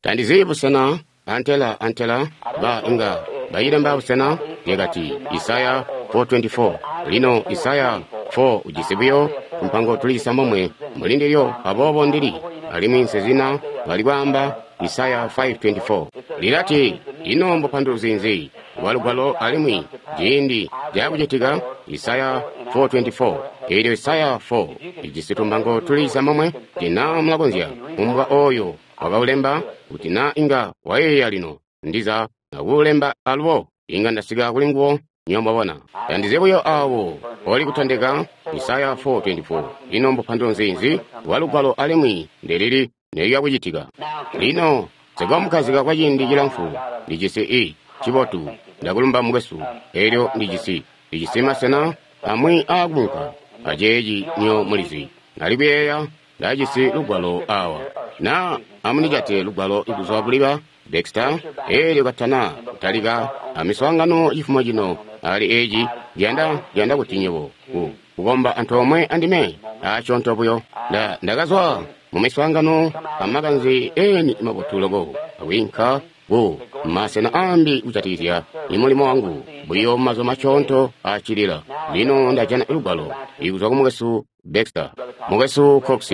Ta ndizi busena, antela, antela, ba inga bayilemba busena, lyakati Isaya 4:24. Lino Isaya 4 ujisi buyo tumpango tuli cisambomwe muli ndilyo, aboobo Ndili, alimwi nsezina bali kwaamba Isaya 5:24. Lilati, ino mbupanduluzi nzi bwa Lugwalo alimwi ciindi cakucitika Isaya 4:24. Eelyo Isaya 4 ijisi tumpango tuli cisambomwe, kuti mulakonzya kumbwa oyo wakaulemba, kuti na inga wayeeya lino, ndiza akuulemba alubo, inga ndasika kuli nguwo, nywebo mwabona. Tandizi buyo awo oli kutondeka Isaya 4:24. Ino mbupanduluzi nzi bwa Lugwalo alimwi ndelili nelya kucitika? Lino, nsikomukazika kwa ciindi cilamfu, ndijisi i cibotu, ndakulumba mukwesu. Elyo ndijisi, ndijisi masena amwi aakunka aceeci nyo mulizi. Nali kuyeeya ndajisi lugwalo awa. Na amunijate lugwalo kuzwa kuli ba Baxter, elyo katana kutalika amiswaangano cifumo cino ali eci, ndiyanda, ndiyanda kuti nywebo ku kukomba antoomwe andime asyoonto buyo. Nda, ndakazwa mu miswaangano amakanze eni mabotu loko, akwiinka ku masena ambi kujatikizya imulimo wangu buyo mazuba masyoonto acilila. Lino ndajana lugwalo ikuzwa ku mukwesu Baxter. Mukwesu Cox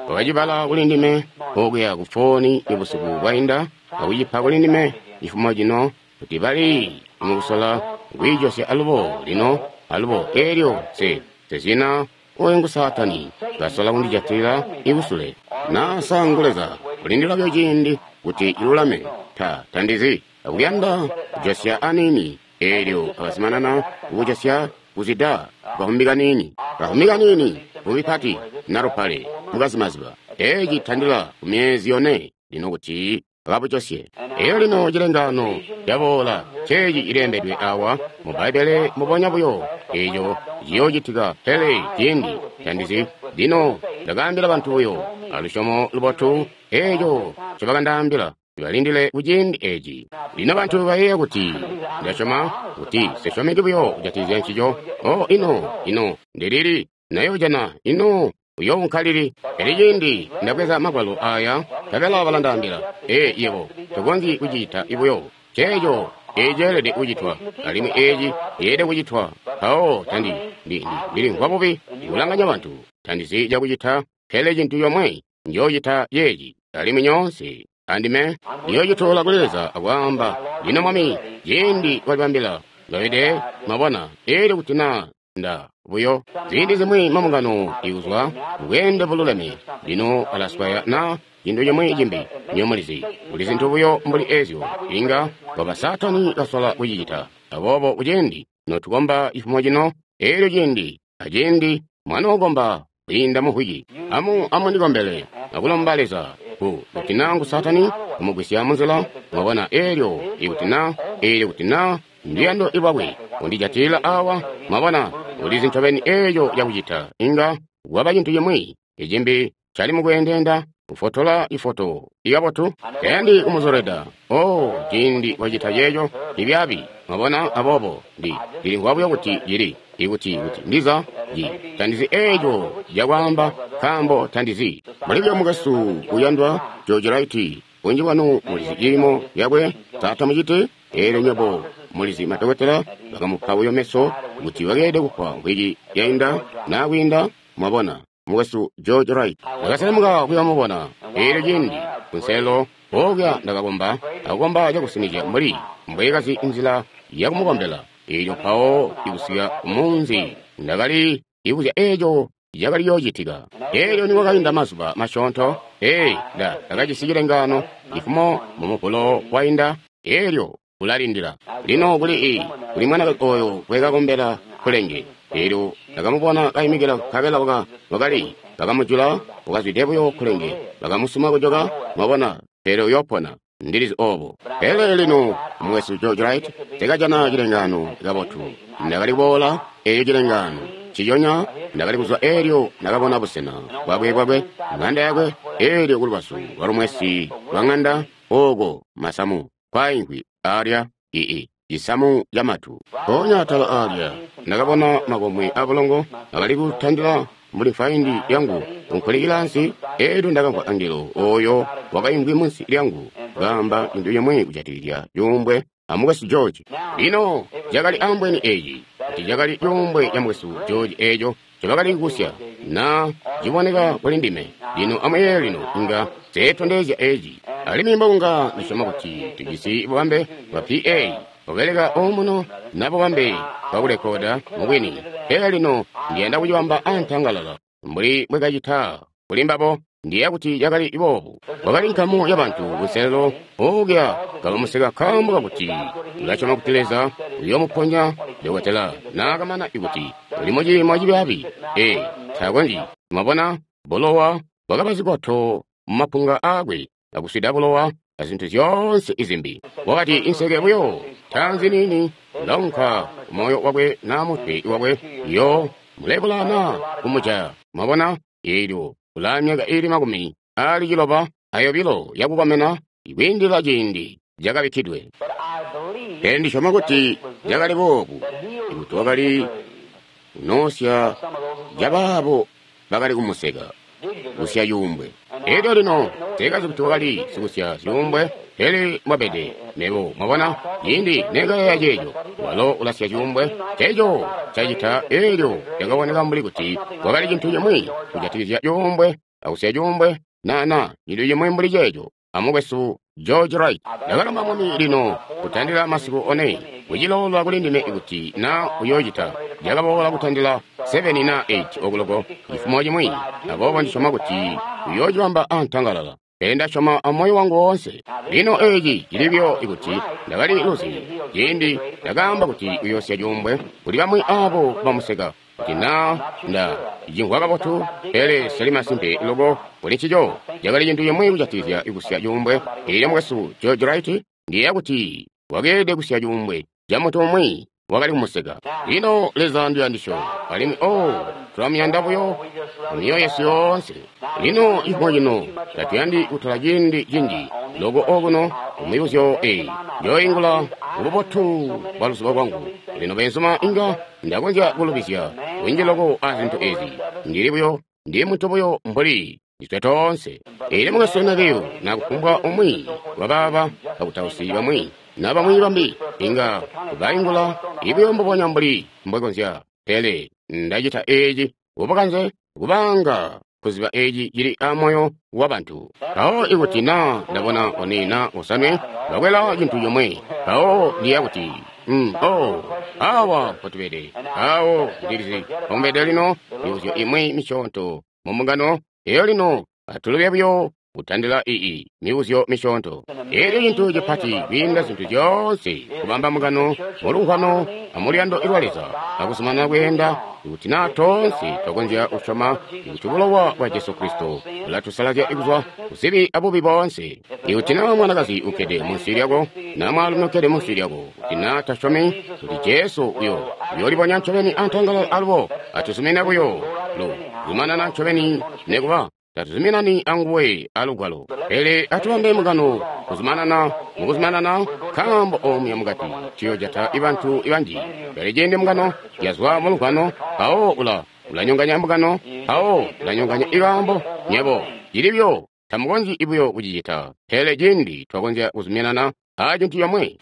wakacibala kuli ndime okuya ku fooni ibusiku bwainda, akucipa kuli ndime cifumo cino, kuti bali mukusola kwiijosya alubo lino, alubo elyo nse, nse zina oyo ngu Saatani kasola kundijatilila ikusule. Na sa ngu Leza kulindila buyo ciindi kuti ilulame. Ta, ta ndizi. Akuyanda kujosya aniini, elyo akazumanana kujosya kuzida kahumbi kaniini, kahumbi kaniini, vumbi pati na lupale mukazimaziba. Eci tandila ku myezi yone lino kuti akabujosye. Elyo lino cilengaano caboola, nceeci cilembedwe awa mu Bbaibbele mbubonya buyo eco ciyoocitika, pele ciindi tandizi. Lino ndakaambila bantu buyo alusyomo lubotu eco ncobakandaambila, balindile kuciindi eci. Lino bantu bayeeya kuti ndasyoma kuti sisyomeki buyo kujatikizya ncico. Oh, ino, ino ndilili nayojana, ino uyounka lili? Pele ciindi ndabweza magwalo aya, nkabela balandaambila, Ee, yebo tokonzyi kucita buyo ceeco. Eci ceelede kucitwa, alimwi eci ceelede kucitwa. Mpawo tandi, ndi, ndi, ndilimvwa bubi ikulanganya bantu. Tandizi cakucita, pele cintu comwe njoocita ceeci, alimwi nyoonse andime ndiyoocitola kuli Leza akwaamba, Lino Mwami, ciindi walibambila, lobede, mwabona, elyo kuti na Nda buyo ziindi zimwi mambungano ikuzwa bweende bululeme, lino alaswaya na cintu cimwi cimbi, nywebo mulizi, kuli zintu buyo mbuli ezyo, inga kwaba Saatani kasola kucicita. Aboobo kuciindi notukomba cifumo cino, elyo ciindi aciindi mwanookomba kwiinda mu mvwiki, amu, amundikombele akulomba Leza, ku, kuti na ngu Saatani kumugwisya munzila, mwabona, elyo ikuti na, elyo kuti na nduyando lwakwe kundijatilila awa, mwabona, ulizi ncobeni eco cakucita. Inga kwaba cintu cimwi icimbi cali mukweendeenda kufotola ifoto ikabotu, tayandi kumuzolweda. Oh, ciindi wacita ceeco cibyaabi, mwabona. Aboobo ndi, ndilimvwa buyo kuti cili, ikuti, kuti ndiza ci, tandizi eco cakwaamba, nkaambo tandizi. Mbuli buyo mukwesu uyandwa George Wright, bunji bwanu mulizi ciimo yakwe, sa tamuciti? Elyo nywebo mulizi madokotela bakamupa buyo meso kuti bakeelede kufwa mvwiki yainda na kwiinda, mwabona, mukwesu George Wright. Ndakaselemuka kuya mubona. Elyo cindi kunselelo okuya ndakakomba, akukomba cakusinizya mbuli mbwekazi nzila yakumukombela. Elyo mpawo ikusika kumunzi ndakali ibuzya eco cakali yoocitika. Elyo nikwakainda mazuba masyoonto, ee, Nda ndakajisi cilengaano cifumo mu Muvulo wainda. Elyo ulalindila. Lino kuli i, kuli mwanakazi oyo wekakombela kkulenge. Elyo ndakamubona kaimikila nkabela waka, wakali, bakamujula, wakazwide buyo kkulenge, bakamusuma kujoka, mwabona, pele uyopona. Ndi lizi obo. Pele lino, Mukwesu George Wright, Nse cilengaano kabotu. Ndakali kuboola eco cilengaano nciconya, ndakali kuzwa elyo ndakabona busena bwakwe, bwakwe, ng'anda yakwe, elyo ku lubazu lwa lumwesi lwa ng'anda, oko masamu kwaimvwi alya, i, i cisamu ca matu. Mpoonya atala alya, ndakabona makomwe abulongo akali kutandila mbuli mfaindi yangu kunkulikila ansi, elyo ndakamvwa angelo oyo wakaimvwi munsi lyangu. kaamba cintu cimwi kujatikizya cuumbwe a mukwesu George. Lino cakali ambweni eci kuti cakali cuumbwe ca mukwesu George eco ncobakali kusya, na ciboneka kuli ndime. Lino amuyeeye lino, inga nseetondezya eci. Alimwi mbokunga ndisyoma kuti tujisi bubambe bwa PA bubeleka omuno na bubambe bwa kurekoda mubwini. Pele lino ndiyanda kucibamba antangalala mbuli mbwekacita kuli mbabo. Ndiyeeya kuti cakali boobu. Kwakali nkamu ya bantu kunselelo okuya kabamuseka nkaambo kakuti ulasyoma kuti Leza uyoomuponya dokotela naakamana ikuti uli muciimo cibyaabi. Ee, takonzyi. Mwabona, bulowa bwakaba zikoto mumapunga aakwe, akuswida bulowa azintu zyoonse izimbi. Wakati inseke buyo taanzi niini ulaunka kumoyo wakwe na mutwe wakwe, iyo mulebula na kumujaya. Mwabona, eelyo ulaa myaka iili 62 yakukomena kwiindila ciindi cakabikkidwe. Pele ndisyoma kuti cakali boobu, ikuti wakali kunoosya cabaabo bakali kumuseka kusya cuumbwe. Elyo lino nseekazi kuti wakali sikusya zyuumbwe, pele mbwabede mebo. Mwabona, ciindi nekayeeya ceeco, walo ulasya cuumbwe, ceeco cacita. Elyo cakaboneka mbuli kuti kwakali cintu cimwi kujatikizya cuumbwe akusya cuumbwe, na cintu cimwi mbuli ceeco. Amukwesu George Wright, ndakalomba Mwami lino kutandila masiku one kucilola kuli ndime kuti na uyoocita. Cakaboola kutandila 7 na 8 okuloko cifumo cimwi, aboobo ndisyoma kuti uyoocibamba antangalala. Pele ndasyoma amoyo wangu woonse. Lino eci cili buyo ikuti ndakali luzi ciindi ndakaamba kuti uyoosya cuumbwe kuli bamwi abo bamuseka, kuti na nda cimvwa kabotu, pele seli masimpe loko kuli ncico. Cakali cintu cimwi kujatikizya kusya cuumbwe. Elyo mukwesu George Wright, ndiyeeya kuti wakeelede kusya cuumbwe ca muntu umwi wakali kumuseka. Lino Leza nduyandisyo, alimwi oh, tulamuyanda buyo mumyoyo yesu yoonse. Lino cifumo cino tatuyandi kutola ciindi cinji loko okuno kumibuzyo eyi. Njooingula kububotu bwa luzubo lwangu. Lino beenzuma, inga ndakonzya kulubizya kunji loko a zintu ezi. Ndili buyo, ndi muntu buyo mbuli ndiswe toonse. Elyo mukwesu Neville na kufumbwa umwi wa baaba bakutausi bamwi na bamwi bambi inga baingula ibuyo mbubonya mbuli mbwekonzya. Pele ndacita eci kubukanze kubanga kuziba eci cili a moyo wa bantu. Mpawo ikuti na ndabona one na osanwe bakwela cintu comwe, mpawo ndiya kuti, oh, awa mpotubede, awo ndilizi mpomubede lino. Mibuzyo imwi misyoonto mu mbungano eyo lino atulube buyo kutandila ii mibuzyo misyoonto. Elyo cintu cipati kwiinda zintu zyoonse kubamba mbungano mulumvwano amuluyando lwa Leza akuzumanana kweenda, ikuti na toonse twakonzya kusyoma ikuti bulowa bwa Jesu Kristo bulatusalazya kuzwa kuzibi abubi boonse. Ikuti na mwanakazi ukkede munsi lyako na mwaalumi ukkede munsi lyako, kuti na tasyomi kuti Jesu uyo uyoolibonya ncobeni antangalala alubo, atuzumine buyo lu zumanana ncobeni nekuba tatuzuminani anguwe alugwalo. Pele atubambe mugano kuzumanana mukuzumanana, nkaambo omuya mukati tuyojata bantu banji. Pele ciindi mugano yazwa mulugwano, mpawo ulanyonganya mugano, mpawo ulanyonganya ikaambo. Nyebo cili buyo tamukonzyi buyo kucicita. Pele ciindi twakonzya kuzuminana a cintu comwe,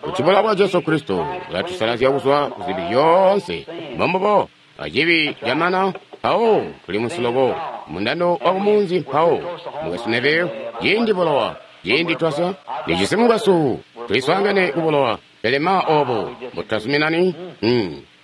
kuti bulowa bwa Jesu Kristo bulatusalazya kuzwa kuzibi zyoonse, mbombubo acibi camana, mpawo tuli munsi loko mundando wa kumunzi. Mpawo mukwesu Neville, ciindi bulowa ciindi twasya lijisi mukwesu, tuliswaangane ku bulowa. Pele ma obo mbututazuminani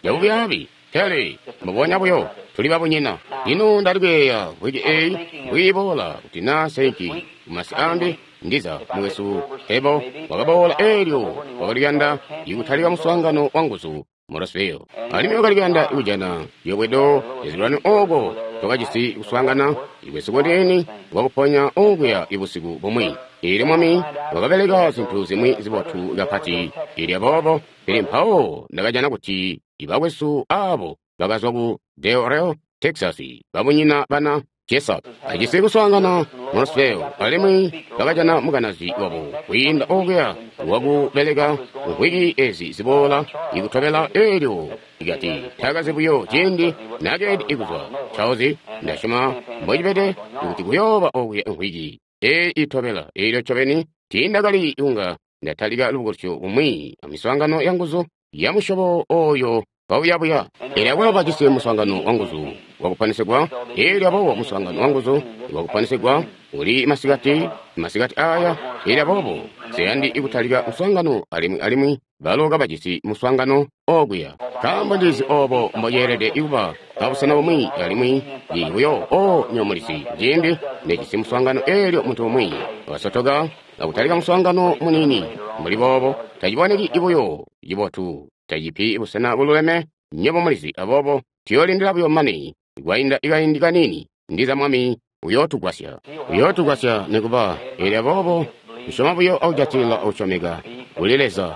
cabubyaabi, pele mbubonya buyo tuli babunyina. Lino ndali kuyeeya wiki eyi mbwiiboola kuti na senki kumasi ambi, ndiza mukwesu Ebo wakaboola eelyo wakali kuyanda ikutalika muswaangano wa nguzu mu Roseville, alimwi wakali kuyanda kujana ciyobwedo cazilwanyo oko twakajisi kuswaangana ikwesu kuniini kwakuponya okuya ibusiku bumwi. Eelyo Mwami wakabeleka zintu zimwi zibotu kapati. Elyo aboobo, pele mpawo ndakajana kuti ibakwesu abo bakazwa ku Del Rio, Texas, babunyina bana Jessup, ajisi kuswaangana mu Roseville, alimwi bakajana mukanazi wabo kwiinda okuya wakubeleka mvwiki ezi ziboola ikutobela. Eelyo ikati takazi buyo ciindi nakeedi ikuzwa Charles, ndasyoma mbocibede kuti kuyooba okuya mvwiki eyi itobela. Eelyo ncobeni Tiindakali kunga ndatalika lubukulusyo kumwi amiswaangano yanguzu ya musyobo oyo kauyabuya. Elyo akwalo bajisi muswaangano wanguzu wakupanisigwa. Elyo aboobo muswaangano wanguzu wakupanisigwa uli masikati, masikati aya. Elyo aboobo nseyandi kutalika muswaangano alimwi alimwi balo kabajisi muswaangano okuya. Nkaambo ndizi obo mbo ceelede kuba abusena bumwi alimwi buyo o nywebo mulizi ciindi nejisi muswaangano elyo muntu umwi wasotoka akutalika muswaangano muniini mbuli boobo, taciboneki buyo cibotu, tacipi busena bululeme, nywebo mulizi. Aboobo tuyoolindila buyo mane kwainda kaindi kaniini, ndiza Mwami uyootugwasya. Uyootugwasya nikuba. Elyo aboobo tusyoma buyo akujatilila akusyomeka kuli Leza.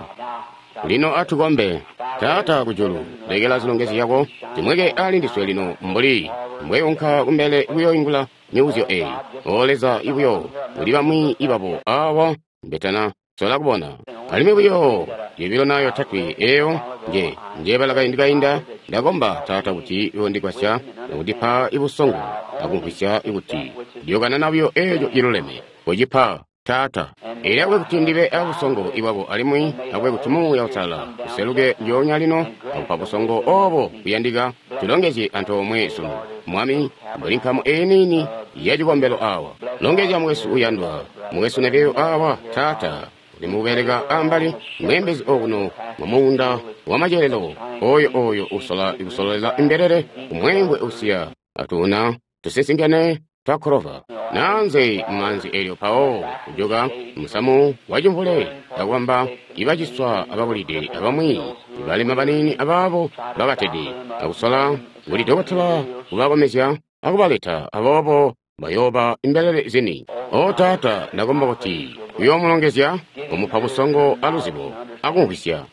Lino atukombe. Taata kujulu, lekela zilongezyo zyako zimweke ali ndiswe lino mbuli mbweunka kumbele kuyoingula mibuzyo eyi. O Leza, ibuyo kuli bamwi ibabo awa mbetana sola kubona. Alimwi buyo yobilo na yotatwe eyo nje njebala kaindi kainda, ndakomba Taata kuti uyondigwasya akundipa ibusongo akumvwisya kuti ndiyokanana buyo eco ciluleme. Kocipa, Taata. Elyo akube kuti ndibe abusongo ibwako alimwi akube kuti Muuya Uusalala useluke ndyoonya lino akupa busongo obo buyandika. Tulongezye antoomwe sunu, Mwami, mbuli nkamu eyi niini ya cikombelo awa. Longezya mukwesu uyandwa, mukwesu Neville awa, Taata, uli mukubeleka ambali mweembezi okuno mu muunda wa macelelo, oyo oyo usola kusololela imbelele kumweengwe usiya atuna tusisinkene twa Clover. Naanze mumaanzi elyo mpawo kujoka musamu wa cimvule akwamba ibaciswa ababulide abamwi balema baniini abaabo bakatede akusola kuli dokotela kubakomezya akubaleta, aboobo bayooba imbelele zini. O Taata, ndakomba kuti uyoomulongezya, umupa busongo aluzibo akumvwisya.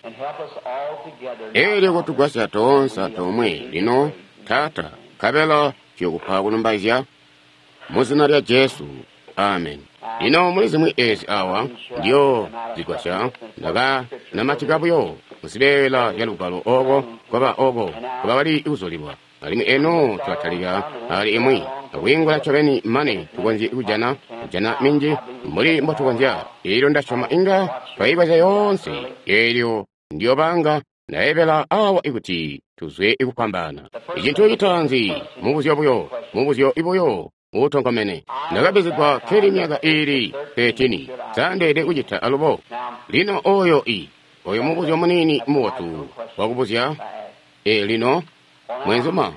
Elyo kutugwasya toonse antoomwe lino, Taata, nkabela tuyokupa kulumbaizya mu zina lya Jesu. Amen. Lino muli zimwi ezi awa ndiyo zigwasya, ndaka namatika buyo muzibeela zya lugwalo oko kwaba oko kwaba kali kuzulilwa. Alimwi eno tulatalika ali imwi akwiingula ncobeni mane tukonzye kujana kujana minji mbuli mbo tukonzya. Elyo ndasyoma inga twaibweza yoonse. Elyo ndiyobanga ndaebela awa ikuti tuzwe ikufwambaana. Icintu citaanzi mubuzyo buyo, mubuzyo ibuyo utonkomene. Ndakabizigwa keli myaka iili 13. Sandeede kucita alubo. Lino oyo i oyo mubuzyo muniini mubotu wakubuzya. E lino mwenzuma,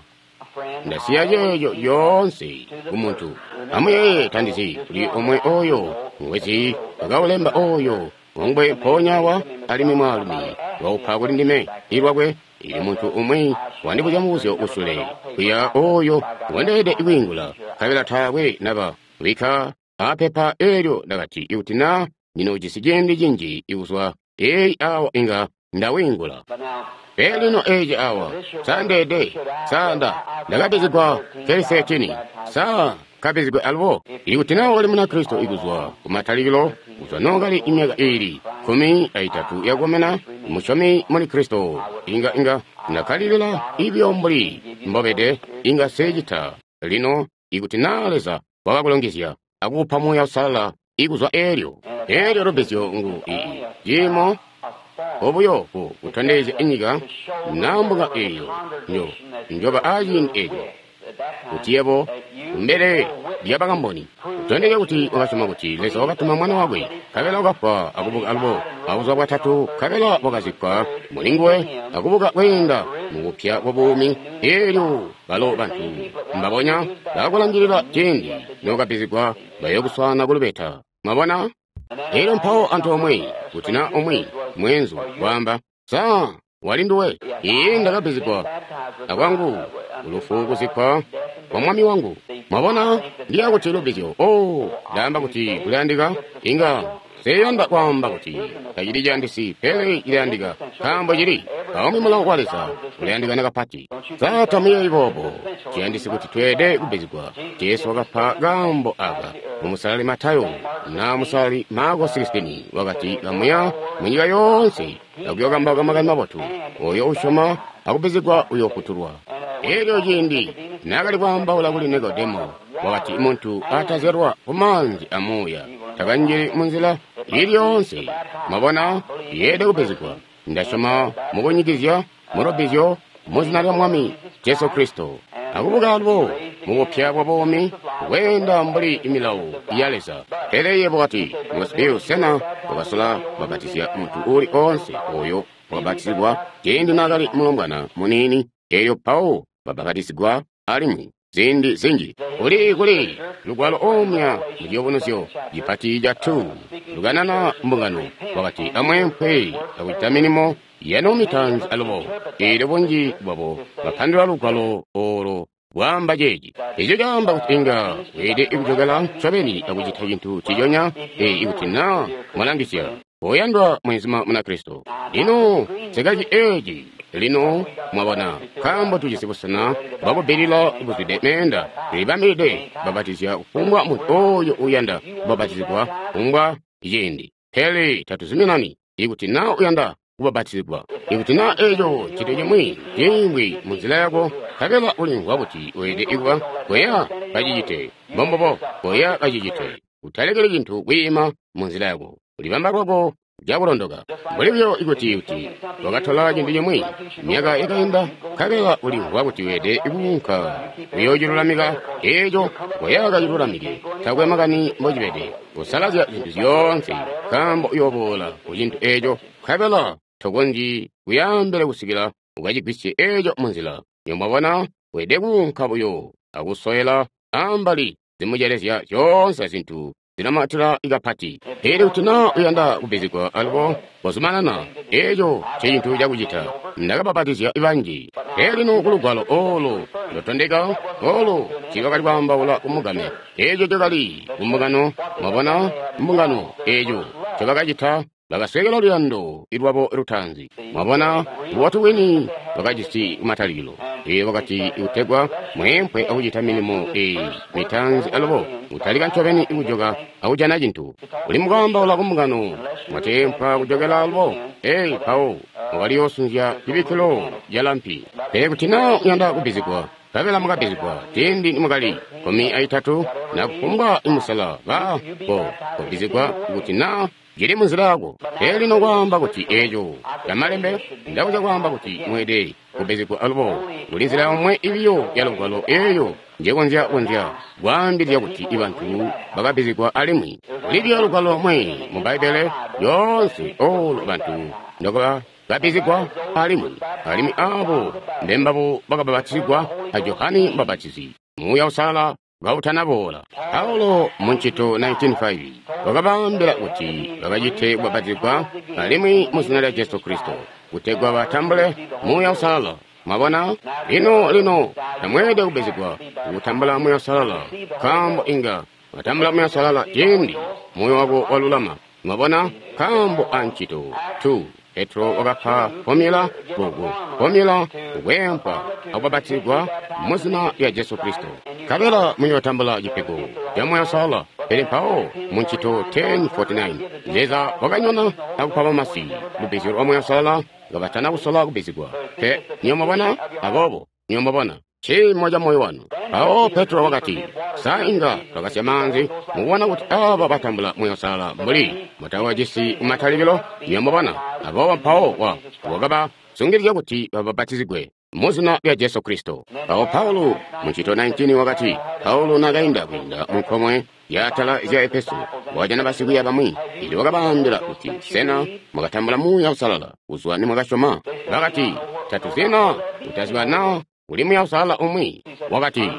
ndasiya ceeco lyoonse ku muntu. Amuyeeye, tandizi kuli omwe oyo ngwezi wakaulemba oyo ngwe mpoonya awa, alimwi mwaalumi waupa kuli ndime ilwakwe. Ili muntu umwi wandibuzya mubuzyo usule kuya oyo ngwendeelede kwiingula, nkabela taakwe naba bikka apepa eelyo. Ndakati ikuti na ndinoojisi ciindi cinji ikuzwa eyi awa inga ndawiingula. Pele lino eci awa sandeede sanda ndakabizigwa keli 13 sa kabizigwe alubo. Ikuti na wakali Munakristo ikuzwa kumatalikilo, kuzwa nookali imyaka iili 13 yakukomena, musyomi muli Kristo, inga inga ndakalilila ibyo mbuli mbobede, inga secita. Lino ikuti na Leza wakakulongezya akukupa Muuya Uusalala ikuzwa eelyo, eelyo lubbizyo ngu ii ciimo obuyo ku kutondezya inyika na mbunga eyo njo njoba aciindi eco kuti yebo kumbele lya bakamboni kutondezya kuti wakasyoma kuti Leza wakatuma mwana wakwe, nkabela wakafwa akubuka alubo abuzuba bwatatu, nkabela wakazikkwa muli nguwe akubuka kweenda mubupya bwa buumi. Eelyo balo bantu mbabonya bakakulangilila ciindi nookabizigwa bayokuswaana kulubeta. Mwabona? Elyo mpawo antoomwe kuti na umwi mweenzu waamba, sa wali nduwe? Iye, ndakabizigwa akwangu kulufu kuzikkwa kwa Mwami wangu. Mwabona, ndiya kuti lubbizyo. Oh, ndaamba kuti kulayandika. Inga seyanda kwaamba kuti tacili ciyandisi, pele cilayandika, nkaambo cili aumwi mulawo wa Leza ulayandikana kapati. Sa tamuyeeyi boobo? Ciyandisi kuti tweede kubbizigwa. Jesu wakapa kaambo aka mu Musalali Matayo na Musalali Marko 16, wakati kamuya munyika yoonse akuyokambauka makani mabotu, oyo usyoma akubbizigwa uyofutulwa. Elyo ciindi naakali kwaambaula kuli Nikodemo, wakati muntu atazyalwa ku maanzi a Muuya takanjili munzila Ili yoonse, mwabona, yeelede kubbizigwa. Ndasyoma mukunyikizya mulubbizyo mu zina lya Mwami Jesu Kristo, akubuka alubo mubupya bwa buumi, kweenda mbuli milawo ya Leza. Pele yebo wati, Mukwesu, sena wakasola kubbapatizya muntu uuli oonse oyo wakabatizigwa ciindi naakali mulombwana muniini, elyo mpawo babbapatizigwa alimwi ziindi zinji? Kuli kuli lugwalo omya mu Ciyubunuzyo cipati ca 2 lukanana mbungano, wakati, amweempwe akucita milimo yanu mitaanzi alubo. Eelyo bunji bwabo bapandulula lugwalo olo bwaamba ceeci. Eco caamba kuti inga weelede kujokela ncobeni akucita cintu ciconya, ikuti na mwalangisya. Oyandwa mwenzuma Munakristo, lino sekaci eeci. Lino mwabona, nkaambo tujisi busena bwakubbilila buzwide meenda, tulibambilide kubbapatizya kufumbwa muntu oyo uyanda kubbapatizigwa kufumbwa ciindi. Pele tatuzuminani ikuti na uyanda kubbapatizigwa. Ikuti na eco cintu cimwi ciimvwi munzila yako, nkabela ulimvwa kuti weelede kuba, koya kacicite. Mbombubo, koya kacicite. Utalekeli cintu kwiima munzila yako. Ulibamba lwako cakulondoka. Mbuli buyo ikuti kuti wakatola cintu cimwi myaka yakainda, nkabela ulimvwa kuti weelede kuunka kuyoocilulamika eeco, koya kacilulamike. Takwe makani mbocibede, usalazya zintu zyoonse, nkaambo uyooboola ku cintu eeco, nkabela tokonzyi kuyaambele kusikila ukacigwisye eeco munzila. Mwabona, weelede kuunka buyo akusowela ambali zimucelezya zyoonse zintu zinamatila kapati. Pele kuti na uyanda kubbizigwa alubo, kozumanana, eeco ncecintu cakucita. Ndakabapatizya banji. Pele lino kulugwalo olo lutondeka olo tiibakali kwaambaula kumugame. Eeco cakali kumbungano, mwabona, mbungano eeco ncobakacita, bakasweekelwa luyando lwabo lutaanzi. Mwabona, bubotu bwini bakajisi kumatalikilo. Ee, wakati kutegwa mweempwe akucita milimo eyi mitaanzi alubo, kutalika ncobeni kujoka akujana cintu. Uli mukwaambaula kumbungano, mwateempwa kujokela alubo. Ee, mpawo mwakaliyoosunzya cibikkilo ca lampi. Pele kuti na uyanda kubbizigwa, nkabela mukabbizigwa ciindi nimwakali 13 na kufumbwa imusela, ba ko kubbizigwa kuti na cili munzila yako. Pele lino kwaamba kuti eeco camalembe, ndakuza kwaamba kuti mweelede kubbizigwa alubo. Kuli nzila yomwe ibiyo ya lugwalo eeyo njekonzya konzya kwaambilizya kuti ibantu bakabbizigwa alimwi. Kuli biyo lugwalo lomwe mu Bbaibbele lyoonse olo bantu ndobakabbizigwa alimwi, alimwi aabo mbembabo bakabapatizigwa a Johane Mubapatizi, Muuya Uusalala kautanaboola. Paulo mu Ncito 19:5 wakabaambila kuti bakacite kubapatizigwa alimwi mu zina lya Jesu Kristo kutegwa batambule Muuya Uusalala. Mwabona? Lino, lino tamweelede kubbizigwa kutambula Muuya Uusalala, nkaambo inga watambula Muuya Uusalala ciindi moyo wako walulama. Mwabona? Nkaambo a Ncito 2 Petro wakapa fomula gogo fomula kukwempwa akubapatizigwa mu zina lya Jesu Kristo, nkabela muyootambula cipego ca Muuya Uusalala. Pele mpawo mu Ncito 10:49 Leza wakanyona akupa bamasi lubbizyo lwa Muuya Uusalala kabatana kusola kubbizigwa. Pe niyo mwabona? Aboobo niyo mwabona ciimo ca moyo wanu. Mpawo Petro wakati, sa inga twakasya maanzi mukubona kuti aba batambula Muuya Uusalala mbuli mutawajisi kumatalikilo? Niyo mwabona? Aboobo mpawo wakabasungilizya kuti babapatizigwe mu zina lya Jesu Kristo. Mpawo Paulo mu Ncito 19 wakati, Paulo nakainda kwiinda mu nkomwe yaatala zya Efeso, wakajana basikwiiya bamwi, elyo wakabaambila kuti, sena mwakatambula Muuya Uusalala kuzwa nimwakasyoma? Bakati, tatuzina kutaziba na kuli Muuya Uusalala umwi. Wakati,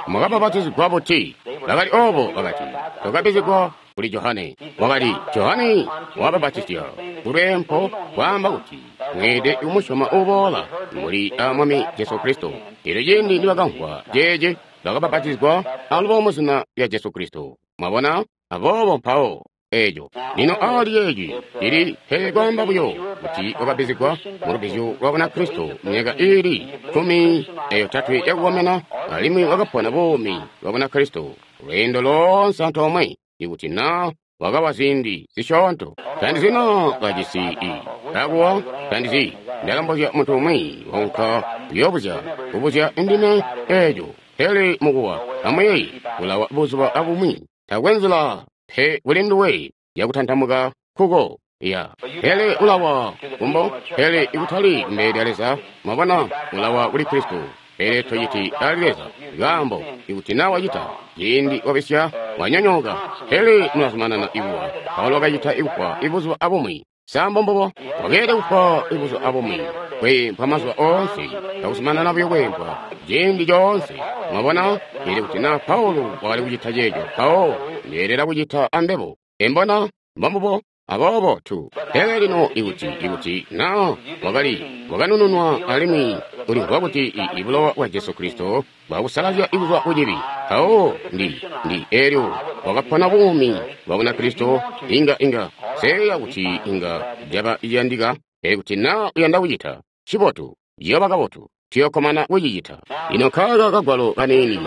mwakabapatizigwa buti? Bakali obo, bakati, twakabbizigwa kuli Johane. Wakati, Johane wabapatizya kulweempo, kwaamba kuti mweelede kumusyoma uboola muli a Mwami Jesu Kristo. Elyo ciindi nibakamvwa ceeci, bakabapatizigwa alubo mu zina lya Jesu Kristo. Mwabona? Aboobo mpawo eeco. Lino aali yeeci cili pele kwaamba buyo kuti wakabbizigwa mu lubbizyo lwa Bunakristo myaka iili 13 yakukomena, alimwi wakapona buumi bwa Bunakristo lweendo loonse antoomwe, ikuti na wakawa ziindi zisyoonto. Tandizina kajisi i kakuwa, tandizi. Ndakambozya muntu umwi waunka kuyoobuzya, kubuzya indime eeco. Pele mukuwa amwiyeyi ulawa buzuba abumwi. Takwe nzila pe kuli nduwe yakutantamuka Nkuko. Ya. Pele ulawa kumbo, pele ikutali kumbele lya Leza. Mwabona, ulawa kuli Kristo. Pele tociti ali Leza. Nkaambo, ikuti na wacita, ciindi wabisya, wanyonyooka. Pele mulazumanana ikuwa. Paulo wakacita ikufwa ibuzuba abumwi. Sa mbombubo? Wakeelede kufwa ibuzuba abumwi. Kweempwa mazuba oonse, kakuzumanana buyo kweempwa ciindi coonse. Mwabona, pele kuti na Paulo wakali kucita ceeco, mpawo ndeelela kucita ambebo. Embona, mbombubo. Aboobo tu. Pele lino ikuti na wakali wakanununwa alimwi ulimvwa kuti ibulowa bwa Jesu Kristo bwakusalazya kuzwa ku cibi, mpawo ndi elyo wakapona buumi bwa Bunakristo, inga seya kuti inga caba ciyandika. Pele kuti na uyanda kucita cibotu, ciyooba kabotu, tuyokkomana kucicita. Lino nkaaka kagwalo kaniini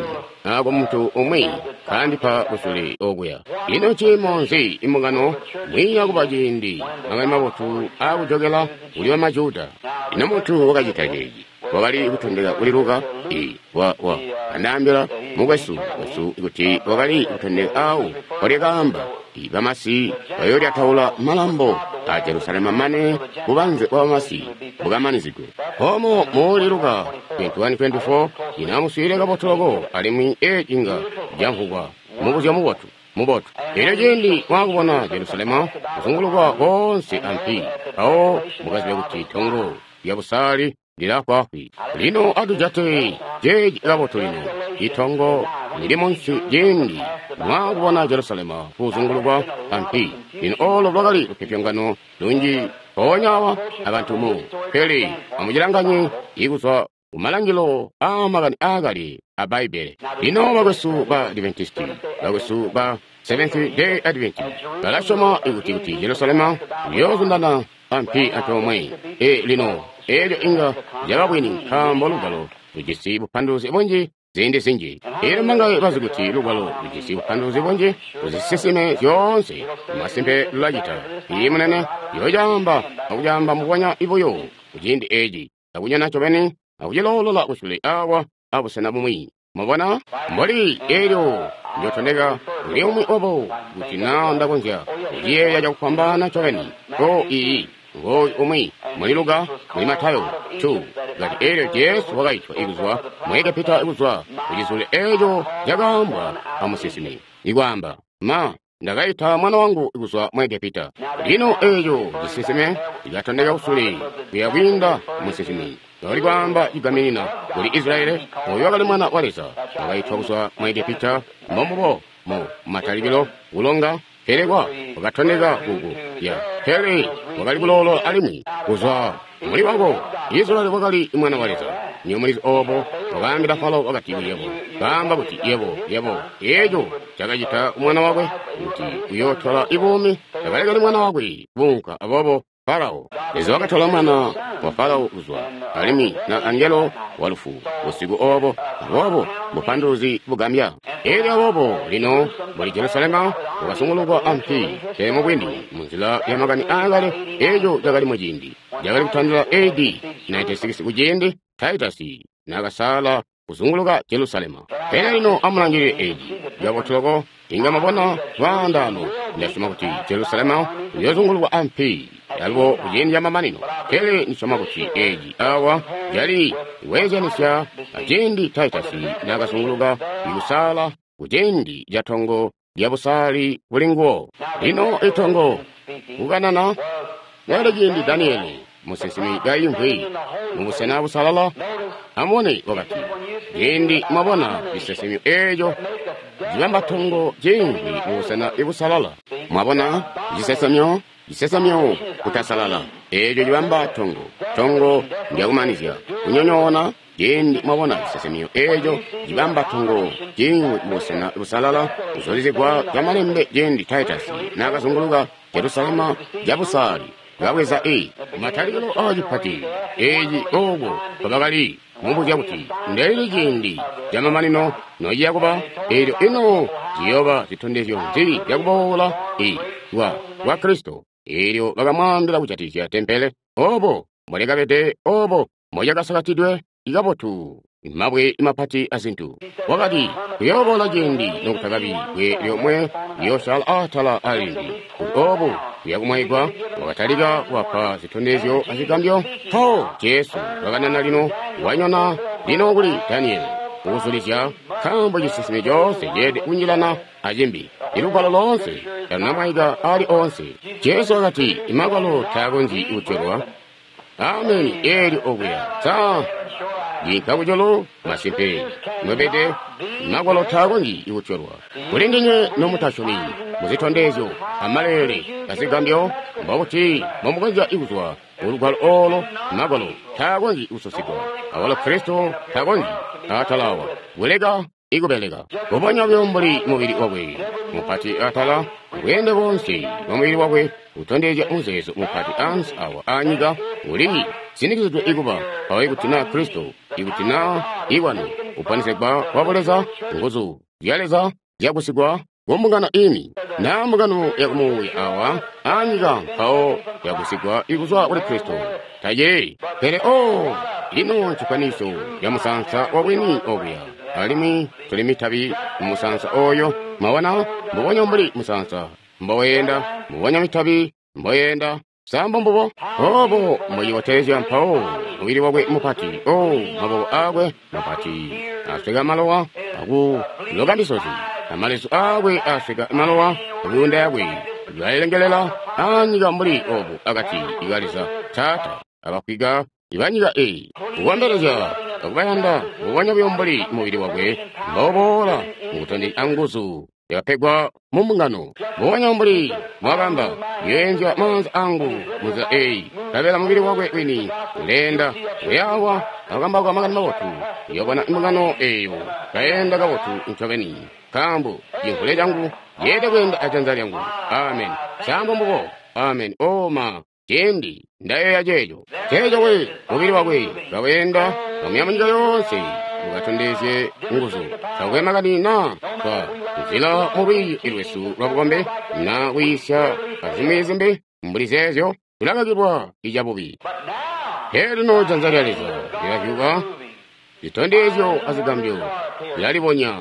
ako muntu umwi kandipa kusule okuya. Ino ciimo nzi imbungano mwiiya kuba ciindi makani mabotu aakujokela kuli bamajuda? Ino muntu wakacita ceeci wakali kutondeka kuli Luka? Wa andaambila mukwesu wesu kuti wakali kutondeka awo walyakaamba bamasi bayoolyataula malambo a Jerusalema mane bubanze bwa bamasi bukamanizigwe. Omo muli Luka 21:24 ino amuswiile kabotu loko, alimwi eci inga camvwugwa mubuzyo mubotu. Mubotu. Elyo ciindi mwakubona Jerusalema kuzungulukwa koonse ampi, mpawo mukazibe kuti tongo lya busaali lilafwaafwi. Lino atujate ceeci kabotu lino. Itongo lili munsi ciindi mwakubona Jerusalema kuzungulukwa ampi. Lino olo lwakali lupyopyongano lunji mpoonya awa abantu mu. Pele amucilanganye ikuzwa kumalangilo aamakani aakale a Bbaibbele. Lino bakwesu ba Adventisti, bakwesu ba Seventh Day Adventist balasyoma ikuti Jerusalema uyoozundana ampi antoomwe. Lino elyo inga lyaba bwini nkaambo lugwalo lujisi bupanduluzi bunji ziindi zinji. Elyo mbangaye bazi kuti lugwalo lujisi bupanduluzi bunji kuzisisime zyoonse? Masimpe lulacita. Ii munene yocaamba akucaamba mbubonya ibuyo kuciindi eci, akunyona ncobeni akuciloolola kusule awa abusena bumwi. Mwabona, mboli elyo njotondeka kuli umwi obo kuti na ndakonzya kuciyeeya cakufwambaana ncobeni. O ii ngooyu umwi muli Luka, muli Matayo 2, ngati elyo Jesu wakaitwa ikuzwa mu Egepita kuzwa kucizule eco cakaambwa amusinsimi, ikwaamba, ma ndakaita mwana wangu kuzwa mu Egepita. Lino eco cisinsime cikatondeka kusule kuya kwiinda musinsimi. Loli kwaamba cigaminina kuli Israeli, oyo wakali mwana wa Leza, wakaitwa kuzwa mu Egepita, mbombubo mu matalikilo kulonga, pele kwa wakatondeka kuku ya pele wakali kuloolola alimwi kuzwa muli wako. Israeli wakali mwana wa Leza. Niyo mulizi obo wakaambila Farao wakati yebo, kaamba kuti yebo yebo eco cakacita mwana wakwe kuti uyootwala ibuumi, takalekele mwana wakwe bunka. Aboobo Farao Leza wakatola mwana wa Farao kuzwa alimwi na angelo wa lufu busiku obo. Aboobo bupanduluzi bugambya. Elyo aboobo lino muli Jerusalema wakasungulukwa ampi, pele mubwini munzila ya makani aakale eco cakali muciindi cakali kutandila AD 96 kuciindi Titus naakasaala kuzunguluka Jerusalema. Pele lino amulangilile eci cabotuloko, inga mwabona lwaandaano. Ndasyoma kuti Jerusalema uyoozungulukwa ampi alubo kuciindi camamanino. Pele ndisyoma kuti eci awa cali kweezyanisya aciindi Titus naakazunguluka ikusaala kuciindi ca tongo lya busaali kuli nguwo. Lino itongo kukanana nali ciindi Daniele musinsimi kaimvwi mubusena busalala. Amubone wakati, ciindi mwabona cisesemyo eco cibamba tongo ciimvwi mubusena busalala. Mwabona cisesemyo, cisesemyo kutasalala eco cibamba tongo. Tongo ndyakumanizya kunyonyoona. Ciindi mwabona cisesemyo eco cibamba tongo ciimvwi mubusena busalala, kuzulizigwa camalembe ciindi Titus naakazunguluka Jerusalema cabusaali. Kabweza matalikilo aacipati eci ooko kabakali mubuzya kuti ndelili ciindi camamanino nociya kuba, elyo ino ziyooba zitondezyo nzi zyakuboola kwa Kristo. Elyo bakamwaambila kujatikizya tempele obo mbolyakabede, obo mbolyakasakatidwe kabotu. mabwe mapati azintu. Wakati, kuyooboola ciindi nokutakabi bwe lyomwe liyoosyaala atala alimbi. Kuti obu buyakumwaigwa, wakatalika kuwapa zitondezyo azigambyo. Mpawo Jesu wakanana lino, wanyona lino kuli Daniele, kukuzulizya, nkaambo cisinsime coonse ceelede kunjilana acimbi. Ilugwalo loonse talunamwaika ali oonse. Jesu wakati, imagwalo taakonzyi kutyolwa. Ameni, eelyo okuya. Sa yinka kujulu masimpe mwebede magwalo taakonzyi kutyolwa. Kuli ndinywe nomutasyomi muzitondezyo amaleele azigambyo, mbokuti mbomukonzya kuzwa kulugwalo oolo. Magwalo taakonzyi kususigwa, awalo Kristo taakonzyi atalawa kuleka ikubeleka. Mbubonya buyo mbuli mubili wakwe mupati atala, bweende boonse bwa mubili wakwe butondezya muzeezo mupati ansi awa anyika uli sinikizidwe ikuba mpawo. Ikuti na Kristo, ikuti na iwanu uponesegwa kwa buleza, nguzu zya Leza zyakusigwa kumbungano ini na mbungano yakumuuya awa anyika, mpawo yakusigwa ikuzwa kuli Kristo tayeeyi. Pele o lino ncifaniso ya musansa wa bwini okuya, alimwi tuli mitabi mu musansa oyo. Mwabona, mbubonya mbuli musansa mboyenda, mbubonya mitabi mboyenda. Sambo mbubo obo mbocibotezya. Mpawo mubili wakwe mupati, o maboko akwe mapati asweka malowa akuloka misozi, amalezu akwe asweka malowa, myuunda yakwe ilalengelela anyika mbuli obu akati ka Leza Taata abafwika ibanyika eyi, kukombelezya akubayanda. Mbubonya buyo mbuli mubili wakwe mboboola mukutondezya nguzu yakapegwa mu mbungano, mbubonya mbuli mwakamba, yoenzya maanza angu munzila eyi, nkabela mubili wakwe wini uleenda uyawa akukambauka makani mabotu. Uyobona mbungano eyo kaenda kabotu ncobeni, nkaambo cimvule cangu yeede kweenda ajanza lyangu. Amen. Sambo mbubo. Amen. Oma ciindi ndayeeya ceeco, ceeco we mubili wakwe kaweenda kamuya munyika yoonse mukatondezye nguzu. Takwe makani na twa nzila mu lwiiyo lwesu lwa bukombe na kwiisya azimwi zimbi mbuli zeezyo, tulakakilwa icabubi. Pele lino janza lya Leza lilazyuka, zitondezyo azigambyo zilalibonya.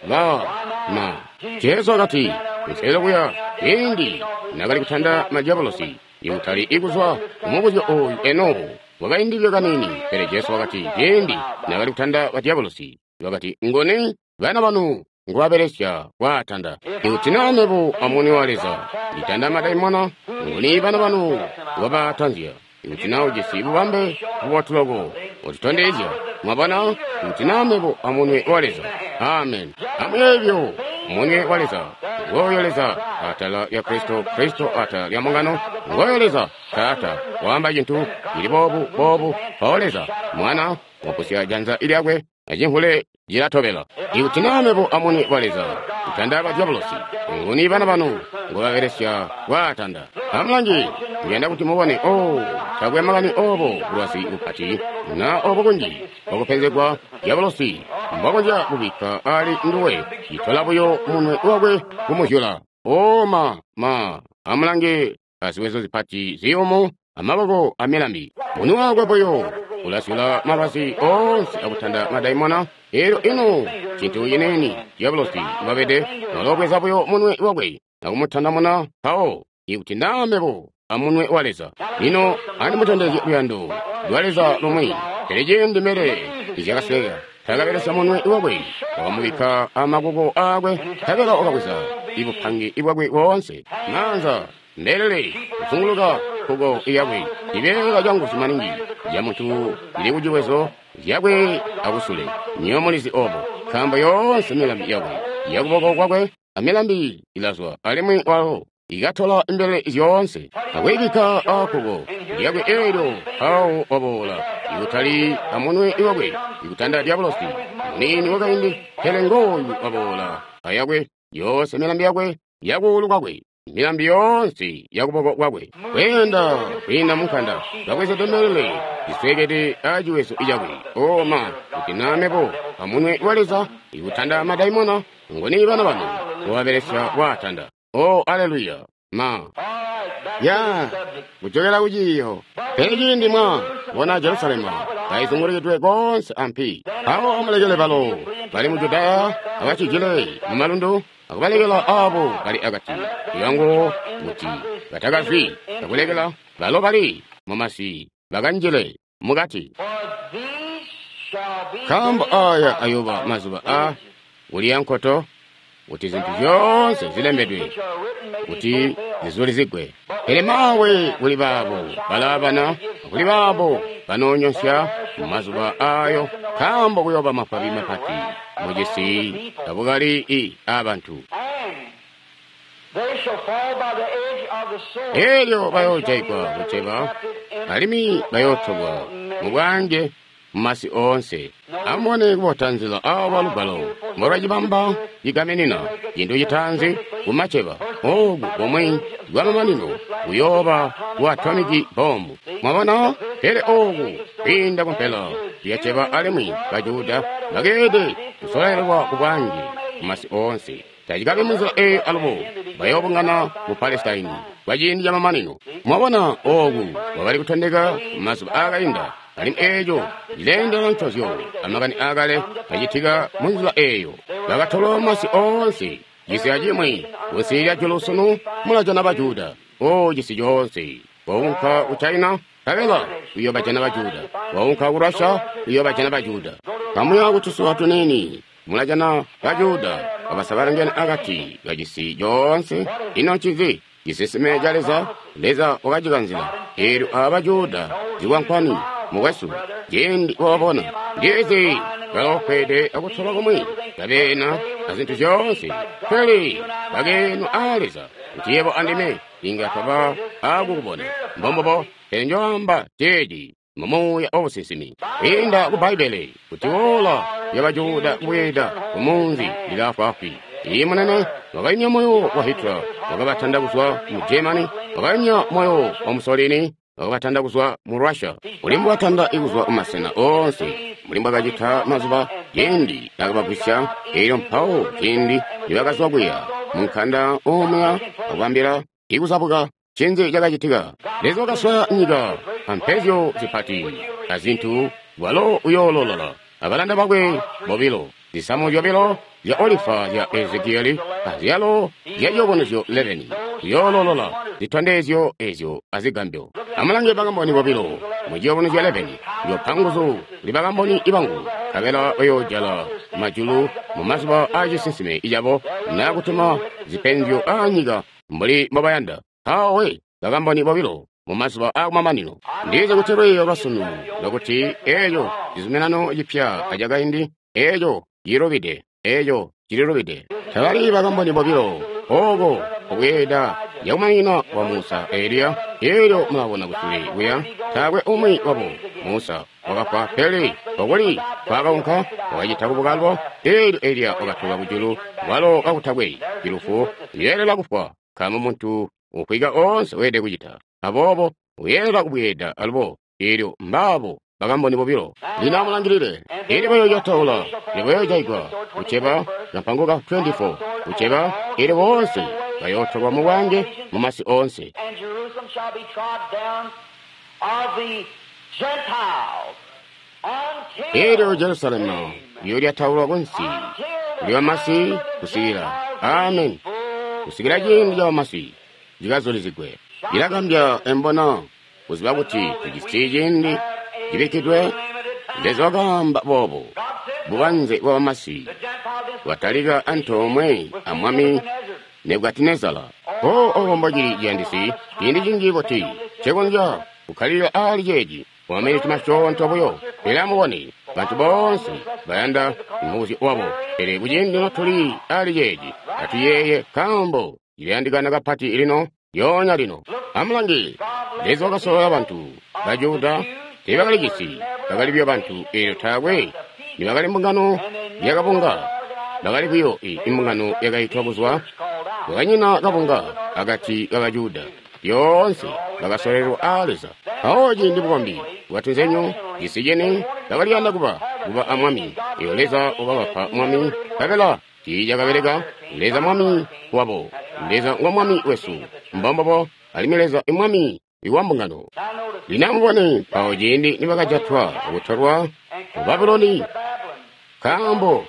Ba ma Jesu wakati kunselelo kuya ciindi nakali kutanda madiabolosi, ikutali ikuzwa kumubuzyo oyu eno wakaindilile kanini, pele Jesu wakati ciindi nakali kutanda badiabolosi, wakati, ngoni bana banu ngubabelesya kwaatanda? Ikuti na mebo amuni wa Leza nditanda madaimona, ngoni bana banu ngubaatanzya? Ikuti na ujisi bubambe bubotu loko, utitondezya. Mwabona, ikuti na mebo amunwe wa Leza. Amen. Amweebyo munwe wa Leza. Ngoyo Leza atala lya Kristo, Kristo atala lya mbungano. Ngoyo Leza Taata waamba cintu cili boobu boobu, mpawo Leza Mwana wapusya janza lyakwe acimvule cilatobela. Ikuti na mebo amunwe wa Leza kutanda badiabolosi, nguni bana banu ngobabelesya kwaatanda? Amulangi, ndiyanda kuti mubone. O takwe makani obo bulwazi bupati na obo kunji bwakupenzegwa diabolosi mbwakonzya kubikka ali nduwe, citola buyo munwe wakwe kumuzyula. O ma amulange aziwezo zipati ziyumu amaboko amilambi, munwe wakwe buyo ulazyula malwazi oonse akutanda madaimona. Elyo ino cintu cineni diabolosi mbwabede, nolobweza buyo munwe wakwe akumutandamuna. Mpawo ikuti na mebo amunwe wa Leza. Lino andimutondezye luyando lwa Leza lumwi. Pele ciindi mbelele izyakasweka, takabelesya munwe wakwe, wakamubikka amaboko akwe, nkabela wakabweza ibupange bwakwe boonse, maanza mbelele kuzunguluka nkuko yakwe, cibeela canguzu maningi ya muntu cili kuciwezo zyakwe akusule. Nywebo mulizi obo, nkaambo yoonse milambi yakwe yakuboko kwakwe amilambi ilazwa, alimwi walo ikatola mbelele zyoonse akuyibikka akkuko lyakwe. Eelyo mpawo waboola ikutali amunwe wakwe ikutanda diabolosi muniini wakaindi, pele ngooyu waboola ayakwe yoonse milambi yakwe yakuulu kwakwe, milambi yoonse yakuboko kwakwe, kweenda kwiinda munkanda, kabwezede mbelele ziswekede aciwezo cakwe. Oma kuti na mebo amunwe wa Leza ikutanda madaimona, ngoni bana banu ngobabelesya kwaatanda? O aleluya. Ma All right, back Ya, kujokela ku ciiyo. Pele ciindi mwa bona Jerusalema kaizungulukidwe koonse ampi, mpawo amulekele balo bali mu Judaya abacijile mu malundu, akubalekela abo bali akati yangu kuti batakazwi, akulekela balo bali mu masi bakanjile mukati. Nkaambo aya ayoba mazuba a kuliya nkoto, kuti zintu zyoonse zilembedwe kuti zizulizigwe. Pele mawe kuli baabo balaabana, kuli baabo banoonyonsya mu mazuba ayo, nkaambo kuyooba mafabi mapati mucisi abukali i abantu. Elyo bayoojaigwa kuceba, alimwi bayootolwa mu bwaange mu masi oonse. Amubone kubota nzila awa lugwalo mbolwacibamba cigaminina cintu citaanzi kumaceba oku komwe kwamamanino kuyooba ku atomiki bomu. Mwabona? Pele oku kwiinda kumpela lyaceba alimwi Bajuda bakeelede kusololelwa ku bwaange mu masi oonse. Tacikabi munzila eeyo alubo bayoobungana mu Palestine kwa ciindi camamanino. Mwabona oku kwakali kutondeka mazuba aakainda, alimwi eeco cileendelana ncozyo amakani aakale acitika munzila eeyo. Bakatolwa masi oonse, cisi acimwi kunsi lya julu sunu mulajana Bajuda. O cisi coonse, waunka ku China, nkabela uyoobajana Bajuda. Waunka ku Russia, uyoobajana Bajuda. Kamuya kutusuwa tuniini, mulajana Bajuda babasabalangene akati kacisi coonse. Ino ncinzi ciseseme ca Leza? Leza wakacikanzila. Eelyo aba Bajuda zikwankwani mukwesu, ciindi wababona ndizi baloofweede akutolwa kumwi kabeena azintu zyoonse, pele bakeenwa aa Leza kuti yebo andime inga twaba aakukubona. Mbombubo, pele njoamba ceeci mu muuya wabusinsimi kwiinda ku Bbaibbele kuti woola lya Bajuda kubweeda ku munzi lilaafwaafwi. Ii munene wakayumya moyo wa Hitler, wakabatanda kuzwa mu Germany, wakayumya moyo wa Mussolini, wakabatanda kuzwa mu Russia, uli mbwatanda kuzwa mu masena oonse, mbuli mbwakacita mazuba ciindi nakabagwisya, elyo mpawo ciindi nibakazwa kuya mu nkanda omuya akubambila ikuzabuka. Ncinzi cakacitika? Leza wakaswaya nyika ampezyo zipati azintu, walo uyoololola abalanda bakwe bobilo, zisamu zyobilo zya olifa zya Ezekieli azyalo zya ciyubunuzyo 11, uyoololola zitondezyo ezyo azigambyo. Amulange bakamboni bobilo mu ciyubunuzyo 11, Njopa nguzu kuli bakamboni bangu, nkabela bayoojala majulu mu mazuba aacisinsime cabo, naa kutuma zipenzyo aanyika mbuli mbobayanda. Awe bakamboni bobilo mu mazuba aakumamanino. Ndizi kuti lwiiyo lwasunu lwakuti eeco cizuminano cipya acakaindi, eeco cilubide, eeco cililubide. Tabali bakamboni bobilo ooko kubweeda yakumanina kwa Musa Eliya. Elyo mulabona kusule kuya taakwe umwi wabo. Musa wakafwa, pele okuli kwakaunka wakacita kubukalwa. Elyo Eliya wakatolwa kujulu walo kakutakwe cilufu, uyeelela kufwa nkaambo muntu ufwika oonse weelede kucita. Aboobo uyeelela kubweeda alubo. Elyo mbaabo bakamboni bobilo. Lino amulangilile. Elyo bayoojataula, elyo bayoojaigwa kuceba kampango ka 24 kuceba, elyo boonse bayootolwa mu bwaange mu masi oonse. And Jerusalem shall be trod down of the Gentiles until Elyo Jerusalemu iyolyataulwa kunsi kuli bamasi kusikila amen, kusikila ciindi ca bamasi cikazulizigwe. Cilagambya embona kuziba kuti tujisi ciindi cibikkidwe. Leza wakaamba boobo, bubanze bwa bamasi bwatalika antoomwe a Mwami Nebukadinezara. O obo mbocili ciyandisi ciindi cinji buti ncekonzya kukkalilila aali ceeci kwa maminiti masyoonto buyo. Pele amubone, bantu boonse bayanda mubuzyo wabo. Pele kuciindi notuli aali ceeci, atuyeeye nkaambo cilayandikana kapati lino, lyoonya lino. Amulange, Leza wakasolola bantu ba Juda teebakali cisi, bakali buyo bantu, eelyo taakwe nibakali mbungano yakabunga, bakali buyo imbungano yakaitwa kuzwa. Kwakanyina kabunga akati ka Bajuda, lyoonse bakasololelwa aa Leza. Mpawo ciindi bukombi bwatunzenyu cisi cini bakaliyanda kuba a mwami, eelyo Leza wakabapa mwami, nkabela tiicakabeleka. Leza mwami wabo, Leza ngo mwami wesu. Mbombubo. alimwi Leza i Mwami wa mbungano. Lino amubone mpawo ciindi nibakajatwa akutolwa ku Babuloni, nkaambo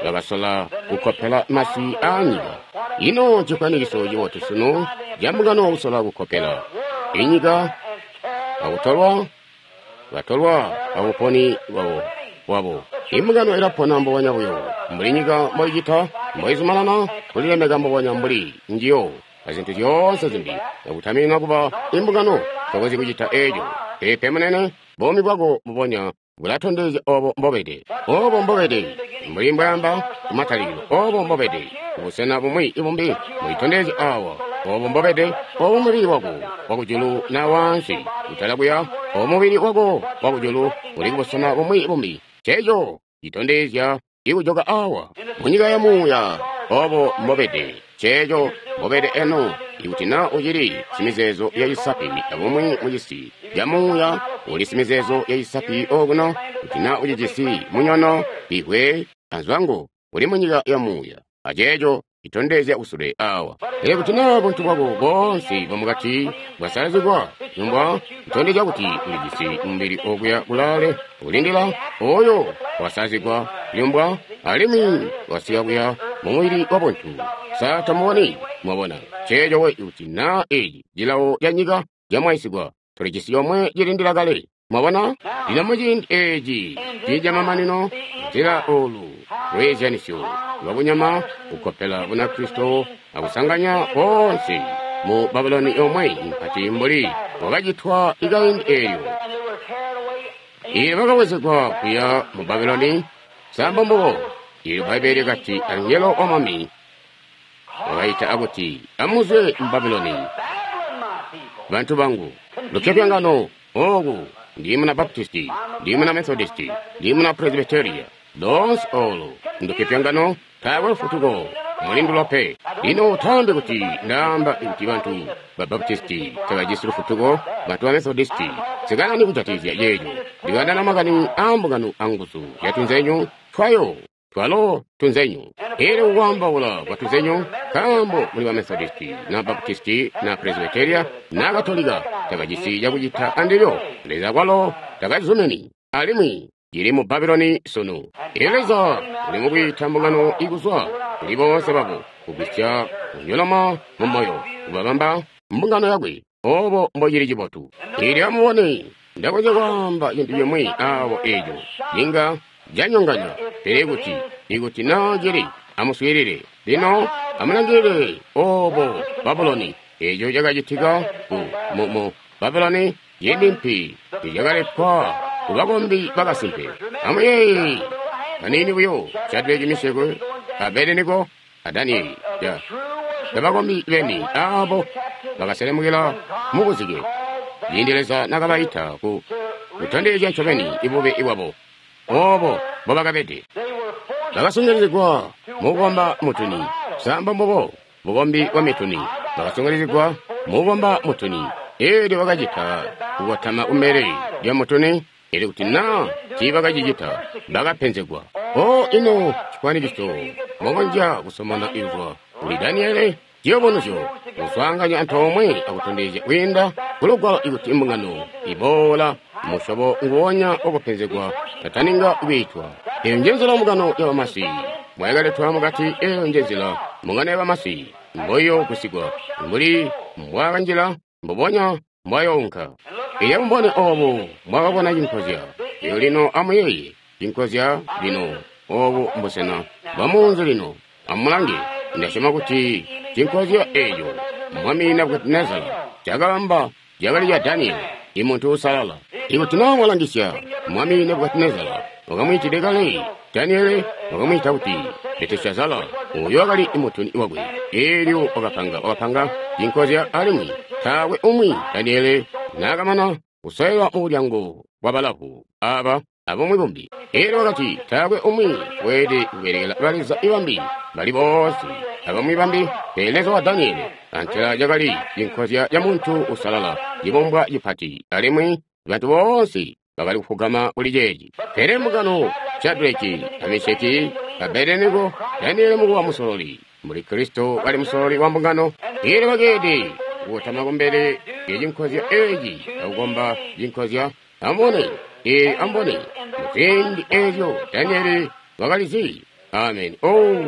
bakasola kukkopela masi aanyika. Ino ncifwanikiso cibotu sunu ca mbungano kusola kukkopela inyika akutolwa, batolwa abuponi bwabo. Imbungano ilapona mbubonya buyo mbuli nyika mboicita, mboizumanana kulilemeka mbubonya mbuli njiyo azintu zyoonse zimbi, akutaminina kuba imbungano. Tokonzyi kucita eco. Peepe munene, buumi bwako mbubonya bulatondezya obo mbobede. Obo mbobede, mbuli mbwaamba kumatalikilo, obo mbobede kubusena bumwi ibumbi mulitondezya awa. Obo mbobede, obo mubili wako wakujulu na waansi kutala kuya, obo mubili wako wakujulu uli kubusena bumwi bumbi. Ceeco citondezya ikujoka awa munyika ya muuya. Obo mbobede, ceeco mbobede eno. Ikuti na ucili simizeezo ya cisapi abumwi mucisi ca muuya, uli simizeezo ya cisapi okuno. Kuti na ucijisi munyono, ihwe anzwango, uli munyika ya muuya, aceeco citondezya kusule awa. Pele kuti na buntu bwako boonse bwamukati bwasalazigwa, yumbwa kutondezya kuti ulijisi mubili okuya kulaale ulindila oyo wasalazigwa, yumbwa alimwi wasika kuya mumubili wa buntu. Sa tamuboni? Mwabona ceeco we. Kuti na eci cilawo ca nyika camwaisigwa, tulijisi yomwe cilindila kale. Mwabona? Lino muciindi eci camamanino, nzila olu lweezyanisyo lwabunyama kukkopela Bunakristo akusanganya boonse mu Babuloni yomwe mpati mbuli wakacitwa ikaindi eelyo. Iye bakawezegwa kuya mu Babuloni. Samba mbubo. Ili Bbaibbele kati angelo wa Mwami wakaita akuti, amuzwe mu Babuloni, bantu bangu. Lupyopyongano oku, ndi muna Baptisti, ndi muna Methodisti, ndi muna Presbyteria, lonse olo ndupyopyongano, taakwe lufutuko mulindulo pe. Lino tambi kuti ndaamba kuti bantu ba Baptisti tabajisi lufutuko, bantu ba Methodisti, sikani kujatikizya ceeco. Ndikandana makani a mbungano anguzu zya tunzenyu twayo, twalo tunzenyu. Elyo kukwaambaula kwa tunzenyu, nkaambo muli ba Methodisti na Baptisti na Presbyteria na Katolika tabajisi cakucita andilyo. Leza kwalo takazumini, alimwi cili mu Babuloni sunu. Elyo Leza uli mukwiita mbungano ikuzwa kuli boonse babo, kugwisya kunyoloma mu moyo, kubabamba mbungano yakwe. Obo mbocili cibotu. Elyo amubone, ndakonzya kwaamba cintu cimwi awo eco inga canyonganya, pele ikuti na cili, amuswiilile. Lino amulangilile obo Babuloni, eco cakacitika mu Babuloni, ciindi mpi icakaletwa ku bakombi bakasimpe. Amuyeeye kaniini buyo Shadraki, Meshaki, Abednego a Danieli, bakombi beni abo bakaselemukila mu buzike ciindi Leza nakabaita ku kutondezya ncobeni ibube bwabo obo mbobakabede. Bakasungilizigwa mukukomba mutuni. Samba mbubo bukombi bwa mituni. Bakasungilizigwa mukukomba mutuni. Elyo bakacita kukotama kumbele lya mutuni. Elyo kuti na tiibakacicita, bakapenzegwa. O ino cifwanikiso mbokonzya kusomana kuzwa kuli Daniele, ciyubunuzyo kuswaanganya antoomwe akutondezya kwiinda kulugwalo ikuti imbungano iboola musyobo nguwonya wakupenzegwa tataninga kwiitwa. Eyo njenzila mbungano ya bamasi mbwayakaletwa mukati. Eyo njenzila mbungano ya bamasi mboiyoogusigwa, mbuli mbwaakanjila mbubonya mbwayounka. Elyo amubone obo mbwakabona cinkozya. Elyo lino amuyeeye cinkozya lino, obu mbusena bwa munzi lino. Amulange, ndasyoma kuti cinkozya eco Mwami Nebukadinezara cakaamba cakali ca Daniele, imuntu uusalala. Ikuti na mwalangisya, Mwami Nebukadinezara wakamwiitide kale Daniele, wakamwiita kuti Belteshazzara, oyo wakali mutuni wakwe. Elyo wakapanga cinkozya, alimwi taakwe umwi Daniele naakamana kusoelwa mulyango wa balavu aba abumwi bumbi. Elyo wakati taakwe umwi weelede kubelekela baleza ibambi bali boonse abamwi bambi pele Leza wa Daniele. Antela cakali cinkozya ca muntu usalala, cibumbwa cipati, alimwi bantu boonse bakali kufugama kuli ceeci. Pele mbungano Shadraki a Meshaki Abednego, Daniele mukuba musololi, mbuli Kristo kali musololi wa mbungano. Elyo bakeede kukotama kumbele lya cinkozya eeci akukomba cinkozya. Amubone, ee, amubone, muziindi eezyo Danieli wakalizi. Amen. Oh,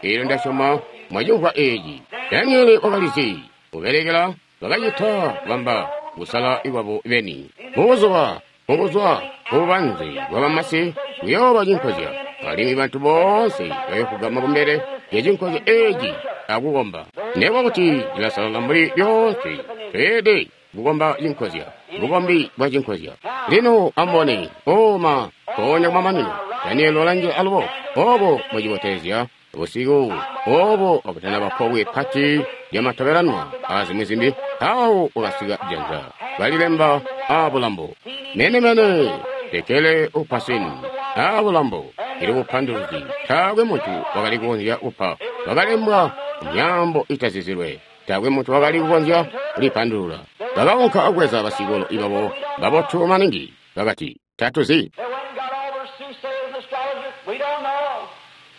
eelyo ndasyoma mwacimvwa eeci. Danieli wakalizi kubelekela, bakacita kubamba kusala kwabo beni. Mubuzuba mubuzwa bubanze bwa bamasi kuyooba cinkozya, alimwi bantu boonse bayofugama kumbele lya cinkozya eeci akukomba. Nekuba kuti cilasalala mbuli lyoonse, tweelede kukomba cinkozya, bukombi bwa cinkozya. Lino amubone, oma mpoonya kumamanino, Danieli walanjila alubo, obo mucibotezya busiku obo akutanaba pobwe pati lyamatobelanwa azimwi zimbi, mpawo wakasika janza balilemba aabulambo. Mene-mene tekele upasini aabulambo ili bupanduluzi, taakwe muntu wakali kukonzya kupa, wakalembwa myaambo itazizilwe, taakwe muntu wakali kukonzya kulipandulula. Bakaunka akubweza basikolo ibabo babotu maningi, bakati tatuzi. They went and got all their soothsayers and astrologers. We don't know.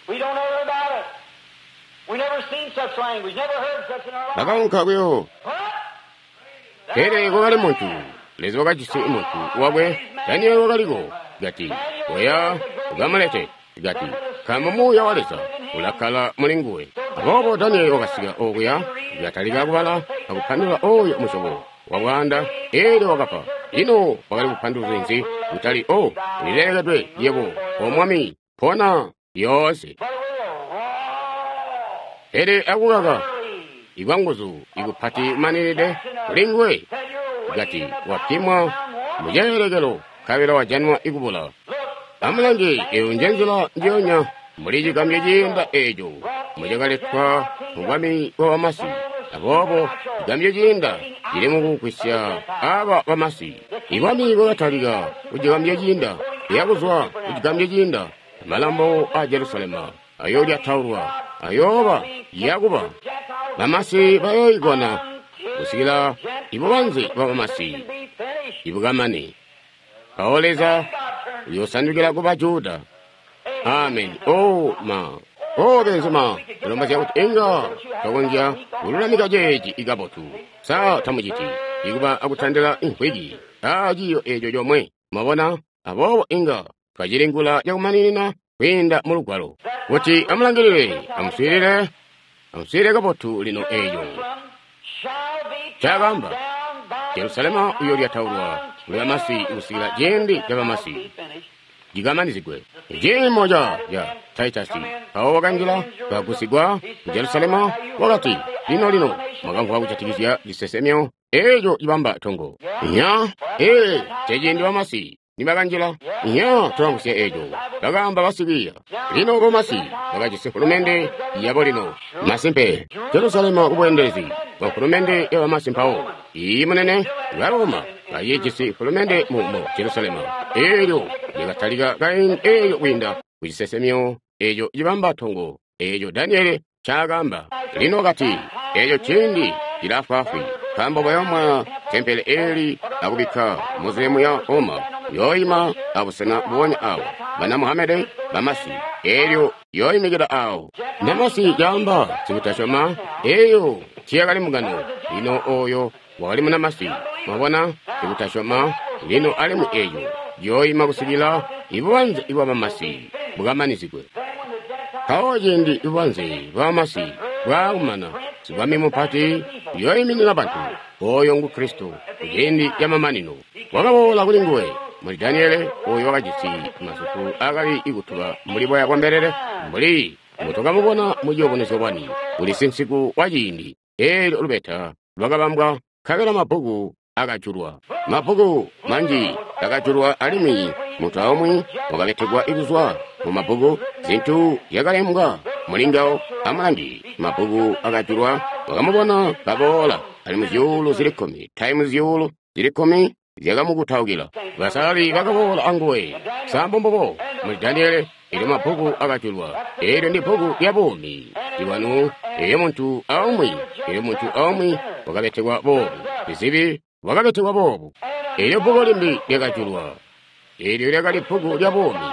We don't know nothing about it. We never seen such language, never heard such in our life. Bakaunka kuyo But pele kwakali muntu, Leza wakajisi muntu wakwe, Danieli wakaliko, kati oya ukamulete, kati nkaambo muuya wa Leza ulakkala muli nguwe. Aboobo Danieli wakasika okuya, katalika kubala akupandulula oyo musyobo wa bwaanda, eelyo wakapa. Ino wakali kupanduluzi nzi? Kutali o ulilelekedwe yebo, o mwami, pona lyoonse. but with a raw, Pele akukaka early, ikwanguzu ikupati manilide kuli nguwe, that you're kati weighing in the wapimwa pound one. muceelekelo nkabela wajanwa ikubula. Look, Amulange, eyo njenzila njiyonya muli cigambyo ciinda eeco mucakaletwa mu bwami bwa bamasi. Aboobo cigambyo ciinda cili mukugwisya aba bamasi. Ibwami bwakatalika ku cigambyo ciinda, kuyakuzwa ku cigambyo ciinda, amalambo a Jerusalema ayoolyataulwa, ayooba yakuba. Bamasi bayooikona kusikila ibubanze bwa bamasi be finished. ibukamane. Mpawo Leza uyosandukila ku Bajuda. Amen. Oh ma. Oh benzema, kulombozya kuti inga twakonzya kululamika ceeci ikabotu. Sa tamuciti ikuba akutandila inkwiki aa ciiyo eeco comwe. Mwabona, aboobo inga twacilingula cakumaninina kwiinda mu lugwalo. Kuti amulangilile, amuswiilile, amuswiilile kabotu lino eeco. Shall be Cakamba, down by Jerusalema uyolyataulwa kuli bamasi kusikila ciindi ca bamasi be finished. cikamanizigwe. Ciimo ca Taitasi mpawo wakanjila kagusigwa ku Jerusalema, wakati, lino lino mwakamvwa kujatikizya cisesemyo eeco cibamba tongo. Nya, ee, ceciindi bamasi nibakanjila. Nya, tulamvwisya eeco, bakaamba basikwiiya. Lino bamasi bakajisi hulumende yabo lino. Masimpe, Jerusalema kubweendelezi bwa hulumende ya bamasi mpawo. Iyi munene, Baroma bacijisi hulumende mu Jerusalema. Eelyo lyakatalika kaindi eeyo kwiinda ku cisesemyo eeco cibamba tongo eeco Daniele ncaakamba. Lino kati, eeco ciindi cilaafwaafwi, nkaambo bayomwa tempele eeli akubikka muzilemu ya Roma, yooyima abusena bubonya awo bana Muhamede bamasi, eelyo yooyimikila awo. Namasi caamba sikutasyoma, eeyo tiyakali mugano. Lino oyo wakali munamasi, mwabona, sikutasyoma. Lino alimwi eeyo yooyima kusikila ibubanze bwa bamasi bukamanizigwe. Mpawo ciindi ibubanze bwa bamasi bwaakumana, sibwami mupati uyooyiminina bantu, oyo ngu Kristo, kuciindi camamanino. Wakaboola kuli nguwe muli Daniele, oyo wakajisi masuku akali ikutuba mbuli boya bwa mbelele, mbuli mbutukamubona mu ciyubunuzyo bwani, kuli sinsiku wa ciindi. Eelyo lubeta lwakabambwa, nkabela mabbuku akajulwa. Mabbuku manji akajulwa alimwi muntu aumwi wakabetekwa kuzwa mu mabbuku, zintu zyakalembwa muli ngawo. Amulangi, mabbuku akajulwa, wakamubona kaboola, alimwi zyuulu zili kkumi taimu zyuulu zili kkumi zyakamukutaukila. Basalali bakaboola anguwe. Sambo mbubo muli Daniele, eelyo mabbuku akajulwa. Eelyo ndi bbuku lya buumi ibwanu, eelyo muntu aumwi, eelyo muntu aumwi wakabetekwa boobu, sizibi wakabetekwa boobu. Eelyo bbuku limbi lyakajulwa, eelyo lyakali bbuku lya buumi,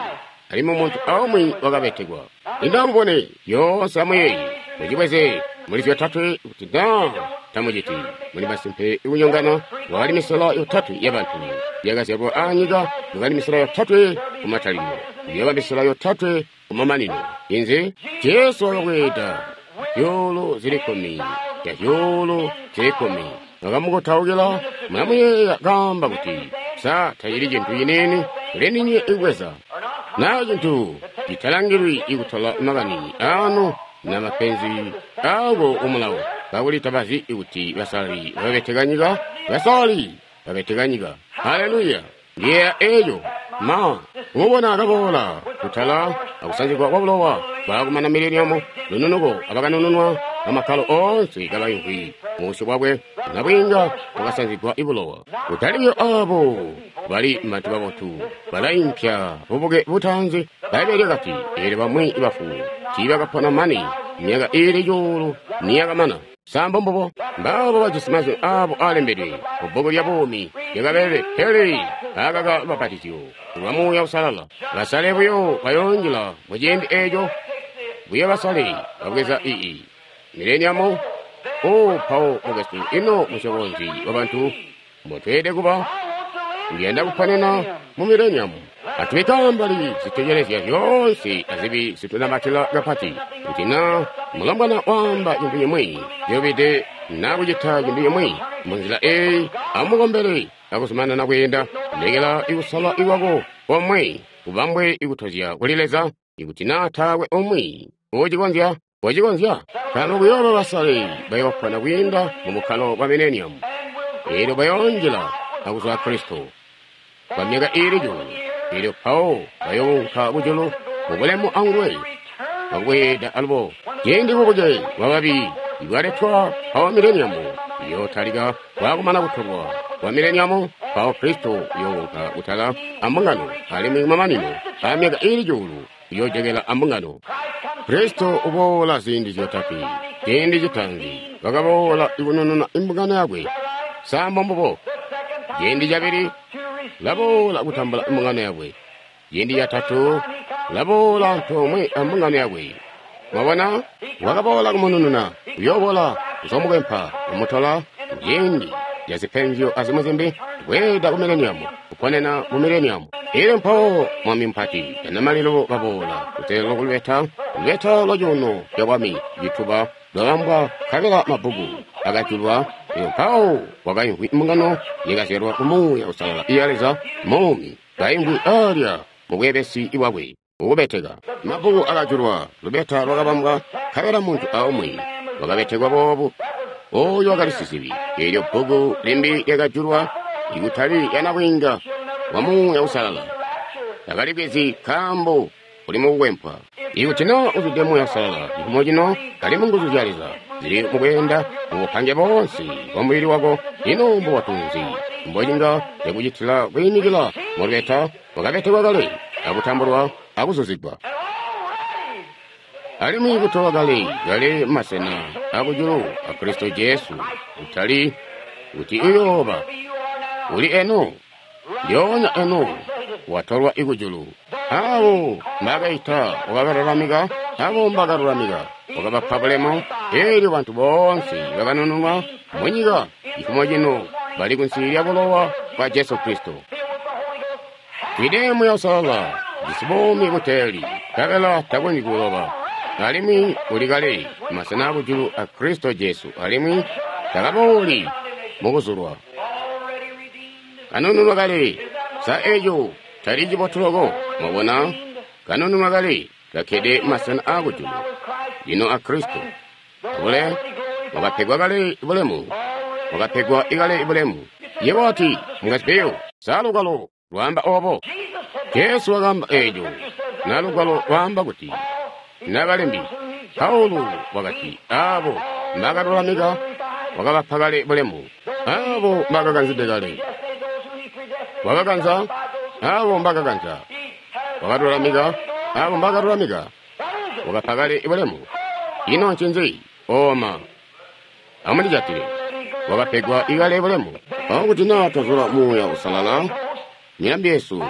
alimwi muntu aumwi wakabetekwa. Lino amubone, yoonse amuyeeye, mucibweze Muli zyotatwe kuti na tamuciti. Muli masimpe ikunyongana. Wakali misela yotatwe yabantu yakazyalwa aanyika, wakali misela yotatwe kumatalikilo, yaba misela yotatwe kumamanino. Inzi? Jesu wakabweeda zyuulu zili kkumi ya zyuulu zili kkumi wakamukutaukila. Mulamuyeeya kaamba kuti, sa tacili cintu ciniini kuli ndinywe ikubweza na cintu citalangilwi ikutola makani anu na mapenzi aako kumulawo, kakuli tabazi kuti basalali babeteka nyika. Basalali babeteka nyika. Haleluya! Ndiyeeya eeco. Ma kumubona kaboola kutala akusanzigwa kwa bulowa bwakumana mileniamu, lununuko abakanununwa amakkalo oonse kabaimvwi mubusyu bwakwe, nabwiinga bwakasanzigwa ibulowa. Kutaliyo abo bali bantu babotu balaimpya bubuke butaanzi. Bbaibbele lyakati, eelyo bamwi bafu tiibakapona mane myaka iili cuulu niyakamana. Sambo mbubo mbaabo bajisi mazwi aabo aalembedwe mubbuku lya buumi lyakabelele, pele akaka lubapatizyo lwa Muuya Uusalala. Basale buyo bayoonjila muciindi eeco, buyo basale babweza ii mileniamu. O mpawo mukwesu, ino musyobo nzi wabantu mbotweelede kuba? Ndiyanda kuponena mu mileniamu. Atubike ambali zitekelezya zyoonse azibi zitunamatila kapati. Kuti na mulombwana waamba cintu cimwi cilubide na kucita cintu cimwi munzila eeyi, amukombele akuzumanana kweenda. Lekela ikusala ikwako komwe kubambwe ikutozya kuli Leza. Ikuti na taakwe umwi ucikonzya, wocikonzya. Nkaambo kuyooba basale bayoopona kwiinda mu bukkalo bwa mileniamu, eelyo bayoonjila akuzwa Kristo kwa myaka iili cuulu. Eelyo mpawo bayounka kujulu mubulemu anguwe bakubweeda alubo. Ciindi bubuke bwababi ibwaletwa mpawo mileniamu iyootalika. Bwakumana kutolwa kwa mileniamu, mpawo Kristo uyounka kutala ambungano, alimwi kumamanino aamyaka iili cuulu uyoojokela ambungano. Kristo uboola ziindi zyotatwe. Ciindi citaanzi wakaboola ikunununa imbungano yakwe. Sambo mbubo. Ciindi cabili laboola kutambula imbungano yakwe. Ciindi catatu laboola antoomwe ambungano yakwe. Mwabona, wakaboola kumunununa, uyoobola kuzomukwempa, kumutola ciindi yazipenzyo azimwi zimbi, bweeda ku mileniamu, kuponena mu mileniamu. Elyo mpawo mwami mupati anamalilo baboola kuteelelo kulubeta, lubeta lwa cuuno ca bwami cituba lwabambwa, nkabela mabbuku akajulwa. Elyo mpawo kwakaimvwi mbungano yakazyalwa ku Muuya Uusalala iya Leza muumi, kaimvwi alya mu bweebesi bwakwe ukubeteka. Mabbuku akajulwa, lubeta lwakabambwa, nkabela muntu aumwi wakabetekwa boobu. Ooyo wakali sizibi. Eelyo bbuku limbi lyakajulwa, ikutali lyanabwiinga wa Muuya Uusalala. Takalibwezi nkaambo uli mukukwempwa. Ikuti na uzwide Muuya Uusalala, cifumo cino kali mu nguzu zya Leza zili mukweenda mubupange boonse bwa mubili wako, ino mbubotu nzi mbocinga cakucitila kwiimikila mulubeta wakabetekwa kale akutambulwa akuzuzigwa, alimwi kutolwa kale kale masena akujulu a Kristo Jesu, kutali kuti uyooba uli eno, lyoonya eno watolwa ikujulu. Abo mbakaita wakabalulamika, abo mbakalulamika wakabapa bulemu. Eelyo bantu boonse bakanununwa munyika cifumo cino bali kunsi lya bulowa bwa Jesu Kristo. Twide Muuya Uusalala, jisi buumi buteeli, nkabela takonzyi kuloba, alimwi uli kale masena akujulu a Kristo Jesu, alimwi takabooli mukuzulwa. Kanununwa kale. Sa eco tali cibotu loko? Mwabona, kanununwa kale, kakkede masena aakujulu lino a Kristo. Bule wakapegwa kale bulemu, wakapegwa ikale bulemu. Yebo wati, mukazikeyo, sa lugwalo lwaamba obo? Jesu wakaamba eeco. Na lugwalo lwaamba kuti, nabalembi, Paulo wakati, abo mbakalulamika wakabapa kale bulemu, abo mbakakanzide kale wakakanza, abo mbakakanza wakalulamika, abo mbakalulamika wakapa kale bulemu. Ino ncinzi? Oma amulijatile, wakapegwa ikale bulemu. Mpawo kuti naa twazula Muuya Uusalala, milambi yesu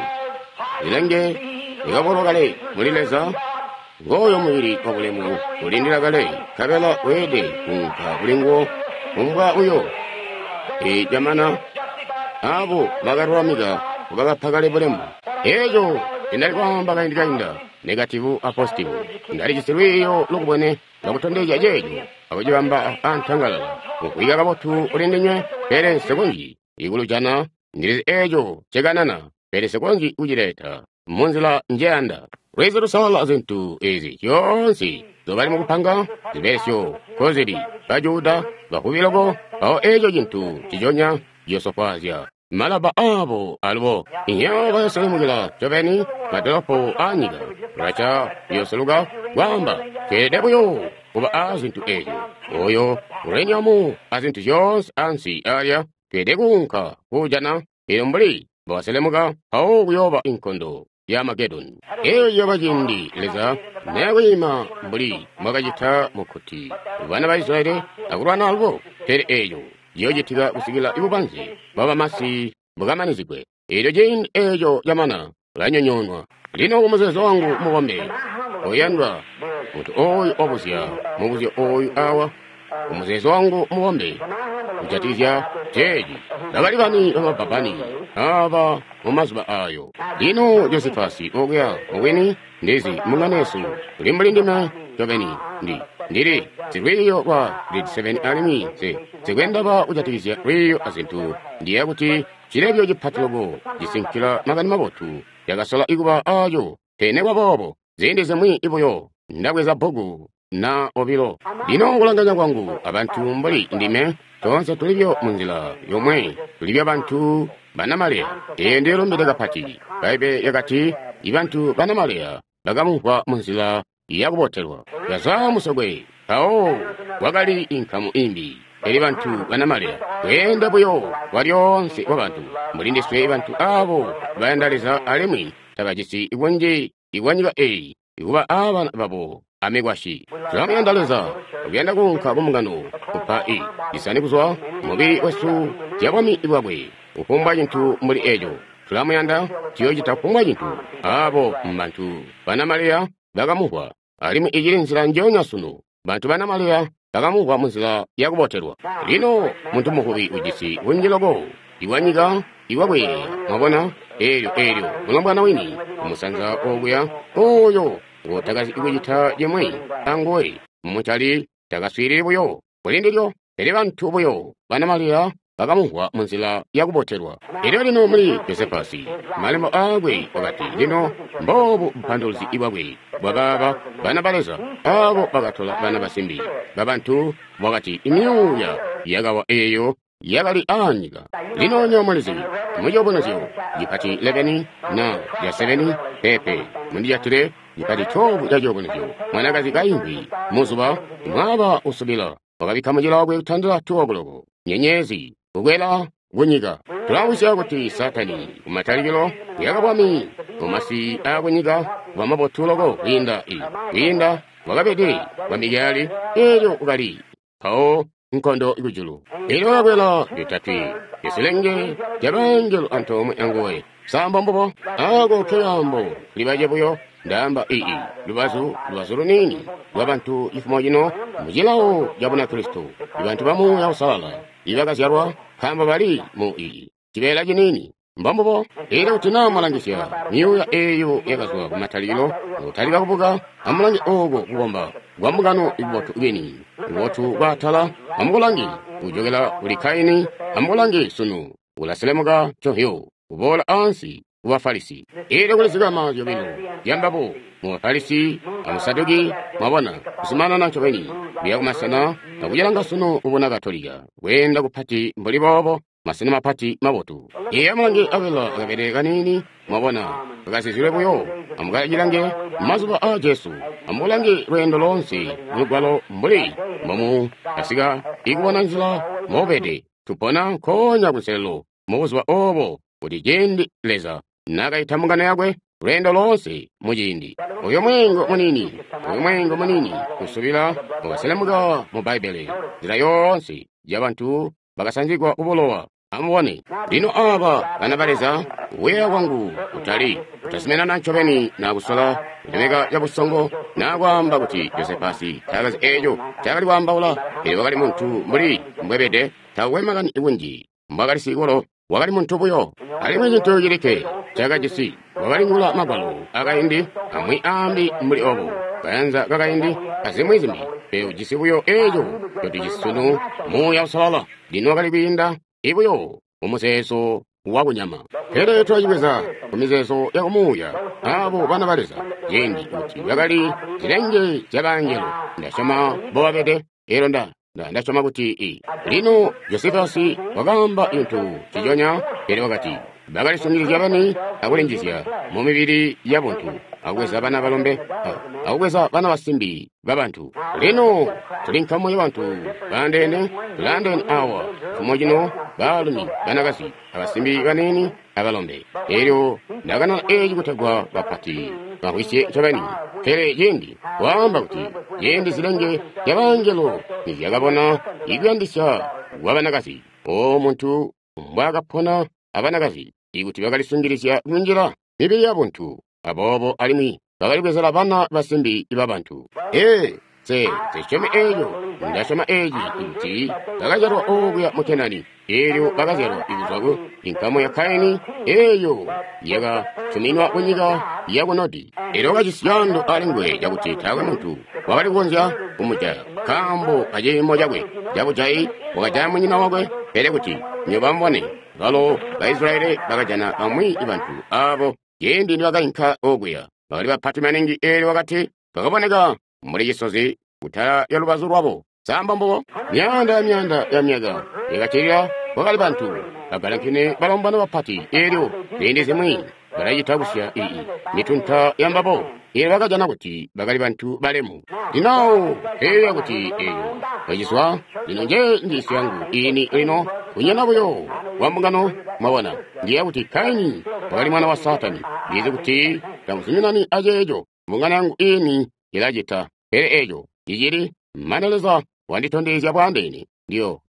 ilenge ikabolwa kale muli Leza, Ngooyo mubili wabulemu ulindila kale, nkabela weelede kuunka kuli nguwo kumbwa uyo. Camana abo bakalulamika bakapa kale bulemu. Eco ndali kwaamba kaindi kainda, negativu a positivu. Ndalijisi lwiiyo lukubwene lwakutondezya ceeco akucibamba antangalala. Mukwiiya kabotu kuli ndinywe, pele nsikonzyi ikulujana. Ndilizi eco ncekanana, pele nsikonzyi kucileta munzila njeyanda. Lwizi lusalala zintu ezi zyoonse zobali mukupanga zibelesyo nkozili Bajuda bavubi loko, mpawo eco cintu nciconya ciyosofwaazya malaba abo alubo. Inyo bayoselemukila ncobeni madolopo aanyika. Russia iyoseluka kwaamba tweelede buyo kuba a zintu ezyo. Oyo uranium a zintu zyoonse ansi alya tweelede kuunka kuujana. Elyo mbuli mbowaselemuka mpawo kuyooba inkondo ya Amagedoni. Eyo iyooba ciindi Leza nayakwiima mbuli mbwakacita mukkuti bana ba Israyeli akulwana alubo. Pele eyo iyoocitika kusikila ibubanze bwabamasi bukamanizigwe. Elyo ciindi eco camana ulanyonyoonwa. Lino kumuzeezo wangu mubombe oyandwa, muntu ooyu wabuzya mubuzyo ooyu awa, kumuzeezo wangu mubombe kujatikizya ceeci, bakali bani bamabbabbani aba mumazuba ayo. Lino Josifasi okuya mubwini ndizi munganesu uli mbuli ndime ncobeni ndili silwiiyo lwa grade 7 alimwi nsikwendaba kujatikizya lwiiyo azintu. Ndiyeeya kuti cilebyo cipati loko cisinkila makani mabotu cakasola ikuba aco. Pele kwaboobo ziindi zimwi buyo ndabweza bbuku na obilo. Lino kulanganya kwangu abantu mbuli ndime, toonse tulibyo munzila yomwe, tulibyo bantu banamaleya. Eyo ndilumbide kapati. Bbaibbele lyakati ibantu banamaleya bakamumvwa munzila yakubotelwa. Yazwa musokwe, mpawo kwakali inkamu imbi. Pele bantu banamaleya kweenda buyo kwalyoonse kwabantu mbuli ndiswe, bantu abo bayanda Leza alimwi tabajisi kunji ikwanyika eyi ikuba abana babo amikwasyi. Tulamuyanda Leza, akuyanda kuunka kumbungano kupa i isani kuzwa mubili wesu zya bwami bwakwe, kufumbwa cintu mbuli eco. Tulamuyanda, tuyoocita kufumbwa cintu. Abo mbantu banamaleya bakamumvwa, alimwi icili nzila njoonya sunu. Bantu banamaleya bakamumvwa munzila yakubotelwa. Lino muntu muvubi ujisi kunji loko iwanyika iwakweeya, mwabona, eelyo mulombwana wini kumusanza okuya oyo ngotakazi kucita cimwi anguwe mumucali takaswiilili buyo kuli ndilyo. Pele bantu buyo banamaleya bakamumvwa munzila yakubotelwa. Elyo lino muli Josefasi malembo aakwe wakati, lino mboobu bupanduluzi bwakwe bwakaaba bana ba Leza abo bakatola bana basimbi babantu, wakati imyuuya yakawa eyo yakali aanyika. Lino nyo mulizi muciyubunuzyo cipati 11 na ya 7 pepe mundijatile cipati 12 ca ciyubunuzyo. Mwanakazi kaimvwi muzuba mwaba usubila wakabikka mucila wakwe kutandila 2 o'clock nyenyezi kukwela kunyika. Tulawisya kuti Satani kumatalikilo kuyaka bwami mumasi aakunyika kuba mabotu loko kwiinda kwiinda bwakabede bwa Mikayeli eelyo ukali mpawo nkondo kujulu. Elyo wakakwela lyotatwe isilenge lyabangelo antoomwe anguwe. Sambo mbubo ako keyambo libaje buyo ndaamba ii lubazu luniini lwabantu cifumo cino mucilawo ca Bunakristo, ibantu ba Muuya Uusalala ibakazyalwa nkaambo bali mu ii cibeela ciniini. Mbombubo. Elyo kuti naa mwalangisya myuuya eyo yakazwa kumatalikilo akutalika kubuka, amulange ooko kukomba kwa mbungano kubotu kwini kubotu kwaatala. Amukulange kujokela kuli Kaini, amukulange sunu ulaselemuka nconhyo kuboola ansi ku Bafarisi. Elyo kuli zikama zyobilo zyambabo mu Bafarisi amu Saduki, mwabona, kuzumanana ncobeni kuya kumasena akucilanga sunu kubuna Katolika kweenda kupati mbuli boobo, masena mapati mabotu. Iye amulange abela akabele kaniini, mwabona, kakazizilwe buyo. Amukacilange mazuba aa Jesu, amulange lweendo loonse mulugwalo mbuli mbomu kasika ikubona nzila mobede. Tupona nkoonya kunselelo mubuzuba obo kuti ciindi Leza nakaita mbungano yakwe lweendo loonse muciindi. Oyo mweengo muniini usubila wakaselemuka mu Bbaibbele nzila yoonse yabantu bakasanzigwa kubulowa. Amubone lino aba bana ba Leza, kuyeeya kwangu kutali Kutazuminana ncobeni na kusola kulemeka cabusongo na kwaamba kuti Josefasi taakazi eeco ncaakali kwaambaula, pele wakali muntu mbuli mbwebede, taakwe makani kunji mbwaakali sikolo, wakali muntu buyo. Alimwi cintu cilikke ncaakajisi wakalingula magwalo akaindi amwi aambi mbuli obo, kayanza kakaindi azimwi zimbi, pele ujisi buyo eeco ncotujisi sunu, Muuya Uusalala. Lino wakali kwiinda ibuyo mumuzeezo wakunyama, pele tulacibweza kumizeezo yakumuuya. Abo bana ba Leza ciindi kuti bakali zilenge zyabangelo, ndasyoma mbobabede. Elyo ndasyoma kuti lino Josefasi wakaamba cintu ciconya, pele wakati bakalisungilizya beni akulinjizya mumibili yabuntu, akubweza bana balombe akubweza bana basimbi babantu. Lino tuli nkamu yabantu baandeene, tulaandeene awa mfumo cino, baalumi, banakazi, abasimbi baniini abalombe. Elyo ndakanana eeci kutegwa bapati bamvwisye ncobeni. Pele ciindi waamba kuti ciindi zilenge zyabangelo nizyakabona ikuyandisya kwabanakazi, o muntu mbwaakapona abanakazi, ikuti bakalisungilizya kunjila mibili yabuntu, aboobo alimwi bakalibwezela bana basimbi babantu. Ee, nse syomi eeco. Ndasyoma eeci kuti bakazyalwa okuya mu Kenani. Eelyo bakazyalwa kuzwa ku inkamu ya Kaini eeyo yakatuminwa kunyika yaku Nodi. Eelyo wakajisi caando alinguwe cakuti taakwe muntu wakali kukonzya kumujaya, nkaambo kaciimo cakwe cabujayi wakajaya munyina wakwe. Pele kuti nywebo amubone, balo ba Israyeli bakajana bamwi bantu aabo ciindi nibakainka okuya bakali bapati maningi. Eelyo wakati bakaboneka mbuli cisozi kutala lya lubazu lwabo. Samba mbubo myaanda ya myaanda ya myaka yakaccilila, kwakali bantu bagalankene balombwana bapati. Eelyo ziindi zimwi balacita kusya ii mitunta yambabo. Eelyo bakajana kuti bakali bantu balemu. Lino eeya kuti eeyo bacizwa. Lino nje njiisyo yangu iini lino kunyana buyo kwa mbungano. Mwabona, ndiyeeya kuti Kaini wakali mwana wa Saatani. Ndizi kuti tamuzuminani aceeco, mbungano yangu iini ilacita, pele eeco cicili mane Leza wanditondezya bwaandeene.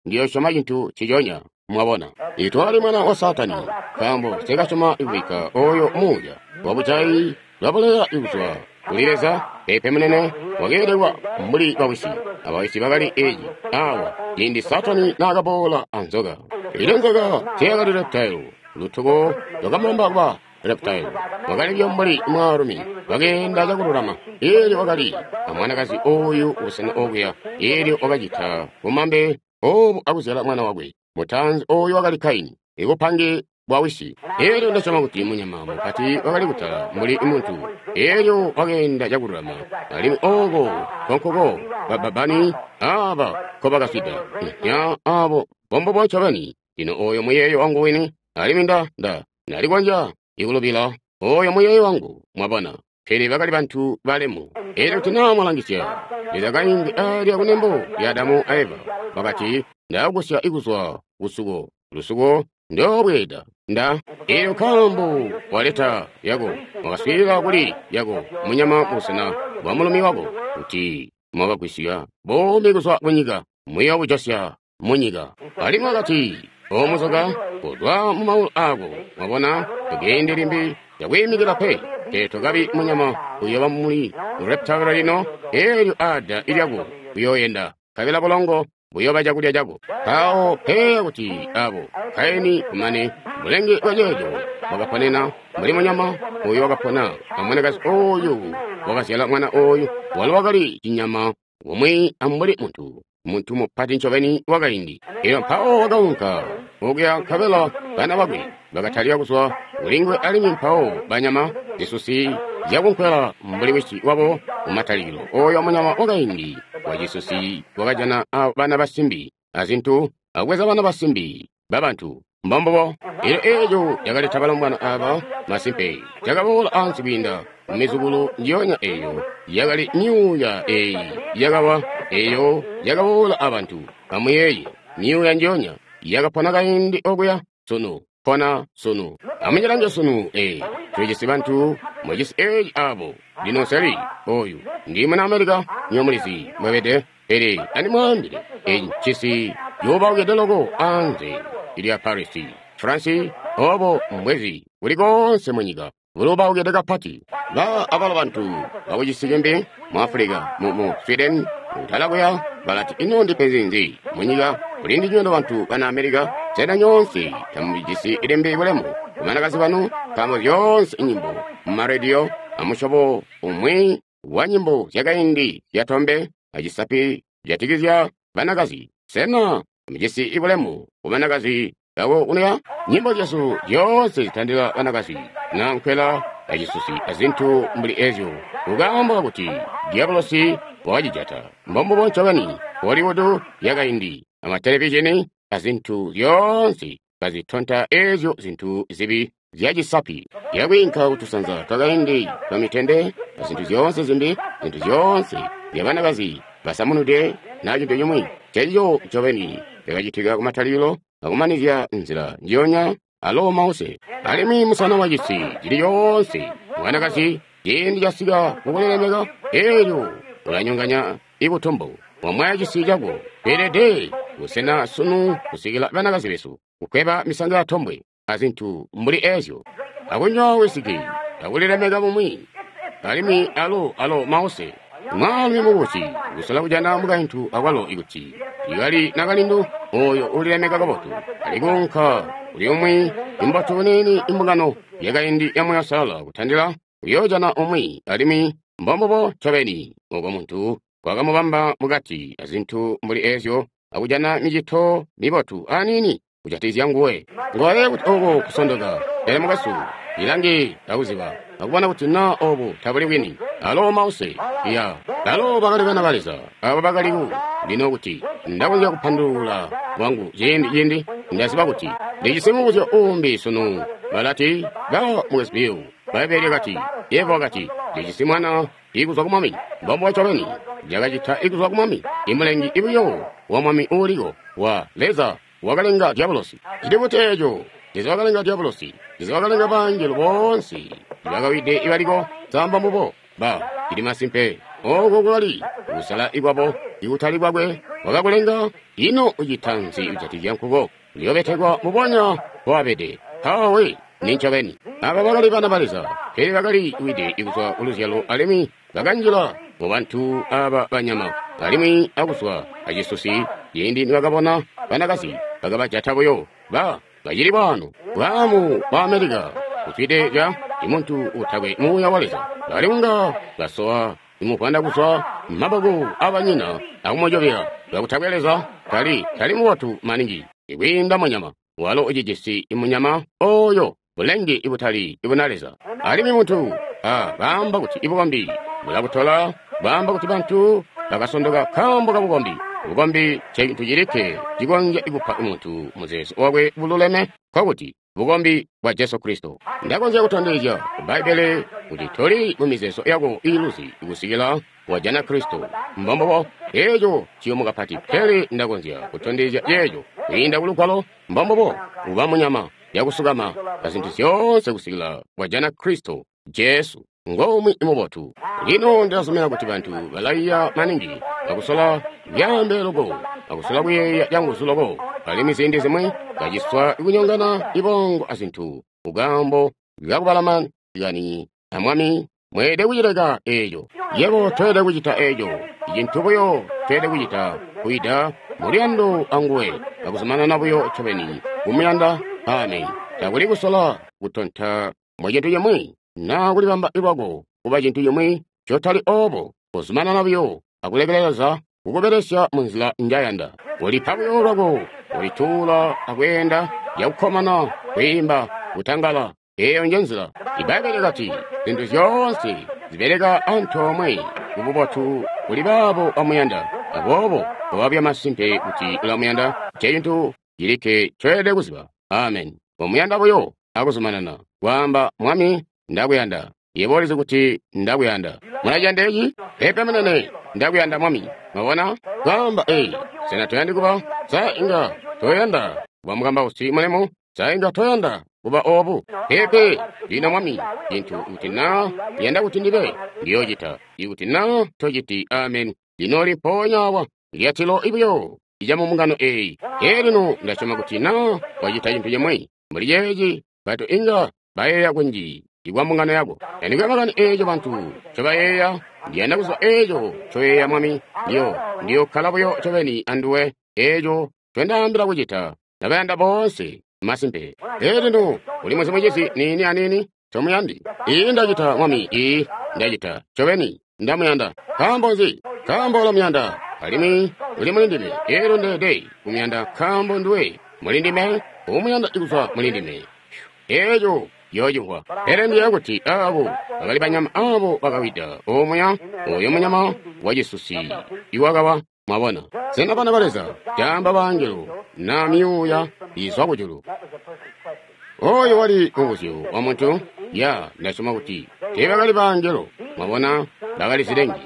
Ndiyo syoma cintu ciconya. Mwabona, itwali mwana wa Saatani, nkaambo nseekasyoma kubikka oyo muuya wabujayi lwabuleya kuzwa kuli Leza. Peepe munene, wakeelekwa mbuli bawisi, abawisi bakali eeci awa ciindi Saatani naakaboola anzoka. Ilo nzoka teyakali reptile, lutuko lwakamulomba kuba reptile. Wakali buyo mbuli mwaalumi, wakeenda cakululama. Eelyo wakali amwanakazi oyu kubusena okuya. Eelyo wakacita bumambe obu akuzyala mwana wakwe mutaanzi, oyu wakali Kaini, ibupange bwa wisi. Eelyo ndasyoma kuti munyama mupati wakali kutala mbuli muntu. Eelyo wakeenda cakululama, alimwi oko nkonkuko bababani aba nkobakaswida nya abo bombobo ncobeni. Lino oyo muyeeyo wangu wini, alimwi nda nalikonzya ikulubila oyo muyeeyo wangu, mwabona. Pele bakali bantu balemu. Eelyo kuti naa mwalangisya, Leza kaindi alya kunembo lya Adamu a Eva, wakati, ndakugusya kuzwa kusuko, lusuko ndoobweeda nda. Eelyo nkaambo waleta yako, wakaswiilila kuli yako munyama mubusena bwa mulumi wako, kuti mwakagwisya buumi kuzwa kunyika, muyoobujosya munyika. Alimwi wakati, o muzoka, kuzwa mu maulu aako, mwabona, tokeende limbi cakwiimikila pe, pele tokabi munyama, uyooba muli reptile lino. Eelyo ada lyako uyooyenda, nkabela bulongo buyooba cakulya cako. Mpawo peya kuti abo Kaini kumane bulenge bwa ceeco bwakaponena mbuli munyama oyu wakapona amwanakazi oyu wakazyala mwana oyu, walo wakali cinyama umwi ambuli muntu, muntu mupati ncobeni wakaindi. Elyo mpawo wakaunka okuya, nkabela bana bakwe bakatalika kuzwa kulinguwe, alimwi mpawo banyama zisusi zyakunkwela mbuli wisi wabo mumatalikilo. Oyo munyama wakaindi wacisusi wakajana bana basimbi azintu, akubweza bana basimbi babantu. Mbombubo. Elyo eeco cakaleta balombwana aba masimpe cakaboola ansi kwiinda mumizukulu njiyonya eeyo yakali myuuya eeyi yakawa, eeyo yakaboola abantu. Amuyeeye, myuuya njiyonya yakapona kaindi okuya sunu, pona sunu. Amunyilange sunu, ee, tulijisi bantu mucisi eeci abo. Lino nseli oyu ndi muna America, nywebo mulizi mbwebede, pele andimwaambile, eci ncisi cuubaukide loko anze lya Paris, France, obo mbwezi kuli koonse munyika. bulubaukide kapati. Ba abalo bantu bakucisi cimbi mu Africa, mu Sweden, kutala kuya, balati ino ndipenzi nzi munyika kuli ndinywe bantu bana America, sena nyoonse tamujisi limbi bulemu ku banakazi banu, nkaambo zyoonse nyimbo mu marediyo amusyobo umwi wa nyimbo zyakaindi zyatombe acisapi jatikizya banakazi. Sena mujisi bulemu ku banakazi bako kuno? Nyimbo zyesu zyoonse zitandila banakazi na nkwela acisusi azintu mbuli ezyo, kukaambo kuti diabolosi wakacijata. Mbombubo ncobeni. Hollywood yakaindi amatelevizhini azintu zyoonse kazitonta ezyo zintu zibi zyacisapi yakwiinka kutusanza twakaindi twa mitende azintu zyoonse zimbi, zintu zyoonse zyabanakazi basamunudwe na cintu cimwi. Cencico ncobeni cakacitika kumatalikilo akumanizya nzila njiyonya alo mause. Alimwi musana wacisi cili coonse mwanakazi ciindi casika kukulilemeka, elyo ulanyonganya ibutumbu wamwaya cisi cako. Tweelede kusena sunu kusikila banakazi besu kukweba misango ya tombwe azintu mbuli ezyo, akunywa wisiki akulilemeka bumwi. Alimwi alo mause mwaalumi mukubusi kusola kujana mukaintu akwalo ikuti ikali nakalindu oyo ulilemeka kabotu alikuunka kuli umwi imbotu niini imbungano yakaindi ya Muuya Uusalala kutandila uyoojana umwi. Alimwi mbombubo ncobeni oko muntu wakamubamba mukati azintu mbuli ezyo akujana micito mibotu aniini kujatikizya nguwe. Ngoye kuti oko kusondoka. Pele mukwesu, ilange akuziba akubona kuti na obu tabuli bwini. Alo mause ya alo bakali bana ba Leza abo bakali ku lino kuti ndakonzya kupandulula kwangu ciindi ndaziba kuti ndijisi mubuzyo uumbi sunu. Balati ba mukwesu Bill, Bbaibbele lyakati Eva wakati ndijisi mwana ikuzwa ku Mwami. Mbombubo ncobeni lyakacita ikuzwa ku Mwami, imulengi ibuyo wa Mwami uuliko wa Leza wakalenga diabolosi. Cili kuti eco Leza wakalenga diabolosi, Leza wakalenga bangelo boonse ibakawide ibaliko samba mbubo ba cili masimpe. Oko kwakali kusala ikwabo ikutali kwakwe wakakulenga. Ino ucita nzi kujatikizya nkuko? Uyobetekwa mubonya mbowabede. Awe ni ncobeni. Aba bakali bana ba Leza, pele bakali wide ikuzwa kuluzyalo alimwi bakanjila mu bantu aba banyama alimwi akuzwa acisusi. Ciindi nibakabona banakazi bakabajata buyo ba bacili bwano. Bwaamu bwa Amerika kuzwide ca imuntu utakwe muuya wa Leza bali kunga basowa imuvwanda kuzwa maboko abanyina akumujobela kakutakwe Leza tali mubotu maningi ikwiinda munyama. Walo ucijisi imunyama oyo bulenge ibutali ibuna Leza. Alimwi muntu baamba kuti ibukombi bulakutola, baamba kuti bantu bakasondoka nkaambo kabukombi. Bukombi ncecintu cilikke cikonzya kupa muntu muzeezo wakwe bululeme, nkokuti bukombi bwa Jesu Kristo. Ndakonzya kutondezya ku Bbaibbele kuti toli mu mizeezo yako iiluzi kusikila wajana Kristo. Mbombubo eeco ciyumu kapati, pele ndakonzya kutondezya ceeco kwiinda kulugwalo. Mbombubo uba munyama yakusukama azintu zyoonse kusikila wajana Kristo Jesu ngomwi mubotu. Lino ndilazumina kuti bantu balaiya maningi akusola kuyaambele loko, akusola kuyeeya canguzu loko, alimwi ziindi zimwi baciswa kunyongana ibongo azintu kukaambo kakubalama kani amwami. Mweelede kucileka eeco. Yebo toyelede kucita eeco. Icintu buyo toyelede kucita kwiida muluyando anguwe akuzumanana buyo ncobeni kumuyanda. Amen. Takuli kusola kutonta mu cintu cimwi na kulibamba lwako kuba cintu cimwi cotali obo. Kuzumanana buyo akulekelela Leza kukubelesya munzila njayanda. Ulipa buyo lwako, ulituula akweenda yakukkomana, kwiimba, kutangala. Eeyo nje nzila. Ibbaibbele lyakati zintu zyoonse zibeleka antoomwe kububotu kuli baabo bamuyanda. Aboobo kobabya masimpe kuti ulamuyanda, ncecintu cilikke ncoyelede kuziba. Amen. Komuyanda buyo akuzumanana kwaamba, Mwami, ndakuyanda. Yebo ulizi kuti ndakuyanda. Mulaciyanda eci? Peepe munene, ndakuyanda Mwami. Mwabona? Kwaamba, sena toyandi kuba? Sa inga toyanda kuba mukambausi mulemu? Sa inga toyanda kuba obu? Peepe, lino Mwami, cintu kuti na yanda kuti ndibe, ndiyoocita. Ikuti na tociti, amen. Lino mpoonya awa lyatilo buyo icamubungano eeyi. Lino ndasyoma kuti na wacita cintu cimwi mbuli ceeci, bantu inga bayeeya kunji. Ikwa mbungano yako. Tandikwe makani eeco bantu ncobayeeya, ndiyanda kuzwa eeco ncoyeeya Mwami. Ndiyo kkala buyo ncobeni anduwe, eeco ncondaambila kucita. Ndabayanda boonse, masimpe. Pele lino, uli muzi mucizi niini aniini, tomuyandi. Ii ndacita, Mwami, ii ndacita, ncobeni ndamuyanda. Nkaambo nzi? Nkaambo ulamuyanda, alimwi uli muli ndime. Elyo ndeede kumuyanda nkaambo nduwe muli ndime, umuyanda kuzwa muli ndime. Eeco yoocimvwa. Pele ndiyeeya kuti abo bakali banyama abo bakawida omuya, oyo munyama wacisusi iwakawa. Mwabona? Sena bana ba Leza caamba baangelo na myuuya izwa kujulu? Oyo wali mubuzyo wa muntu. Ya, ndasyoma kuti teebakali baangelo. Mwabona, bakali zilengi,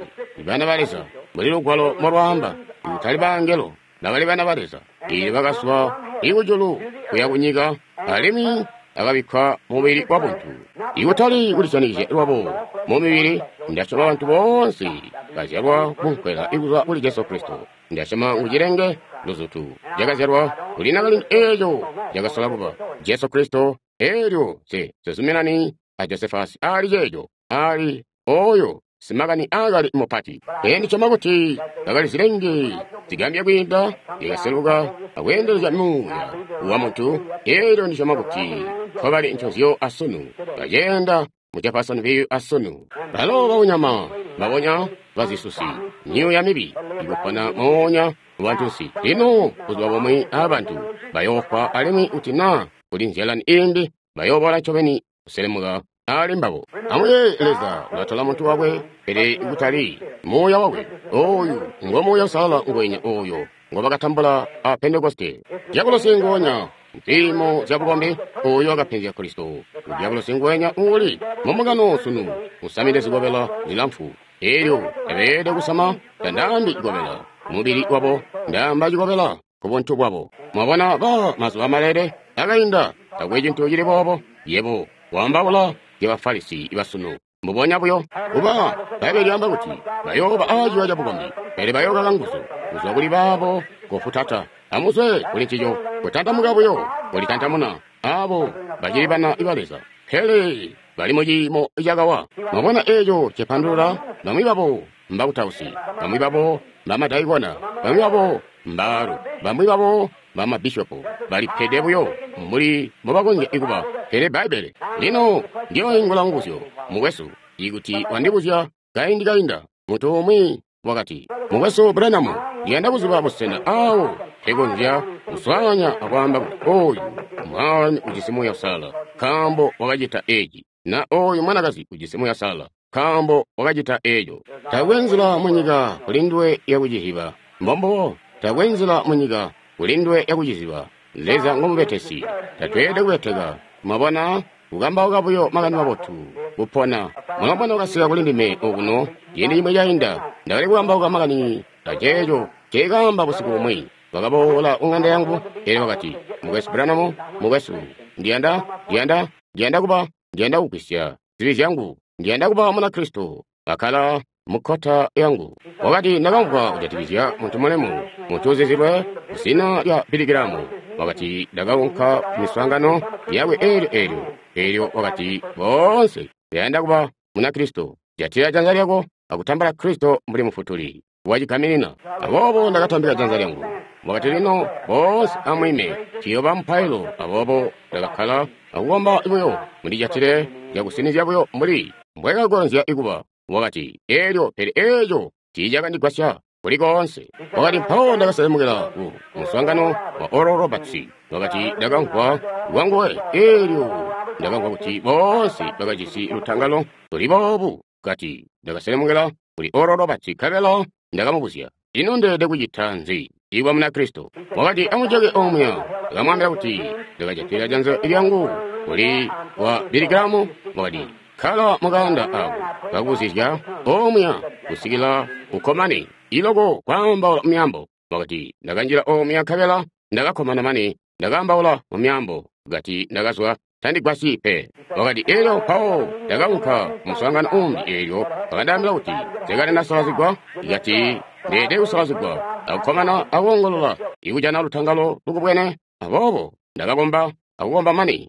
bana ba Leza. Mbuli lugwalo molwaamba, kutali baangelo, bakali bana ba Leza. Eelyo bakazwa ikujulu kuya kunyika, alimwi akabikkwa mubili wa buntu. Ikutali kulisyanikizya lwabo mu mibili, ndasyoma bantu boonse bazyalwa kunkwela ikuzwa kuli Jesu Kristo. Ndasyoma ngu cilenge luzutu cakazyalwa kuli nakalindu eeco cakasola kuba Jesu Kristo. Eelyo nse sizuminani a Josefasi ali ceeco, ali oyo simakani akali mupati. Pele ndisyoma kuti bakali zilenge zigambya kwiinda zyakaseluka akweendelezya muuya wa muntu. Eelyo ndisyoma kuti nkobali ncozyo asunu, baceenda mu Jeffersonville asunu. Balo baunyama babonya bazisusi, myuuya mibi ikupona moonya mu bantunsi. Lino buzuba bumwi abantu bayoofwa, alimwi kuti naa kuli nzyalani iimbi bayoobola ncobeni kuselemuka ali mbabo. Amuyeeye, Leza ulatola muntu wakwe, pele kutali muuya wakwe. Oyu ngo Muuya Uusalala ngwenya oyo ngobakatambula a Pentekoste. Dyabulosi nguonya ziimo zya bukombi oyo wakapenzya Kristo. Dyabulosi ngwenya uuli mu mbungano sunu, usamide zikobela zilamfu. Elyo tabeelede kusama, tandaambi cikobela mubili wabo, ndaamba cikobela ku buntu bwabo. Mwabona, ba mazuba malele akainda, takwe cintu cili boobo. Yebo waambaula zya Bafarisi basunu mbubonya buyo. Kuba Bbaibbele lyaamba kuti bayooba aaciwa cabukombi, pele bayookaka nguzu kuzwa kuli baabo kofutata. Amuzwe kuli ncico, kutantamuka buyo kulitantamuna abo bacili bana ba Leza, pele bali mu ciimo cakawa. Mwabona eeco cipandulula? Bamwi babo mbakutausi, bamwi babo mbamadaikona, bamwi babo mbaalu, bamwi babo bamabishopo, balipede buyo mbuli mbobakonzya kuba. Pele Bbaibbele lino ndiyoingula mubuzyo, mukwesu, ikuti wandibuzya kaindi kainda, muntu umwi wakati, Mukwesu Branham, ndiyanda kuziba busena awo mpekonzya kuswaanya akwaamba kuti oyu mwaalumi ujisi Muuya Uusalala nkaambo wakacita eci, na oyu mwanakazi ujisi Muuya Uusalala nkaambo wakacita eco. Taakwe nzila munyika kuli nduwe yakuciziba. Mbombubo, taakwe nzila munyika kuli nduwe yakuciziba. Leza ngomubetesi, tatweelede kubeteka. Mwabona, kukambauka buyo makani mabotu, kupona. Mulombwana wakasika kuli ndime okuno ciindi cimwi cainda, ndakali kukambauka makani aceeco nceekaamba busiku bumwi. Wakaboola kuŋanda yangu, elyo wakati, Mukwesu Branham, mukwesu, ndiyanda, ndiyanda, ndiyanda kuba, ndiyanda kugwisya zibi zyangu, ndiyanda kuba Munakristo. Kakkala mukkota yangu. Wakati, Ndakamvwa kujatikizya muntu mulemu, muntu uzizilwe zina lya Billy Graham. Wakati, Ndakaunka ku miswaangano yakwe eelyo eelyo. Elyo wakati, Boonse bayanda kuba Munakristo, jatila janza lyako akutambula Kristo mbuli Mufutuli wacigaminina. Aboobo ndakatambika janza lyangu. Wakati, Lino boonse amwiime, ciyooba mupailo. Aboobo ndakakkala akukomba buyo, mundijatile cakusinizya buyo mbuli mbwekakonzya kuba. Wakati, Elyo pele eeco tiicakandigwasya kuli koonse. Wakati, Mpawo ndakaselemukila ku muswaangano wa Oral Roberts. Wakati, Ndakamvwa lwanguwe. Elyo ndakamvwa kuti boonse bakajisi lutangalo luli boobu. Kati, Ndakaselemukila kuli Oral Roberts, nkabela ndakamubuzya, Ino ndeelede kucita nzi ikuba Munakristo? Wakati, Amujeke omuya. Ndakamwaambila kuti ndakajatila janza lyangu kuli wa Billy Graham. Wakati, Kkala mukaanda ako kakubuzizya omuya kusikila ukkomane iloko kwaambaula mumyaambo. Wakati, Ndakanjila omuya nkabela ndakakkomana mane ndakaambaula mumyaambo. Kati, Ndakazwa tandigwasyi pe. Wakati, Elyo mpawo ndakaunka muswaangano uumbi, eelyo bakandaambila kuti nsekali ndasalazigwa. Kati, Ndeelede kusalazigwa akukkomana akoongolola ikujana lutangalo lukubwene. Aboobo ndakakomba akukomba mane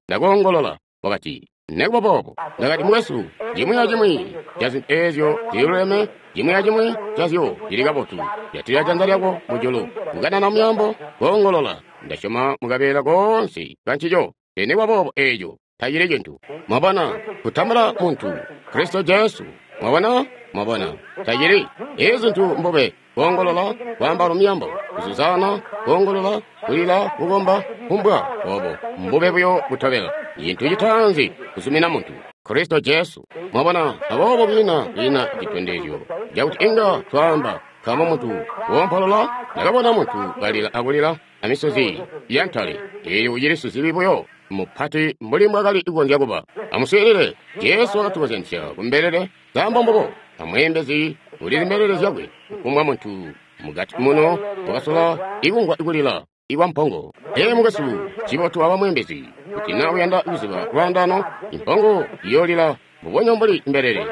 ndakoongolola. Wakati, Nekuba boobo, ndakati, mukwesu, cimwi acimwi ca zintu eezyo ziluleme, cimwi acimwi cazyo cili kabotu. Jatila janza lyako mujulu, kukanana myaambo, koongolola. Ndasyoma mukabeela koonse kancico. Nekuba boobo eeco tacili cintu. Mwabona, kutambula muntu, Kristo Jesu. Mwabona? Mwabona, tacili. Ezi zintu mbube, koongolola, kwaamba myaambo, kuzuzana, koongolola, kulila, kukomba, kumbwa, obo mbube buyo butobela. Cintu citaanzi kuzumina muntu, Kristo Jesu. Mwabona, aboobo kwiina citondezyo cakuti inga twaamba nkaambo muntu woompolola. Ndakabona muntu kalila akulila amisozi yantale, eyo ucili sizibi buyo mupati mbuli mbwakali kukonzya kuba. Amuswiilile, Jesu wakatukozyanisya kumbelele nkaambo mbubo amweembezi uli mbelele zyakwe. Kufumbwa muntu mugati muno wakasola ikumvwa kulila ikwa mpongo. Ee mukwesu, cibotu aba mweembezi kuti na uyanda kuziba lwaandano, impongo iyoolila mbubonya mbuli mbelele.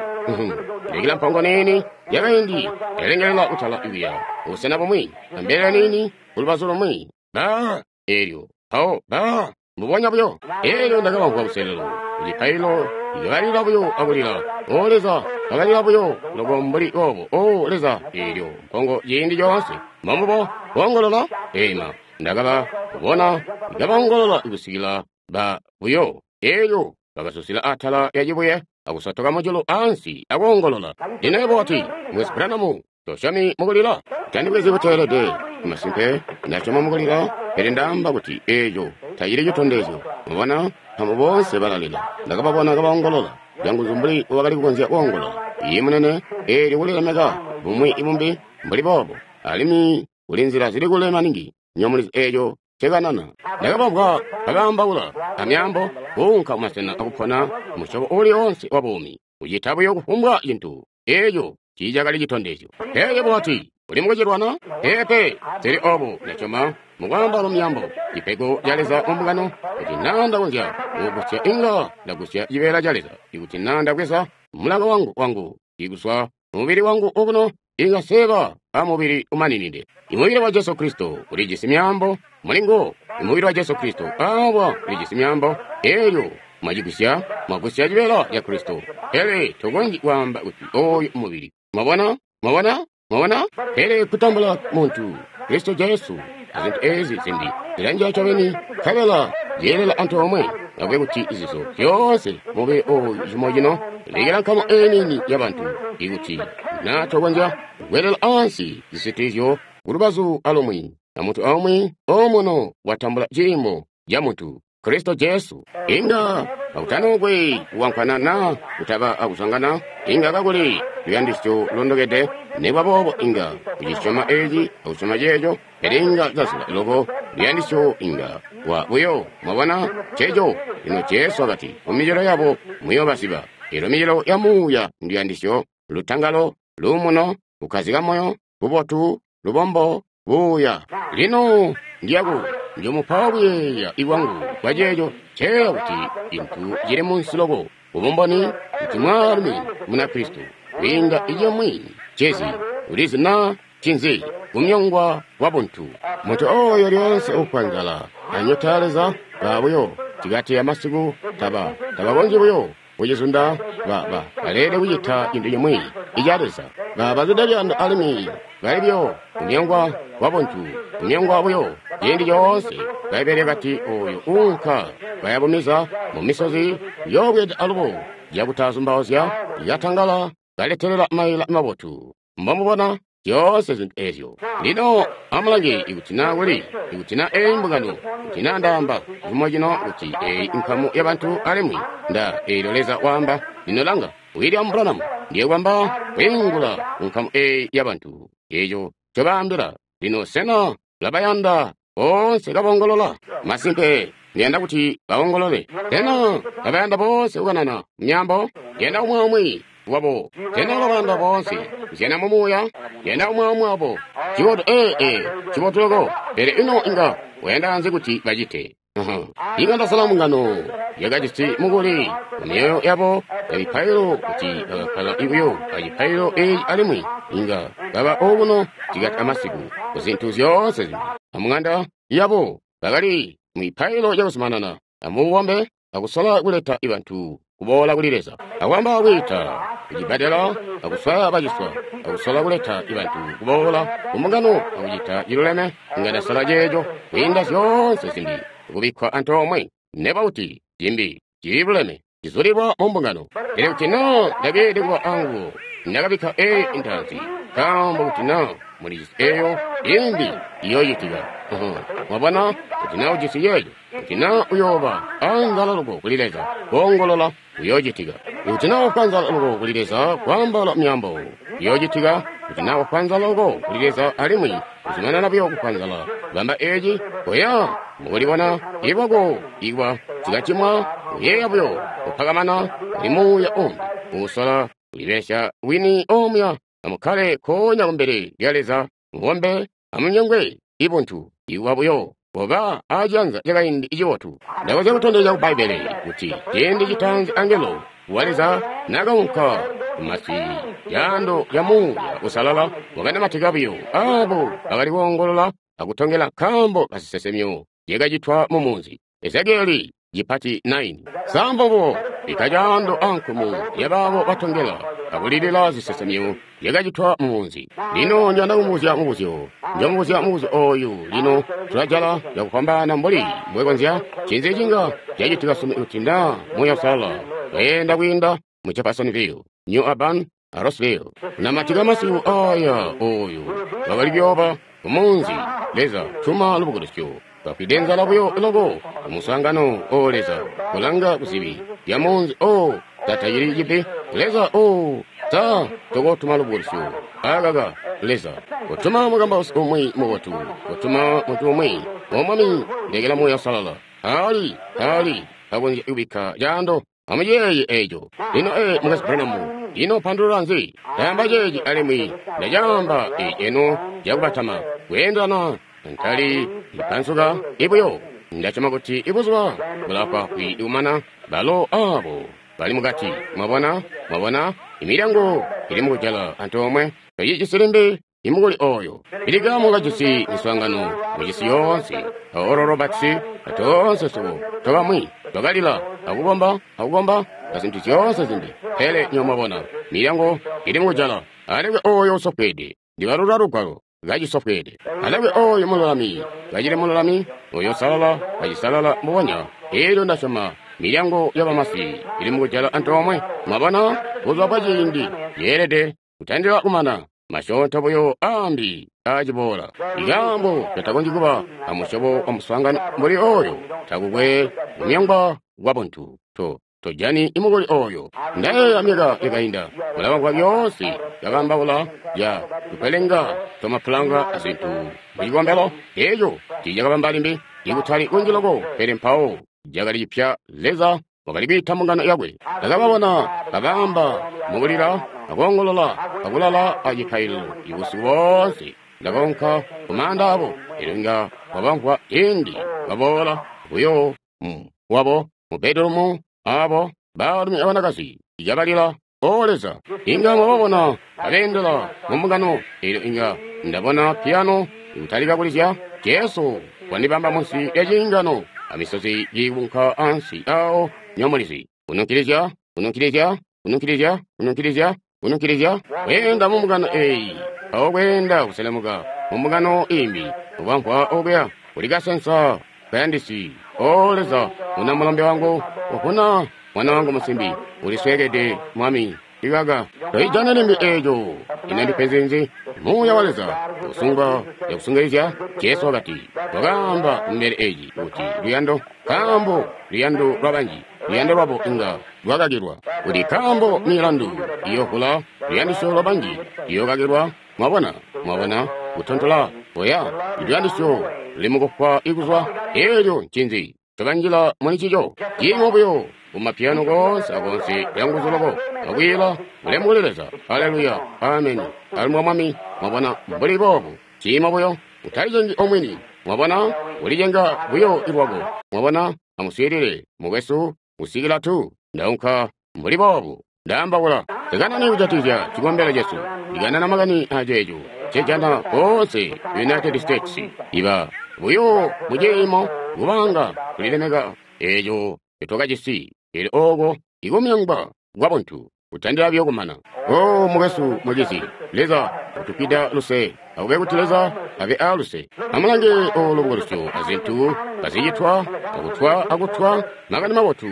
Lekela mpongo niini yakaindi yalengelela kutala kuya busena bumwi, ambelele niini kulubazu lumwi. Ba eelyo mpawo ba mbubonya buyo. Eelyo ndakabamvwa kuselelo kucipaililo ibalila buyo akulila, O Leza, bakalila buyo loko mbuli boobo, O Leza, eelyo mpongo ciindi coonse. Mbombubo boongolola ema ndakaba kubona ikabaongolola kusikila ba buyo. Eelyo bakasusila atala ya cibuye akusotoka mujulu ansi akoongolola. Lino yebo wati, Mukwesu Branham, tosyomi mukulila? Tandibwezi buteelede. Masimpe, ndasyoma mukulila, pele ndaamba kuti eeco tacili citondezyo. Mubona, nkaambo boonse balalila. Ndakababona kabaongolola canguzu mbuli wakali kukonzya koongolola. Iye munene, eelyo kulilemeka bumwi ibumbi mbuli boobo, alimwi kuli nzila zili kule maningi. Nyomulizi eeco ncekanana. Ndakabamvwa kabaambaula amyaambo, kuunka kumasena akupona musyobo uuli oonse wa buumi, kucita buyo kufumbwa cintu. Eeco tiicakali citondezyo. Pele yebo wati, uli mukucilwana? Peepe, sili obo, ndasyoma mukwaamba myaambo, cipego ca Leza mu mbungano. Kuti naa ndakonzya kugusya, inga ndagusya cibeela ca Leza. Ikuti naa ndabweza mulaka wangu ikuswa mubili wangu okuno, inga seeba amubili umaninide. Imubili wa Jesu Kristo ulijisi myaambo mulinguwo. Imubili wa Jesu Kristo awa ulijisi myaambo. Eelyo mwacigusya, mwagusya cibeela ca Kristo. Pele tokonzyi kwaamba kuti oyu mubili. Mwabona? Mwabona? Mwabona? Pele kutambula muntu, Kristo Jesu, azintu ezi zimbi zilanjila ncobeni, nkabela zyeelela antoomwe. Akube kuti izizo zyoonse mubili oyu cimo cino, lekela nkamu eenini yabantu, ikuti na tokonzya kukwelela ansi zisitilizyo kulubazu alumwi, na muntu aumwi omuno watambula ciimo ca muntu, Kristo Jesu. Inga kakutanokwe kuwankwana na kutaba akuzwangana, inga kakuli luyandisyo lulondokede. Nekuba boobo inga kucisyoma eci akusyoma ceeco, pele inga cazula loko luyandisyo inga wa buyo. Mwabona ceeco? Lino Jesu wakati, mumicelo yabo muyoobaziba. Eelyo micelo ya muuya nduyandisyo, lutangalo, luumuno, kukkazika moyo, bubotu, lubombo, buuya. Lino ndiyaku njomupa kuyeeya ikwangu kwa ceeco ceeya kuti cintu cili munsi loko ubumboni kuti mwaalumi Munakristo kwiinda icimwi cezi ulizi na cinzi kumyongwa kwa buntu. Muntu oyo lyoonse ufwa nzala anyota ya Leza ba buyo cikati amasiku tabakonzyi buyo kucizunda baleelede kucita cintu cimwi ica Leza. Bazwide luyando alimwi bali buyo kumyongwa kwa buntu, kumyongwa buyo ciindi coonse. Bbaibbele kati oyo uunka kayabumiza mu misozi yoobweda alubo cakutazumbauzya yatangala kaletelela maila mabotu. Mbomubona zyoonse zintu ezyo. Lino amulange ikuti na kuli, ikuti na eyi mbungano, kuti na ndaamba cimo cino kuti eyi nkamu yabantu alimwi nda eelyo Leza waamba. Lino langa, William Branham ndiye kwamba kwiingula nkamu eyi yabantu eco ncobaambila. Lino sena labayanda boonse kabongolola? Masimpe ndiyanda kuti baongolole. Sena labayanda boonse kukanana myaambo? Ndiyanda umwi aumwi wabo. Sena labayanda boonse kuzyana mu muuya? Ndiyanda umwi aumwi wabo. Cibotu cibotu loko. Pele ino inga wayanda nzi kuti bacite? Inga ndasala mbungano yakajisi mukuli mumyoyo yabo ya mipailo kuti bakakkala buyo acipaililo eeci alimwi inga baba okuno cikati amasiku kuzintu zyoonse zimbi. Amung'anda yabo bakali mipailo yakuzumanana amubombe akusola kuleta bantu kuboola kuli Leza. Akwamba kwiita kucibbadela akuswaya baciswa akusola kuleta bantu kuboola kumbungano akucita ciluleme, inga ndasala ceeco kwiinda zyoonse zimbi kubikkwa antoomwe. Neba kuti cimbi ciluleme cizulilwa mu mbungano. Pele kuti naa ndakeelede kuba anguwo, ndakabikka eyi intanzi, nkaambo kuti naa mulijisi eyo imbi iyoocitika. Mwabona, kuti naa ujisi yeeyo, kuti naa uyooba anzala loko kuli Leza, koongolola kuyoocitika. Kuti naa wafwa nzala loko kuli Leza, kwaambaula myaambo kuyoocitika. Kuti naa wafwa nzala loko kuli Leza alimwi kuzumanana buyo kufwa nzala, bamba eci, koya mukulibona ilwako ikwa zikacimwa, kuyeeya buyo kupakamana kuli muuya umbi uusola kulibelesya wini omuya. Amukkale nkoonya kumbele lya Leza, mukombe, amunyongwe ibuntu ikwa buyo koba aciyanza cakaindi cibotu. Ndakonzya kutondezya ku Bbaibbele kuti ciindi citaanzi angelo wa Leza nakaunka kumasi caando ca Muuya Uusalala wakanamatika buyo abo bakali koongolola akutongela nkaambo kazisesemyo zyakacitwa mu munzi. Ezekieli cipati 9. Sambobo bikka caando ankumu yabaabo batongela akulilila zisesemyo zyakacitwa mu munzi. Lino njanda kumubuzya mubuzyo. Njomubuzya mubuzyo oyu lino tulajala cakufwambaana mbuli mbwekonzya. Ncinzi cinga cacitika sunu kuti naa Muuya Uusalala weenda kwiinda mu Jeffersonville, New Albany, a Rossville. Namatika masiku aya oyu bakali kuyooba kumunzi. Leza tuma lubukulusyo. Bafwide nzala buyo loko kumuswaangano o Leza kulanga kuzibi lya munzi o tatacili cibi. Leza o ta tokotuma lubukulusyo. Akaka Leza kutuma mukambausi umwi mubotu, kutuma muntu umwi o Mwami ndekela Muuya Uusalala. Ali ali akonzya kubikka caando. Amuyeeye eco. Lino Mukwesu Branham, ino pandulula nzi? Ndaamba ceeci alimwi ndacaamba eci eno cakubatama kweendelana ntali ipansuka ibuyo. Ndasyoma kuti ibuzuba bulafwaafwi kumana balo abo bali mukati. Mwabona, mwabona imilyango ili mukujala antoomwe. Tocijisi limbi imukuli oyo. Bilikamu kajisi miswaangano mucisi yoonse. Oral Roberts atoonse swebo tobamwi twakalila akukomba akukomba azintu zyoonse zimbi. Pele nyo mwabona milyango ili mukujala. Alekwe oyo usofweede ndibalula lugwalo kacisofweede. Alekwe oyo mululami kacili mululami, oyo usalala kacisalala mbubonya. Elyo ndasyoma milyango yabamasi ili mukujala antoomwe. Mwabona buzuba bwa ciindi yeelede kutandila kumana. Masyoonto buyo ambi aciboola. Ikaambo katakonzyi kuba amusyobo wa muswaangano mbuli oyo takukwe kumyongwa kwa buntu. Tojani imukuli oyo. Ndayeeya myaka yakainda mulabamvwa lyoonse yakaambaula ya tupelenga twamapulanga azintu mucikombelo. Eco tiicakabamba limbi ikutali kunji loko, pele mpawo cakali cipya. Leza wakali kwiita mbungano yakwe. Ndakababona kabamba mukulila akoongolola akulala acipaililo ibusiku boonse. Ndakaunka kumaanda abo, elyo inga wabamvwa ciindi baboola buyo wabo mu bedroom abo baalumi abanakazi kabalila O Leza. Inga mwababona kabeendela mu mbungano, elyo inga ndabona piyano ikutalika kulizya. Jesu wandibamba munsi lya ciingano amisozi kiikunka ansi awo nyomulizi. Kununkilizya, kununkilizya, kununkilizya, kununkilizya, kununkilizya. Kweenda mu mbungano eyi, awo kweenda kuselemuka mu mbungano imbi, ubamvwa okuya kuli kasensa kayandisi. O Leza, una mulombe wangu, uvuna mwana wangu musimbi, ulisweekede Mwami. Ikaka toijana limbi eco. Ino ndipenzi nzi? Muuya wa Leza usungwa yakusungilizya. Jesu wakati wakaamba kumbele eci kuti luyando, nkaambo luyando lwa banji, luyando lwabo inga lwakakilwa. Kuti nkaambo milandu iyovula, luyandisyo lwa banji iyokakilwa. Mwabona, mwabona kutontola oya luyandisyo limukufwa ikuzwa. Elyo ncinzi tobanjila muli cico? Ciimo buyo kumapiyano koonse akoonse lyanguzu loko akwiila ulemu kuli Leza. Haleluya, ameni. Alimwi Mwami, mwabona mbuli boobu ciimo buyo utalicengi omwini. Mwabona ulicenga buyo ilwako. Mwabona, amuswiilile mukwesu kusikila tu ndaunka mbuli boobu ndaambaula. Ndikanane kujatikizya cikombelo cesu, ndikanana makani aceeco cejana koonse United States. Iba buyo muciimo kubanga kulilemeka eco tetwakajisi. Elyo oko Ikumyongwa kwabuntu kutandila buyo kumana. O mukwesu, mucizi, Leza utupida luse. Akube kuti Leza abe a luse. Amulange olo lubukulusyo azintu kazicitwa akutwa akutwa makani mabotu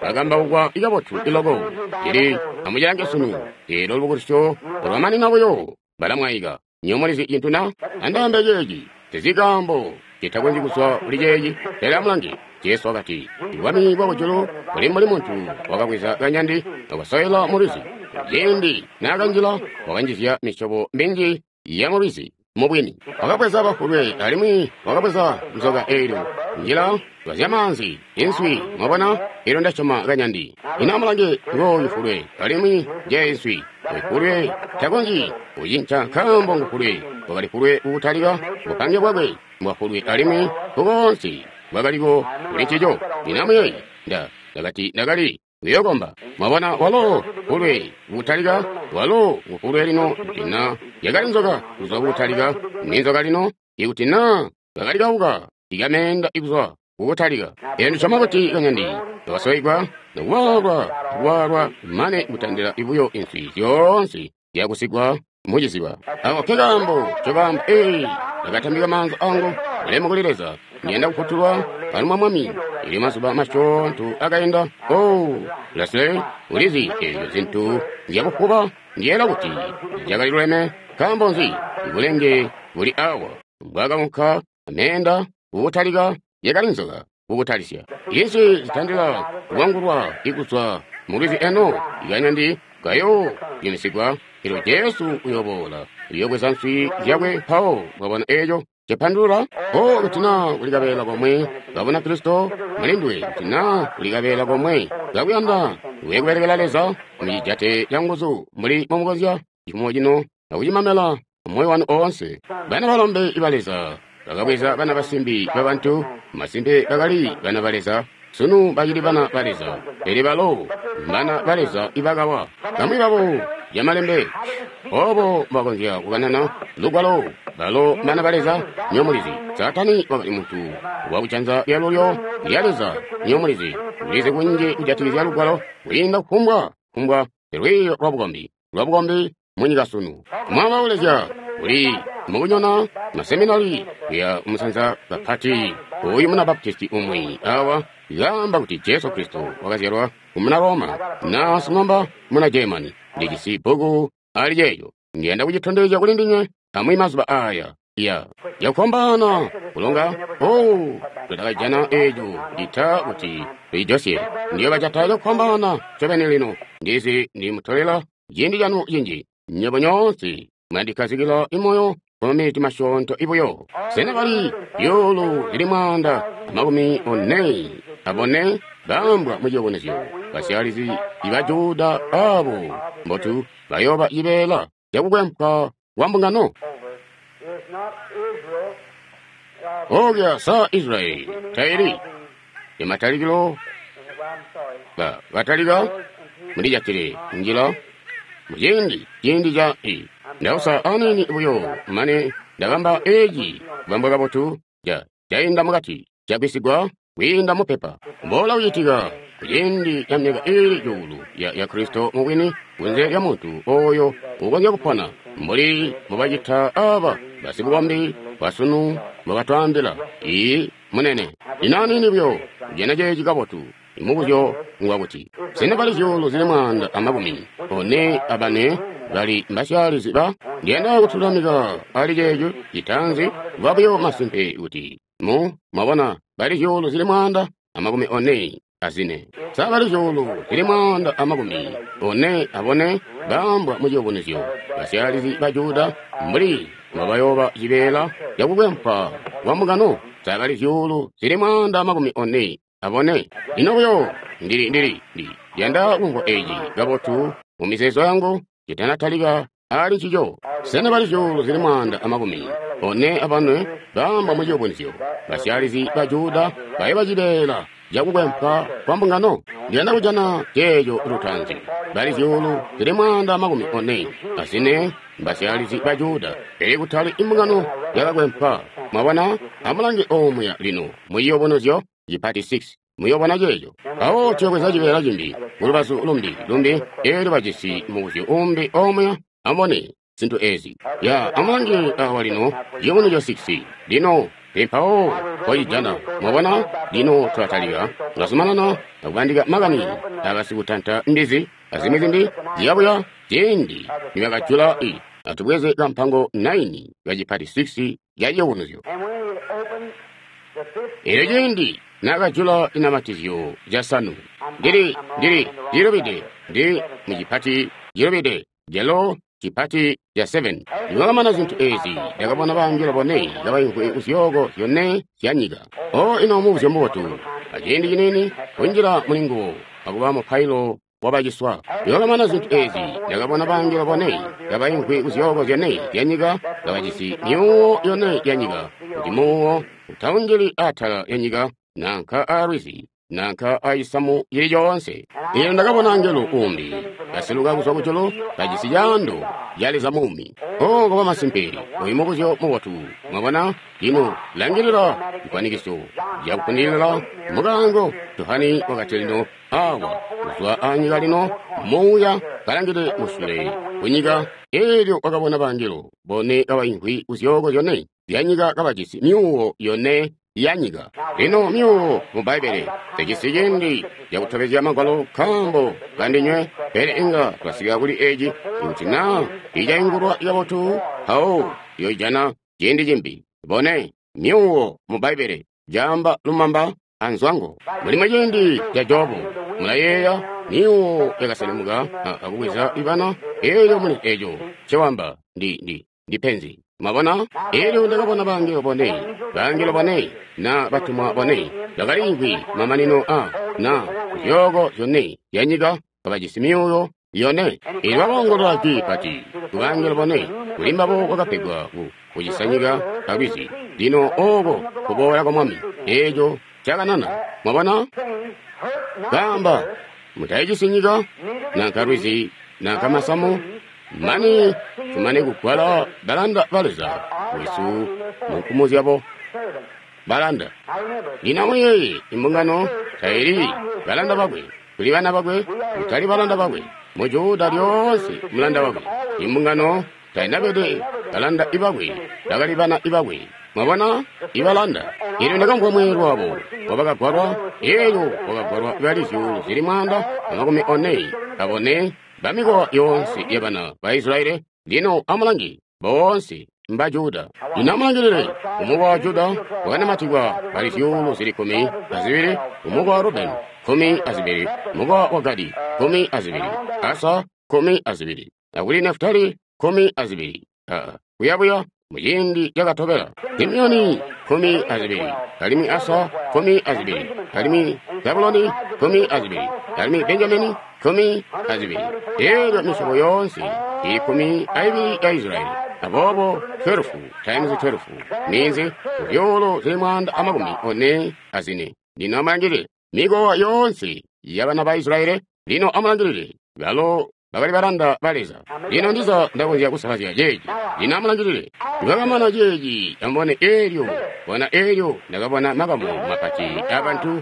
akambaukwa ikabotu iloko. Ili amucilange sunu elo lubukulusyo olwamanina buyo balamwaika. Nyo mulizi cintu na? Andaambe ceeci tezikaambo citakonzyi kuzwa kuli ceeci. Pele amulange, Jesu wakati, Bwami bwa kujulu buli mbuli muntu wakabweza kanyandi akasowela mu lwizi. Ciindi naakanjila wakanjizya misyobo minji ya mu lwizi. Mubwini wakabweza bafulwe alimwi wakabweza nzoka eelyo njila lwazyamaanzi inswi. Mwabona, eelyo ndasyoma kanyandi. Ino amulange, ngooyu fulwe alimwi nje inswi. Fulwe takonzyi kucinca nkaambo ngufulwe. Wakali fulwe kukutalika bupange bwakwe mbwafulwe alimwi kukoonse bwakaliko kuli ncico. Ino amuyeeye, ndakati ndakali kuyokomba. Mwabona, walo fulwe kukutalika, walo ngufulwe lino. Kuti na yakali nzoka kuzwa kukutalika, ni nzoka lino. Ikuti na kakali kauka ikameenda ikuzwa kukutalika. Eelyo ndisyoma kuti kanyandi kakasoigwa nokuwaalwa kuwaalwa mane kutandila ibuyo inswi zyoonse zyakusigwa muciziba. Ako ke kaambo ncobaamba, ee, ndakatambika maanza angu ulemu kuli Leza, ndiyanda kufutulwa pano mwa Mwami. Elyo mazuba masyoonto akainda. Oh, Leslie, ulizi eezyo zintu nzyakufuba. Ndiyeela kuti zyakali luleme. Nkaambo nzi? Ibulenge buli awa bwakaunka ameenda kukutalika, yakali nzoka kukutalisya. Inswi zitandila kuwangulwa ikuzwa mu lwizi eno ikanyandi kayo yumisigwa. Elyo Jesu uyoboola uyobweza nswi zyakwe mpawo. Mwabona eeco cipandulula? O, kuti na kuli kabeela komwe kabona Kristo mulinduwe, kuti na kuli kabeela komwe kakuyanda uye kubelekela Leza, mucijate canguzu mbuli mumukonzya cifumo cino akucimamela moyo wanu oonse. Bana balombe ba Leza bakabweza bana basimbi babantu, masimpe bakali bana ba Leza. Sunu bacili bana ba Leza, pele balo mbana ba Leza ibakawa. Bamwi babo yamalembe obo bakonzya kukanana lugwalo, balo mbana ba Leza. Nyo mulizi, Saatani wakali muntu wakujanza lyalulyo lya Leza. Nyo mulizi, ulizi kunji kujatikizya lugwalo kwiinda kufumbwa kufumbwa lwiiyo lwabukombi munyika sunu. Mwabaulezya uli mukunyona maseminari kuya umusanza kapati. Uyu muna Baptisti umwi awa yaamba kuti Jesu Kristo wakazyalwa kumuna Roma na sing'omba muna Germany. Ndijisi bbuku ali ceeco, ndiyanda kucitondezya kuli ndinywe amwi mazuba aya. Ya yakufombana kulonga. Oh, tutakajana eeco cita kuti tuijosye. Ndiyo bacata cakufombana ncobeni lino. Ndizi ndimutolela ciindi canu cinji. Nywebo nyoonse mwandikazikila imoyo kwa masyoonto ibuyo. Sena bali zyuulu zili 144 baambwa mu ciyubunuzyo? Basyalizi iba Juda abo mbotu bayooba cibeela cakukwempwa kwa mbungano. Okya sa Israeli taili imatalikilo batalika mulijatile njila muciindi ciindi ca i ndausa anini buyo mane ndabamba eeci kubambwa kabotu cainda mukati cagwisigwa kwiinda mupepa. Mbola kucitika kuciindi ca myaka iili cuulu ya Kristo mubwini kunze lya muntu oyo ukonzya kupona mbuli mbubacita aba basibukombi basunu mbubatwaambila. Ii munene inanini buyo kujana ceeci kabotu. Imubuzyo ngwakuti sena bali zyuulu zili 144 bali mbasyalizi ba? Ndiyanda kutulamika ali ceeco citanzi kuba buyo masimpe kuti mwabona bali zyuulu zili 144. Sa bali zyuulu zili 144 baambwa mu ciyubunuzyo basyalizi ba Juda mbuli mbabayooba cibeela cakukwempwa kwa mbungano? Sa bali zyuulu zili 144? Lino buyo ndili yanda kumvwa eeci kabotu mu mizeezo yangu citanatalika ali ncico. Sena bali zyuulu zili 144 baambwa mu ciyubunuzyo basyalizi ba Juda bayoba cibeela cakukwempwa kwa mbungano? Ndiyanda kujana ceeco lutanzi. Bali zyuulu zili 144 mbasyalizi ba Juda, pele kutali imbungano yakakwempwa. Mwabona, amulange omuya lino mu ciyubunuzyo cipati 6. Muyobona ceeco. Mpawo tuyobweza cibeela cimbi, kulubazu lumbi, lumbi, eelyo bajisi mubuzyo umbi omuya. Amubone zintu ezi. Ya, amulange awa lino, Ciyubunuzyo 6. Lino, mpawo twacijana. Mwabona? Lino tulatalika, tulazumanana akubandika makani abasikutanta mbizi, azimwi zimbi, ziyabuya, ciindi nibakajula i. Atubweze kampango 9 kacipati 6 ya Ciyubunuzyo. Elyo ciindi nakajula inamatizyo casanu, ndili cilubide, ndili mucipati cilubide, jalo cipati ca 7. Nibakamana zintu ezi, ndakabona bangelo bone kabaimvwi kuzyooko zyone zya nyika. O ino mubuzyo mubotu, aciindi ciniini kunjila muli nguwo akuba mupailo wabaciswa. Nibakamana zintu ezi, ndakabona bangelo bone kabaimvwi kuzyooko zyone zya nyika, kabajisi myuwo yone ya nyika, kuti muwo utaunjili atala ya nyika, nanka alwizi, nanka acisamu cili coonse. Eelyo ndakabona angelo umbi kaseluka kuzwa kujulu, kajisi caando ca Leza muumi. O kuba masimpe, oyu mubuzyo mubotu. Mwabona? Lino langilila cifwanikiso cakupundilila mukaango. Johani wakati lino awa kuzwa anyika lino muuya kalangile musule kunyika. Eelyo wakabona bangelo bone kabaimvwi kuzyooko zyone zya nyika kabajisi myuwo yone ya nyika. Lino myuwo mu Bbaibbele tejisi ciindi cakutobezya magwalo nkaambo kandinywe, pele inga twasika kuli eci ikuti naa icaingulwa kabotu, mpawo yoijana ciindi cimbi. Bone myuwo mu Bbaibbele caamba lumamba anzwango. Mulimo ciindi ca Jobu, mulayeeya myuwo yakaselemuka akubweza ibana. Eelyo muli eco cewamba ndi penzi. Mwabona? Eelyo ndakabona bangelo bone, bangelo bone na batumwa bone bakaliimvwi mamanino a na zyooko zyone zya nyika kabajisi myuwo yone. Eelyo bakoongolola jwi pati kubangelo bone, kuli mbabo kwakapegwa kucisa nyika alwizi. Lino ooko kuboola kwa Mwami, eeco cakanana. Mwabona? Kaamba, mutayicisi nyika, nanka lwizi, nanka masamu, mane tumane kugwala balanda ba Leza wesu mu nkumu zyabo balanda. Lino amuyeeye, imbungano taili balanda bakwe, tuli bana bakwe, kutali balanda bakwe. Mu Juda lyoonse mulanda wakwe. Imbungano tainabede balanda ibakwe, bakali bana ibakwe. Mwabona? Ibalanda. Eelyo ndakamvwa mweelwe wabo wabakagwalwa, eelyo wakagwalwa bali 144,000 bamikowa yoonse yabana ba Israeli. Lino amulange, boonse mba Juda. Lino amulangilile, umukowa wa Juda wakanamatikwa bali 12,000, umukowa wa Rubeni 12, umukowa wa Gadi 12, Asa 12, akuli Nafutali 12. Kuyabuya muciindi cakatobela, Simeoni 12, alimwi Asa 12, alimwi Zabuloni 12, alimwi Benjamini 12. Eelyo misyobo yoonse ili 12 ya Israeli. Aboobo 12 times 12 ninzi 144,000. Lino amulangilile mikowa yoonse yabana ba Israeli. Lino amulangilile balo bakali balanda ba Leza. Lino ndiza ndakonzya kusalazya ceeci. Lino amulangilile nibakamana ceeci, amubone eelyo, bona eelyo ndakabona makamu mapati abantu,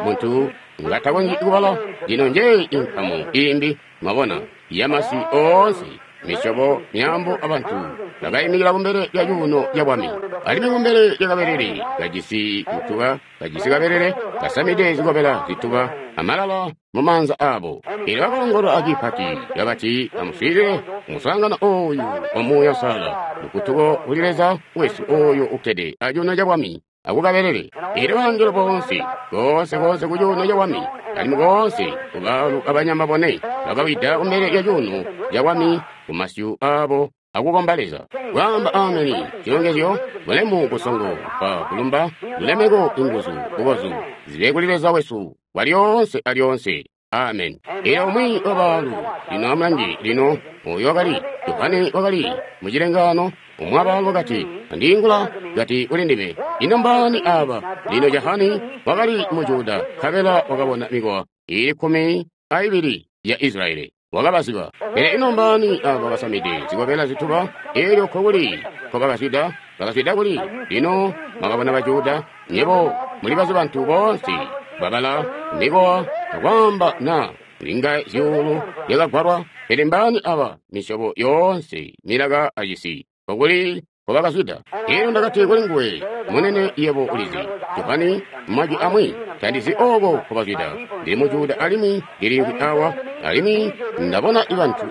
muntu ngatakonzyi kubala. Lino njeeyi inkamu imbi, mwabona, yamasi oonse, misyobo, myaambo abantu bakaimikila kumbele lya cuuno ca bwami, alimwi kumbele lya kabelele kajisi mutuba, kajisi kabelele kasamide zikobela zituba amalala mu maanza abo. Eelyo bakoongolola acipati kabati, amuswiilile umuswaangano ooyu wa Muuya Uusalala, lukutuko kuli Leza wesu ooyo ukkede acuuno ca bwami akukabelele. Eelyo bangelo boonse, koonse koonse ku cuuno ca bwami, alimwi koonse kubaalu abanyama bone, bakawida kumbele lya cuuno ca bwami kumasyu aabo akukomba Leza. Kwaamba ameni, cilongezyo, bulemu, busongo, kupa kulumba, lulemeko, inguzu, bukozu, zibe kuli Leza wesu walyoonse alyoonse. Amen. Eelyo umwi wabaalu, lino amulange, lino oyo wakali Johane wakali mucilengaano, umwi wabaalu wakati, andiingula kati kuli ndime, ino mbaani aba? Lino Johane wakali mu Juda, nkabela wakabona mikowa ili 12 ya Israeli. Wakabaziba. Pele ino mbaani aba basamide zikobela zituba? Eelyo nkokuli nkobakazwida? Bakazwida kuli? Lino mwakabona ba Juda, nyebo muli bazi bantu boonse bwabala mikowa akwaamba na linga zyuulu lyakagwalwa. Pele mbaani aba misyobo yoonse milaka acisi kokuli nkobakazwida? Elyo ndakati kuli nguwe, Munene, yebo ulizi. Johani, majwi amwi, tandizi ooko nkobazwida. Ndili mu Juda alimwi ndiliimvwi awa, alimwi ndabona bantu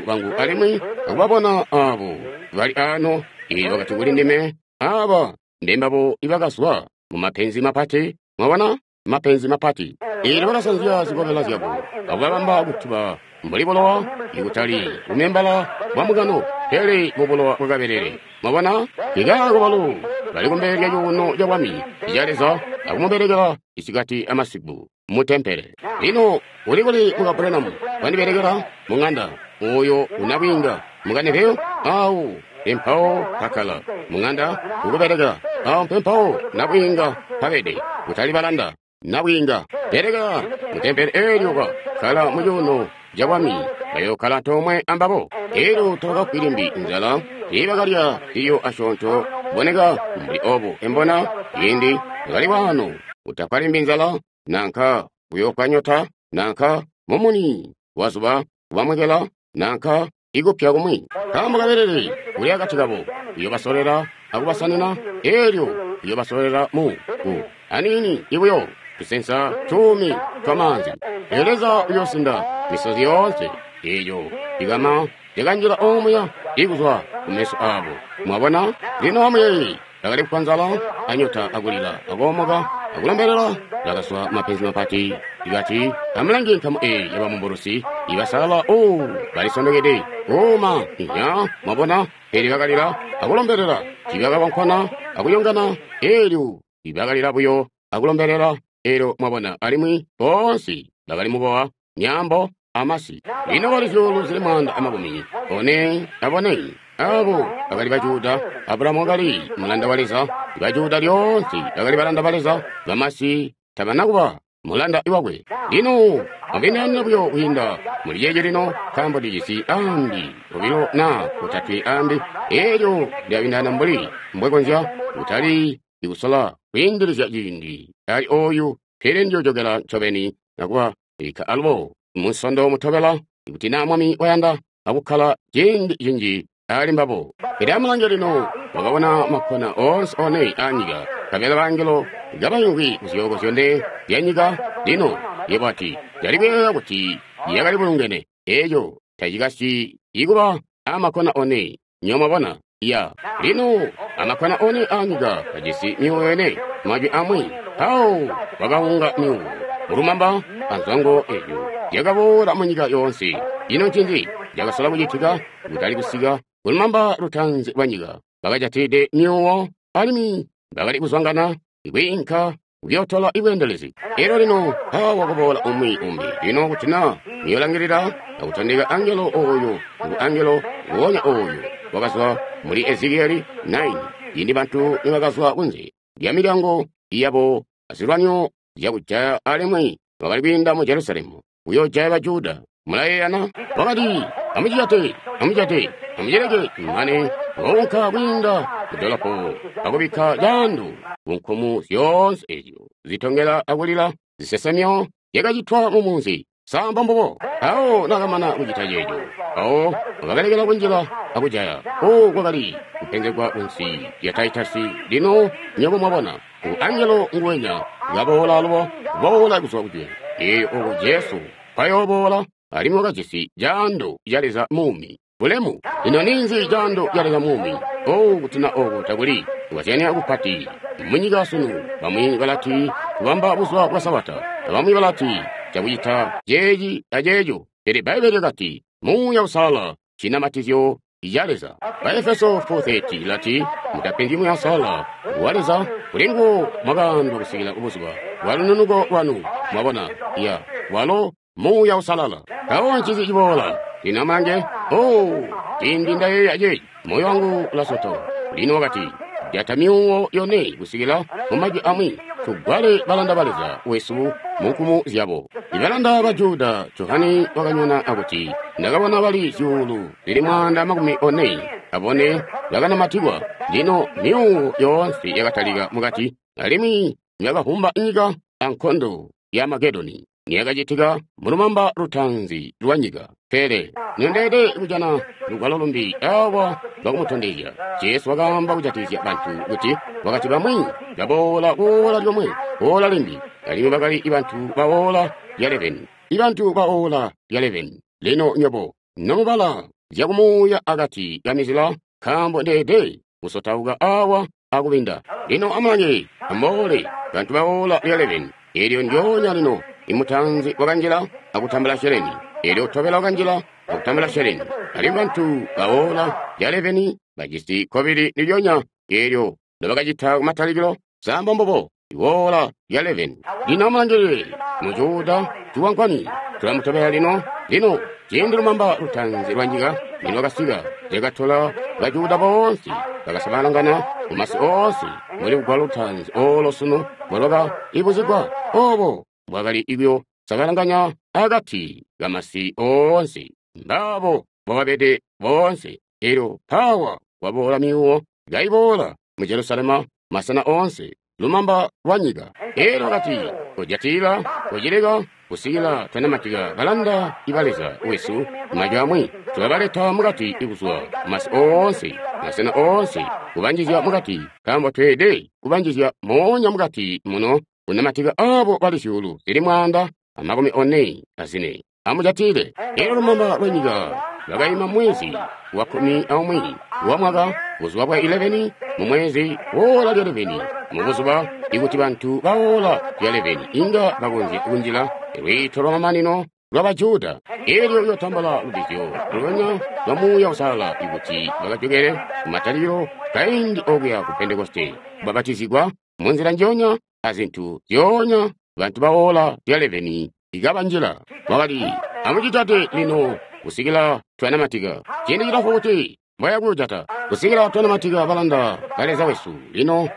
bangu alimwi akubabona aabo bali ano. Elyo wakati kuli ndime, Aaba mbembabo ibakazwa mumapenzi mapati. Mwabona? Mapenzi mapati. Elyo bakasanzya zikobela zyabo akubabamba kutuba mbuli bulowa, ikutali bumembala bwa mugano, pele mubulowa bwa kabelele. Mwabona? Ikaako balo bali kumbele lya cuuno ca bwami ca Leza akumubelekela isikati amasiku mu tempele. Lino uli kuli muka Branham wandibelekela mu ŋanda oyo unabwiinga mukanepeo awo mpempawo kakkala mu ŋanda ukubelekela awo mpempawo nabwiinga pabede, kutali balanda. Nabwiinga belekela mu tempele eelyo kakkala mu cuuno ca bwami, bayookkala antoomwe ambabo. Eelyo tabakafwi limbi nzala, tiibakalya zilyo asyoonto kuboneka mbuli obo. Embona ciindi bakali waano kutafwa limbi nzala, nanka kuyoofwa nyota, nanka mumuni wazuba kubamwekela, nanka ikupya kumwi. Nkaambo kabelele uli akati kabo uyoobasolela akubasanina, eelyo uyoobasolela mu ku aniini ibuyo tusensa tuumi twamaanzi. Eelyo Leza uyoosinda misozi yoonse eeyo ikama yakanjila omuya ikuzwa kumeso aabo. Mwabona? Lino amuyeeye, bakali kufwa nzala anyota akulila akoomoka akulombelela, bakazwa mapenzi mapati. Ikati amulange nkamu eyi yabamumbulusi ibasalala, o balisondokede kuuma inya. Mwabona? Pele bakalila akulombelela, tiibakakonkona akuyongana. Eelyo ibakalila buyo akulombelela. Eelyo mwabona, alimwi boonse bakali mubowa myaambo amasi. Lino bali zyuulu zili 144 abo bakali ba Juda. Abrahamu wakali mulanda wa Leza. Ba Juda lyoonse bakali balanda ba Leza. Bamasi tabana kuba mulanda wakwe. Lino mubindaanina buyo kwiinda muli ceeci lino, nkaambo ndijisi ambi obilo na otatwe ambi. Eelyo ndilabindaana mbuli mbwekonzya, kutali ikusola kwiindilizya ciindi ali oyu, pele ndiyoojokela ncobeni nakuba bikka alubo munsondo mutobela, ikuti naa Mwami wayanda, akukkala ciindi cinji ali mbabo. Pele amulange lino, wakabona makkona oonse one aanyika, nkabela bangelo kabaimvwi kuzyooko zyone zyanyika. Lino yebo ati, Ndali kuyeeya kuti yakali bulungene. Eeco tacikasyi ikuba amakkona one, nywebo mwabona. Ya. Lino amakkona one aanyika kajisi myuuwo yone, majwi amwi. Mpawo kwakaunga myuuwo mulumamba anzwango ezyo zyakaboola munyika yoonse. Ino ncinzi cakasola kucitika? Kutali kusika kulumamba lutaanzi lwa nyika, bakajatide myuuwo alimwi bakali kuzwangana kwiinka kuyootola ibweendelezi. Elyo lino mpawo kuboola umwi umbi. Lino kuti na muyolangilila akutondeka angelo oyo, ngu angelo nguonya oyo wakazwa muli Ezekieli 9, cindi bantu nibakazwa kunze lya milyango yabo azilwanyo zyakujaya alimwi bakali kwiinda mu Jerusalemu kuyoojaya ba Juda. Mulayeeyana? Wakati, Amucijate, amucijate, amucileke mane waunka kwiinda mudolopo akubikka caando kunkumu zyoonse ezyo zitongela akulila zisesemyo zyakacitwa mumunzi. Sa mbombubo? Mpawo nakamana kucita ceeco, mpawo wakabalekela kunjila akujaya. Oku kwakali kupenzegwa kunsi lya Taitasi. Lino nywebo mwabona, ngu angelo nguwenya kaboola alubo, kuboola kuzwa kujulu. Elyo oko Jesu nkwayooboola, alimwi wakajisi caando ca Leza muumi. Bulemu! Ino ninzi caando ca Leza muumi? Oh, kuti na oko takuli kukazyanya kupati munyika sunu. Bamwi balati kubamba buzuba bwa Sabata, bamwi balati cakucita ceeci aceeco. Pele Bbaibbele lyakati Muuya Uusalala ncinamatizyo ca Leza. Baefeso 4:30 lati, Mutapenzyi Muuya Uusalala wa Leza, kuli nguwo mwakaandwa kusikila kubuzuba bwa lununuko lwanu. Mwabona? Ya, walo Muuya Uusalala. Mpawo ncinzi ciboola? Lino amulange. Oh, cindi Nda yeeya ceeci, moyo wangu ulasotoka. Lino wakati, Jata myuuwo yone kusikila mu majwi amwi, tugwale balanda ba Leza wesu mu nkumu zyabo. Ibalanda ba Juda, Johane wakanyona akuti, Ndakabona bali zyuulu zili 144 bakanamatikwa. Lino myuuwo yoonse yakatalika mukati, alimwi yakavumba nyika ankondo. ya Amagedoni niyakacitika mulumamba lutaanzi lwa nyika. Pele nondeede kujana lugwalo lumbi awa lwakumutondezya. Jesu wakaamba kujatikizya bantu kuti wakati bamwi baboola kuola lyomwe, ola limbi, alimwi bakali bantu baola lya 11. Ibantu baola lya 11. Lino nyobo nomubala zyakumuuya akati kamizila, nkaambo ndeede kusotauka awa akubinda. Lino amulange, amuboole bantu baola lya 11. Eelyo ndyoonya lino imutanzi wakanjila akutambula sheleni, eelyo utobela wakanjila akutambula sheleni. Alimwi bantu baola lya 11 bajisi kkobili ndilyonya eelyo nobakacita kumatalikilo. Samba mbubo iwoola lya 11. Lino amulangilile mujuda ciwankwani tulamutobela lino. Lino ciindi lumamba lutaanzi lwa nyika nilwakasika, lyakatola bajuda boonse bakasabalangana mumasi oonse muli lugwalo lutaanzi oolo sunu mbwalwaka ibuzigwa obo bwakali ibyo sabalanganya akati kamasi oonse. Mbaabo bwababede boonse. Elyo pawa kwaboola myuwo kaiboola mu Jerusalema masena oonse lumamba lwa nyika. Elyo wakati kojatila kocileka kusikila twanamatika balanda iba Leza wesu majwi amwi tulabaleta mukati ikuzwa masi oonse masena oonse kubanjizya mukati, nkaambo tweede kubanjizya moonya mukati muno kunamatika abo bali zyuulu zili 144. Amujatile. Elyo lumamba lwa nyika lwakaima mwezi wa 11 wa mwaka, buzuba bwa 11 mu mwezi wola lya 11 mubuzuba ikuti bantu bawola lya 11 inga bakonzya kunjila lwiito lwa mamanino lwa Bajuda. Elyo uyotambula lubbizyo lulonya lwa Muuya Uusalala ikuti bakajokele kumatalikilo kaindi okuya ku Pentekoste, kubabatizigwa munzila njonya azintu zyoonya bantu bawola lya 11 ikabanjila. Wakati amucitate lino kusikila twanamatika. Ciindi cilamfu kuti mbwayakujata kusikila twanamatika balanda ba Leza wesu. Lino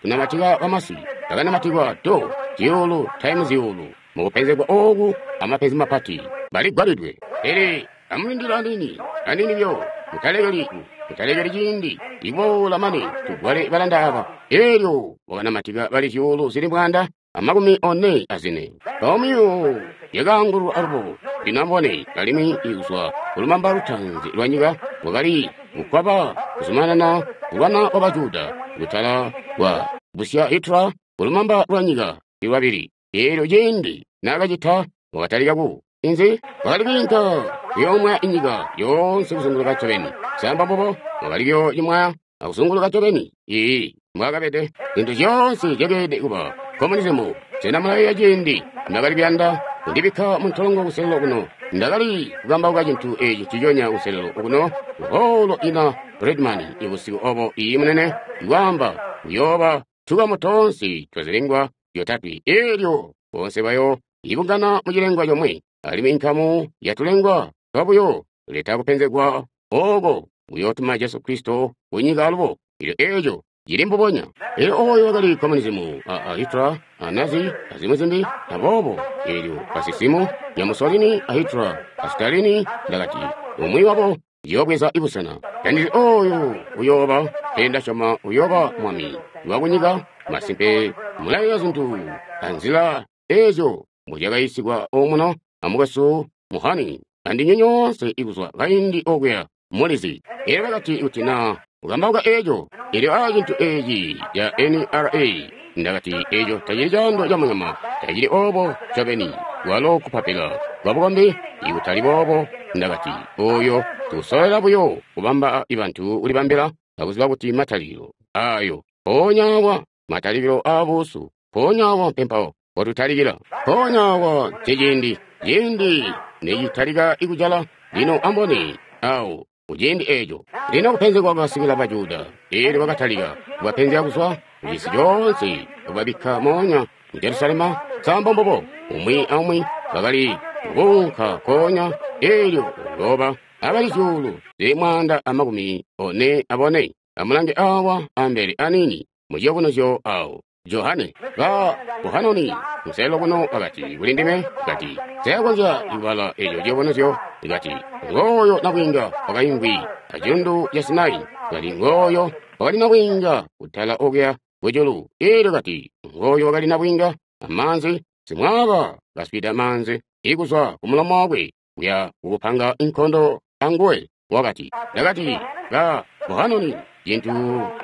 tunamatika bamasi bakanamatikwa do zyuulu taimu zyuulu mukupenzegwa ooku amapenzi mapati baligwalidwe. Pele amulindile anini anini byo, mutalekeli mutalekeli ciindi ikuboola mane tugwale balanda aba. Elyo wakanamatika bali zyuulu zili 144. Mpawo yakaangulwa alubo. Lino amubone, alimwi ikuzwa kulumamba lutaanzi lwa nyika lwakali kukwaba kuzumanana kulwana kwa Bajuda kutala kwa busya Hitler kulumamba lwa nyika lwabili. Eelyo ciindi naakacita wakatalika ku inzi wakali kwiinka kuyoomwaya inyika yoonse kuzunguluka ncobeni. Samba mbubo wakali kuyoocimwaya akuzunguluka ncobeni. Ii mbwaakabede zintu zyoonse zyakeelede kuba komunizimu. Sena mulayeeya ciindi ndakali kuyanda kundibikka muntolongo kuselelo kuno? Ndakali kukambauka cintu eci nciconya kuselelo kuno kuholo ina Redman ibusiku obo. Iyi munene ikwaamba kuyooba tukamu toonse twazilengwa zyotatwe. Eelyo boonse bayo ibungana mucilengwa comwe, alimwi inkamu yatulengwa twabuyo leta kupenzegwa ooko kuyootuma Jesu Kristo kunyika alubo. Elyo eeco cili mbubonya. Elyo oyo wakali komunizimu a Hitler a Nazi azimwi zimbi. Aboobo eelyo kasisimu ya Mussolini a Hitler a Stalin, ndakati umwi wabo yoobweza ibusena. Tandizi oyo uyooba, pele ndasyoma uyooba mwami wakunyika. Masimpe mulayeeya zintu anzila eezyo mbuzyakayiisigwa omuno amukwesu Muhani andinywe nyoonse ikuzwa kaindi okuya mulizi. Elyo bakati kuti na ukambauka eeco, elyo a cintu eeci ca NRA, ndakati eeco tacili caando ca munyama, tacili oobo ncobeni, walo kupapila kwabukombi ikutali boobo. Ndakati oyo tusolela buyo kubamba ibantu kulibambila akuziba kuti matalikilo ayo mpoonya awa, matalikilo aabuusu mpoonya awa mpempawo potutalikila, mpoonya awa nceciindi ciindi necitalika ikujala. Lino ambone awo kuciindi eeco. Lino kupenzegwa kwakasikila Bajuda. Eelyo bakatalika kubapenzya kuzwa kucisi coonse, kubabikka moonya mu Jerusalema. Nsambo mbubo umwi aumwi bakali kuunka koonya. Eelyo uyooba abali zyuulu zili 144. Amulange awa ambele anini muciyobunuzyo awo Johane ba Buhanoni muselelo kuno wakati kuli ndime, kati seyakonzya kubala eco ciyobunuzyo. Kati ngooyo nabwiinga wakaimvwi acilundu ca Sinai. Kati ngooyo wakali nabwiinga kutala okuya kujulu. Eelyo kati ngooyo wakali nabwiinga amaanzi Simwaaba kaswida maanzi ikuzwa ku mulomo wakwe kuya kukupanga inkondo anguwe. Wakati, ndakati, ba Bohanoni, cintu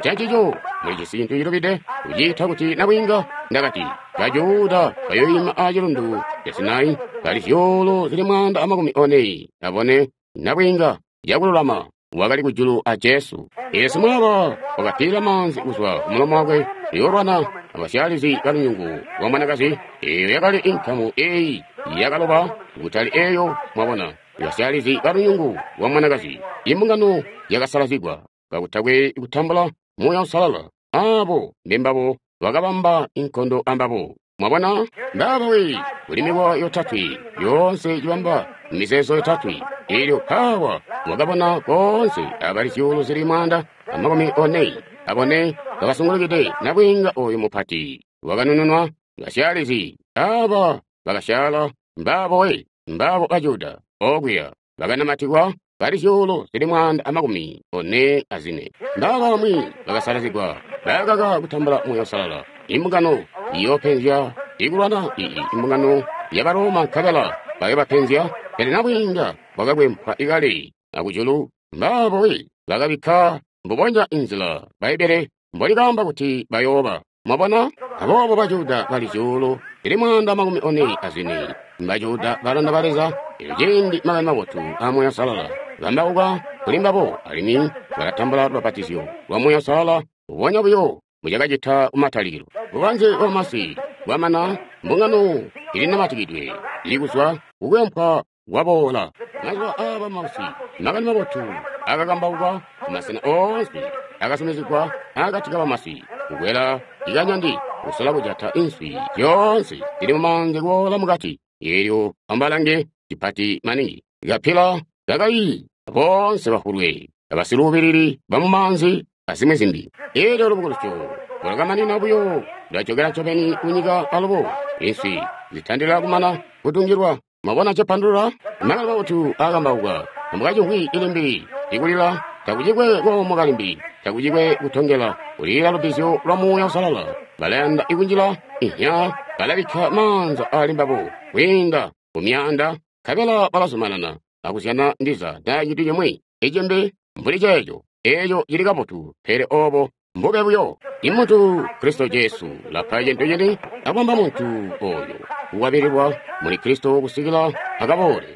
cancico mulijisi cintu cilubide kuciita kuti nabwiinga. Ndakati, Bajuda bayoima a cilundu ca Sinai bali zyuulu zili 144 nabwiinga yakululama wakali kujulu a Jesu. Yesu mwaba wakapiila maanzi kuzwa ku mulomo wakwe kuyoolwana abasyalizi balunyungu lwa mwanakazi. Eyo yakali inkamu eyi yakaloba kutali eyo, mwabona, basyalizi balunyungu lwa mwanakazi. Imbungano yakasalazigwa kakutakwe kutambula Muuya Uusalala. Abo mbembabo bakabamba inkondo ambabo. Mwabona, mbaba we kuli mikowa yotatwe yoonse cibamba mizeezo yotatwe. Elyo pawa wakabona koonse abali zyuulu zili 144 bakasungulukide nabwiinga oyu mupati wakanununwa. Basyalizi aba bakasyala mbabo we mbabo Bajuda okuya bakanamatikwa bali zyuulu zili 144. Mbaba bamwi bakasalazigwa bakaka kutambula Muuya Uusalala. Imbungano iyopenzya ikulwana iyi imbungano ya Baroma nkabela bayobapenzya, pele nabwiinga bwakakwempwa ikale akujulu. Mbabo we bakabikka mbubonya inzila Bbaibbele mbolikaamba kuti bayooba. Mwabona, aboobo Bajuda bali zyuulu zili 144 Mbajuda balanda ba Leza. Elyo ciindi makani mabotu a Muuya Uusalala bambauka kuli mbabo, alimwi balatambula lubapatizyo lwa Muuya Uusalala mbubonya buyo mucakacita kumatalikilo. Bubanze bwamasi bwamana, mbungano ilinamatikidwe ilikuzwa kukwempwa kwaboola. Mazuba aaba mausi makani mabotu akakambauka kumasena oonse, akasumizigwa akati kabamasi, kukwela ikanyandi kusola kujata inswi zyoonse zili mumaanzi kuboola mukati. Elyo ambalange cipati maningi kapila kakayi boonse bafulwe abasiluubilili bamumaanzi azimwi zimbi. Elyo lubukulusyo lwakamanina buyo lwajokera ncobeni kunyika alubo inswi zitandila kumana kutungilwa. Mwabona cepandulula? Makani mabotu akambauka amukacimvwi ilimbi ikulila takucikwe koomoka limbi, takucikwe kutongela, kulila lubbizyo lwa Muuya Uusalala. Balayanda ikunjila ihya, balabikka maanza ali mbabo kwiinda kumyaanda, nkabela balazumanana akuzyana ndiza naa cintu cimwi icimbi mbuli ceeco. Eeco cili kabotu, pele obo mbube buyo. Imuntu Kristo Jesu ulapa cintu cini akubamba muntu oyo kukwabililwa muli Kristo kusikila akaboole.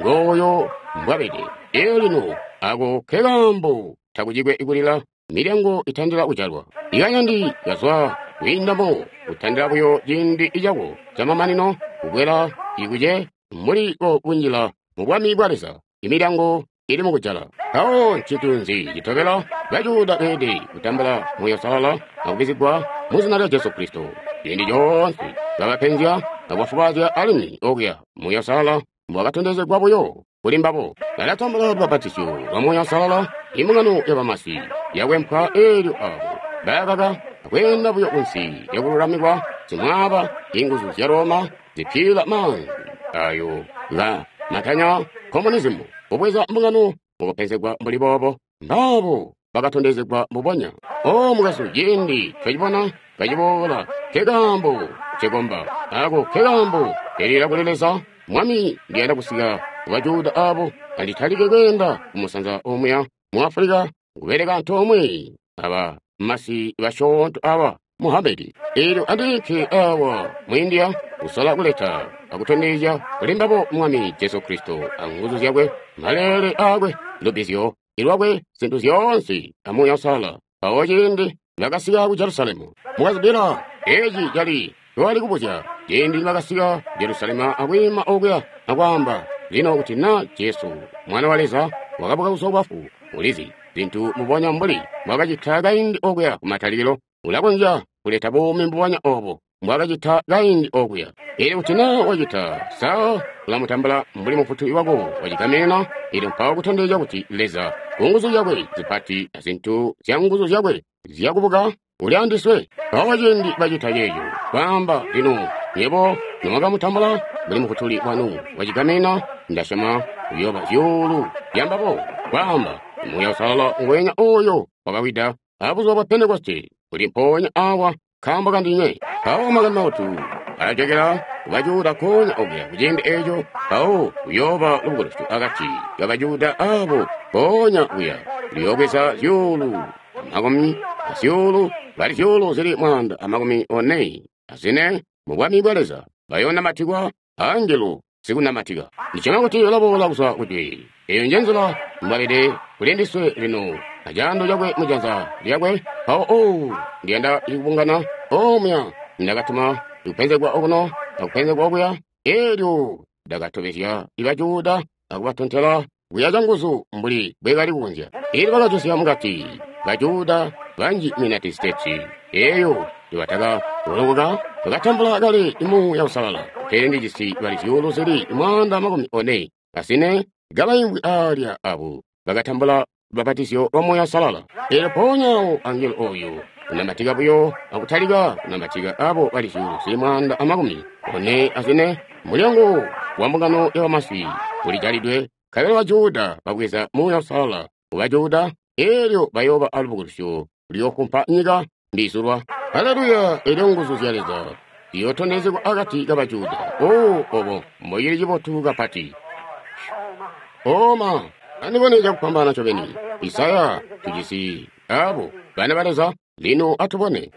Ngooyo mbwabede. Elyo lino ako kekaambo takucikwe kulila, milyango itandila kujalwa. Ikanyandi kazwa kwiindamo kutandila buyo ciindi cako camamanino kukwela ikuce muli ko kunjila mu bwami bwa Leza. Imilyango ili mukujala. Mpawo ncintu nzi citobela? Bajuda beelede kutambula Muuya Uusalala akubizigwa mu zina lya Jesu Kristo. Ciindi coonse babapenzya akubafubazya alimwi okuya Muuya Uusalala mbwakatondezegwa buyo kuli mbabo. Balatambula lubapatizyo lwa Muuya Uusalala, imbungano yabamasi yakwempwa eelyo abo bakaka akweenda buyo kunsi lyakululamikwa simwaaba inguzu zya Roma zipila maanzi ayo nga matanya komunizimu kubweza mbungano mukupenzegwa mbuli boobo. Mbabo bakatondezegwa mbubonya. O mukazu, ciindi twacibona kaciboola, kekaambo cekomba ako kekaambo kelila kuli Leza. Mwami, ndiyanda kusika ku Bajuda abo anditalike kweenda kumusanza omuya mu Afulika kubeleka antoomwe aba masi basyoonto aba Muhammedi. Elyo andiike awa mu India kusola kuleta akutondezya kuli mbabo Mwami Jesu Kristo anguzu zyakwe, maleele akwe, lubbizyo ilwakwe, zintu zyoonse a Muuya Uusalala. Mpawo ciindi bakasika ku Jerusalemu, mukazibila eci cali twali kubuzya. Ciindi bakasika ku Jerusalemu akwiima okuya akwaamba, lino kuti na Jesu mwana wa Leza wakabuka kuzwa kubafu, ulizi zintu mbubonya mbuli mbwakacita kaindi okuya kumatalikilo, ulakonzya kuleta buumi mbubonya obo mbwakacita kaindi okuya. Elyo kuti na wacita, sa ulamutambula mbuli mufutuli wako wacigamena? Elyo mpawo kutondezya kuti Leza ku nguzu zyakwe zipati azintu zya nguzu zyakwe zyakubuka uli andiswe. Mpawo ciindi bacita ceeco, kwaamba, lino nywebo nomwakamutambula mbuli mufutuli wanu wacigamena, ndasyoma kuyooba zyuulu zyambabo. Kwaamba, Muuya Uusalala ngweenya oyo wakawida abuzuba bwa Pentekoste uli mpoonya awa nkaambo kandinywe. Mpawo makani mabotu alajokera kubajuda konya okuya kuciindi eco, mpawo kuyooba lubukulusyo akati kabajuda abo konya kuya luyoobweza zyuulu amakumi azyuulu bali zyuulu zili 144 mu bwami bwa Leza bayoonamatikwa angelo sikunamatika. Ndisyoma kuti ulaboola kuzwa kujwe. Eyo nje nzila mbwabede kuli ndiswe lino acaando cakwe mujanza lyakwe. Mpawo o ndiyanda kubungana omuya ndakatuma kupenzegwa okuno akupenzegwa okuya, elyo ndakatobezya ibajuda akubatontela kuya canguzu mbuli bwekali kukonzya. Elyo bakajosya mukati bajuda banji mu United States eyo nibataka kulokoka bakatambula kale Muuya Uusalala. Pele ndijisi bali zyuulu zili 144 kabaimvwi alya abo bakatambula lubapatizyo lwa Muuya Uusalala. Elyo mpoonya awo angelo oyu unamatika buyo akutalika kunamatika abo bali zyuulu zili 144. Mulyango wa mbungano ya bamasi ulijalidwe, nkabela bajuda babweza Muuya Uusalala ku bajuda, elyo bayooba alubukulusyo luyoofumpa nyika mbizulwa. Haleluya! Elyo nguzu zya Leza ziyootondezegwa akati kabajuda. O, obo mboili cibotu kapati. Oma, andibone cakupambana ncobeni. Isaya, tujisi abo bana ba Leza. Lino atubone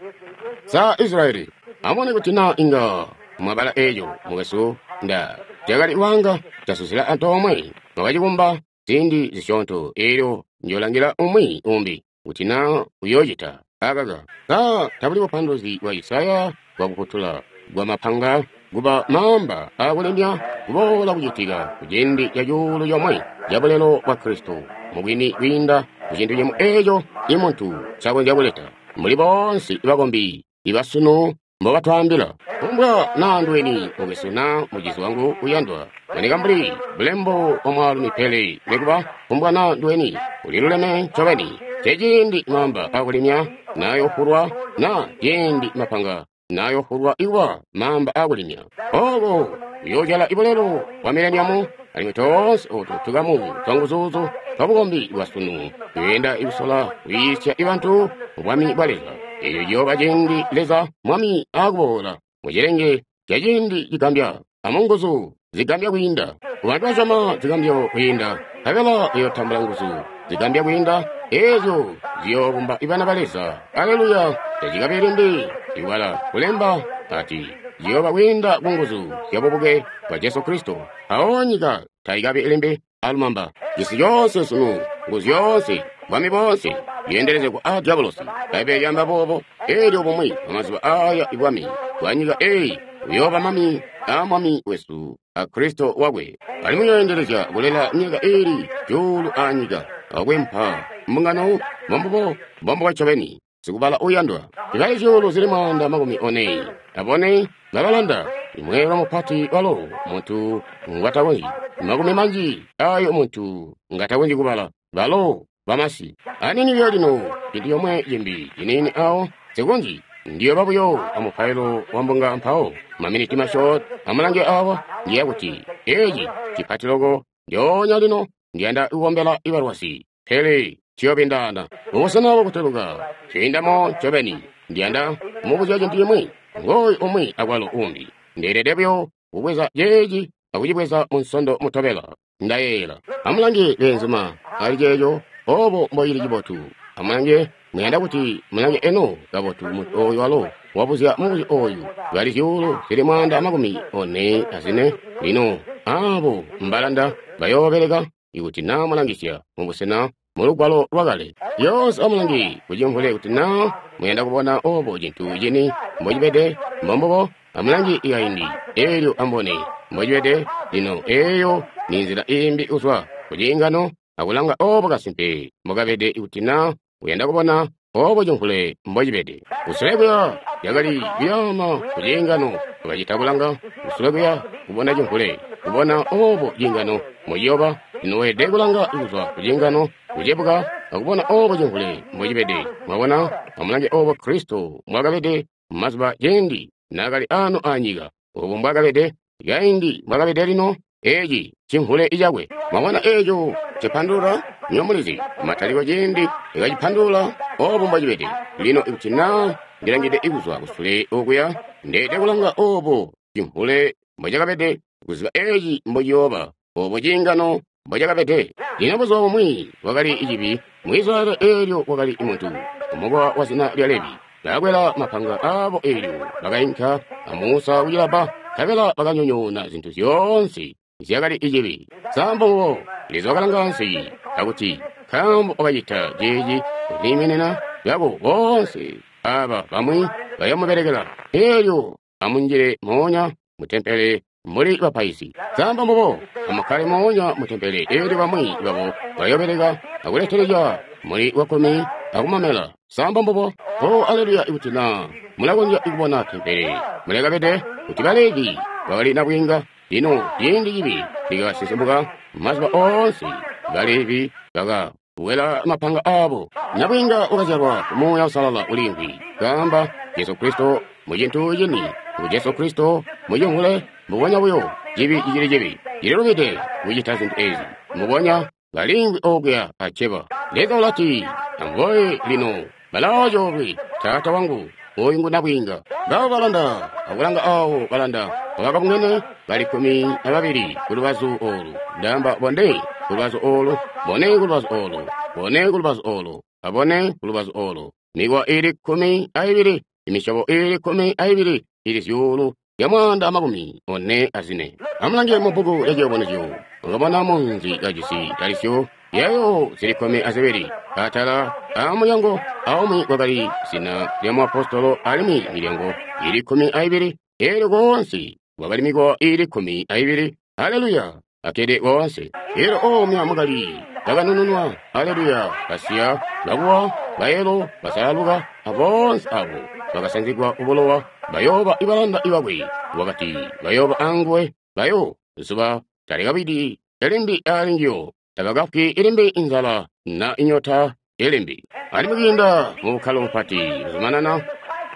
sa Israyeli. Amubone kuti na inga mwabala eco mukwesu. Nda cakali wanga casuzila antoomwe mwakacikumba ziindi zisyoonto, elyo njolangila umwi umbi kuti na uyoocita akaka. Sa tabuli bupanduluzi bwa Isaya bwakufutula bwa mapanga kuba maamba akulemya kuboola kucitika kuciindi ca cuulu comwe ca bulelo bwa Kristo mubwini kwiinda kucintu cimwi eco imuntu ncakonzya kuleta. Muli boonse bakombi ibasunu mbobatwaambila. Kumbwa naa nduweni mukwesu naa mucizi wangu uyandwa, boneka mbuli bulembo bwa mwaalumi, pele nikuba kumbwa naa nduweni uliluleme ncobeni. Ceciindi maamba akulimya nayoofulwa, na ciindi mapanga nayoofulwa ikuba maamba akulimya. Oko uyoojala ibulelo bwa mileniamu, alimwi toonse otu tukamu twanguzuzu twabukombi bwasunu tuyenda ikusola kuyiisya ibantu mu bwami bwa Leza. Eco ciyooba ciindi Leza Mwami akuboola mucilenge ca ciindi cigambya amunguzu zigambya kwiinda. Kubantu basyoma zigambyo kwiinda, nkabela bayootambula nguzu zigambya kwiinda, eezyo ziyoobumba ibana ba Leza. Aleluya! Tacikabi limbi ibala kulemba ati ciyooba kwiinda ku nguzu zya bubuke bwa Jesu Kristo. Mpawo nyika taikabi limbi alumamba. Cisi coonse sunu, nguzu zyoonse, bwami boonse bweendelezegwa a diabolosi. Bbaibbele lyaamba boobo. Elyo bumwi bwamazuba aya ibwami bwa nyika eyi buyooba mami a Mwami wesu a Kristo wakwe, alimwi uyooendelezya kulela myaka iili cuulu anyika akwempa mbungano. Mbombubo, mbombubo ncobeni. Sikubala uyandwa, ibali zyuulu zili 144 babalanda imweelwe mupati walo muntu ngwatakonzyi, makumi manji ayo muntu ngatakonzyi kubala, balo bamasi. Anini buyo lino, cintu comwe cimbi ciniini awo sikonzyi. Ndiyoba buyo amupailo wa mbunga mpawo maminiti masyoonto. Amulange awa, ndiya kuti eci cipati loko ndyoonya lino. Ndiyanda kukombela ibalwazi, pele ciyobindaana mubusena bwakuteluka ciindamo ncobeni. Ndiyanda kumubuzya cintu cimwi. Ngooyu umwi akwalo umbi. Ndeelede buyo kubweza ceeci akucibweza mu nsondo mutobela, ndayeeyela. Amulange beenzuma ali ceeco, obo mboili cibotu. Amulange, muyanda kuti mulange eno kabotu muntu oyu walo wabuzya mubuzyo oyu. Bali zyuulu zili 144 lino abo mbalanda bayoobeleka ikuti naa mulangisya mubusena mu lugwalo lwakale. Lyoonse amulange kucimvule kuti naa muyanda kubona obo cintu cini mbocibede. Mbombubo, amulange ikaindi elyo amubone mbocibede lino. Eyo ni nzila imbi kuzwa kuciingano akulanga obo kasimpe mbokabede ikuti naa uyanda kubona obo cimvule mbocibede. Kusule kuya yakali kuyaama kuciingano, bakacita kulanga kusule kuya kubona cimvule, kubona obo ciingano mbociyoba. Lino weelede kulanga kuzwa kuciingano kucebuka akubona obo cimvule mbocibede. Mwabona, amulange obo Kristo mbwakabede mumazuba ciindi naakali ano anyika, obo mbwakabede kaindi, mbwakabede lino. Eci cimvule icakwe. Mwabona eco cipandulula? Nyo mulizi mataliko ciindi ikacipandulula obo mbwacibede. Lino ikuti naa ndilangide ikuzwa kusule okuya, ndeelede kulanga obo cimvule mbocakabede, kuziba eci mbociyooba, obo ciingano mbocakabede. Lino buzuba bumwi kwakali cibi mu Israyeli eelyo kwakali muntu umukowa wa zina lya Levi. Bakakwela mapanga aabo eelyo bakainka a Musa kucilabba, nkabela bakanyonyoona zintu zyoonse zyakali cibi. Sambo Leza wakalanga ansi akuti, nkaambo wakacita ceeci kuliiminina lwako boonse aba bamwi bayomubelekela. Eelyo amunjile moonya mutempele muli bapaizi. Samba mbubo amukkale moonya mutempele eelyo bamwi babo bayobeleka akuletelezya muli wakkumi akumamela. Samba mbubo. O aleluya ikuti naa mulakonzya kubona tempele mulekabede kuti Balevi bakali nabwiinga. Lino ciindi cibi cikasinsimuka mazuba oonse Balevi bakawela mapanga aabo. Nabwiinga wakazyalwa ku Muuya Uusalala uliimvwi kaamba Jesu Kristo mu cintu cini ngu Jesu Kristo mu cimvule mbubonya buyo cibi cicili cibi cililubide kucita zintu ezi mbubonya baliimvwi okuya acceba. Leza ulati amboye lino balaacoolwe taata wangu oyu ngu nabwiinga. Ngabo balanda akulanga awo balanda bakabungene bali 12 kulubazu olu ndamba bone kulubazu olu bone kulubazu olu bone kulubazu olu abone kulubazu olu mikowa ili 12 imisyobo ili 12 ili zyuulu zya 144. Amulange mu bbuku lya Ciyubunuzyo mukabona munzi kajisi talisyo yayo zili 12 atala amulyango aumwi kwakali zina lya muapostolo alimwi milyango ili 12 eelyo koonse kwakali mikowa ili 12. Haleluya! Akede koonse. Eelyo omya mukali bakanununwa. Haleluya! Basiya, bakuwa, bayelo, basalaluka, aboonse abo bakasanzigwa kubulowa bayooba ibalanda ibakwe. Wakati bayooba anguwe bayo zuba talikabidi elimbi alinjiyo tabakafwi ilimbi inzala na inyota ilimbi. Alimwi kwiinda mu bukkalo bupati buzumanana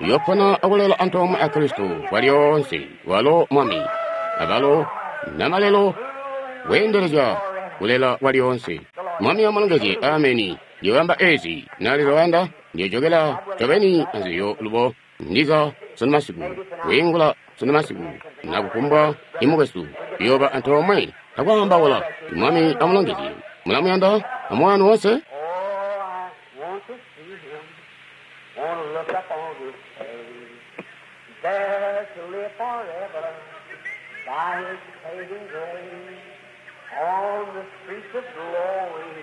uyopona akulela antoomwe a Kristo kwalyoonse walo Mwami abalo namalelo weendelezya kulela kwalyoonse. Mwami amulongezye. Ameni. Ndiyobamba ezi na Leza wayanda ndiyojokela ncobeni anziyo lubo ndiza sunu masiku kwiingula sunu masiku na kufumbwa imukwesu uyooba antoomwe akwaambaula. Mwami amulongezye. Mulamuyanda amwanu wonse. Oh, I want to see him, want to look up on his face, there to live forever by his saving grace. On the streets of glory,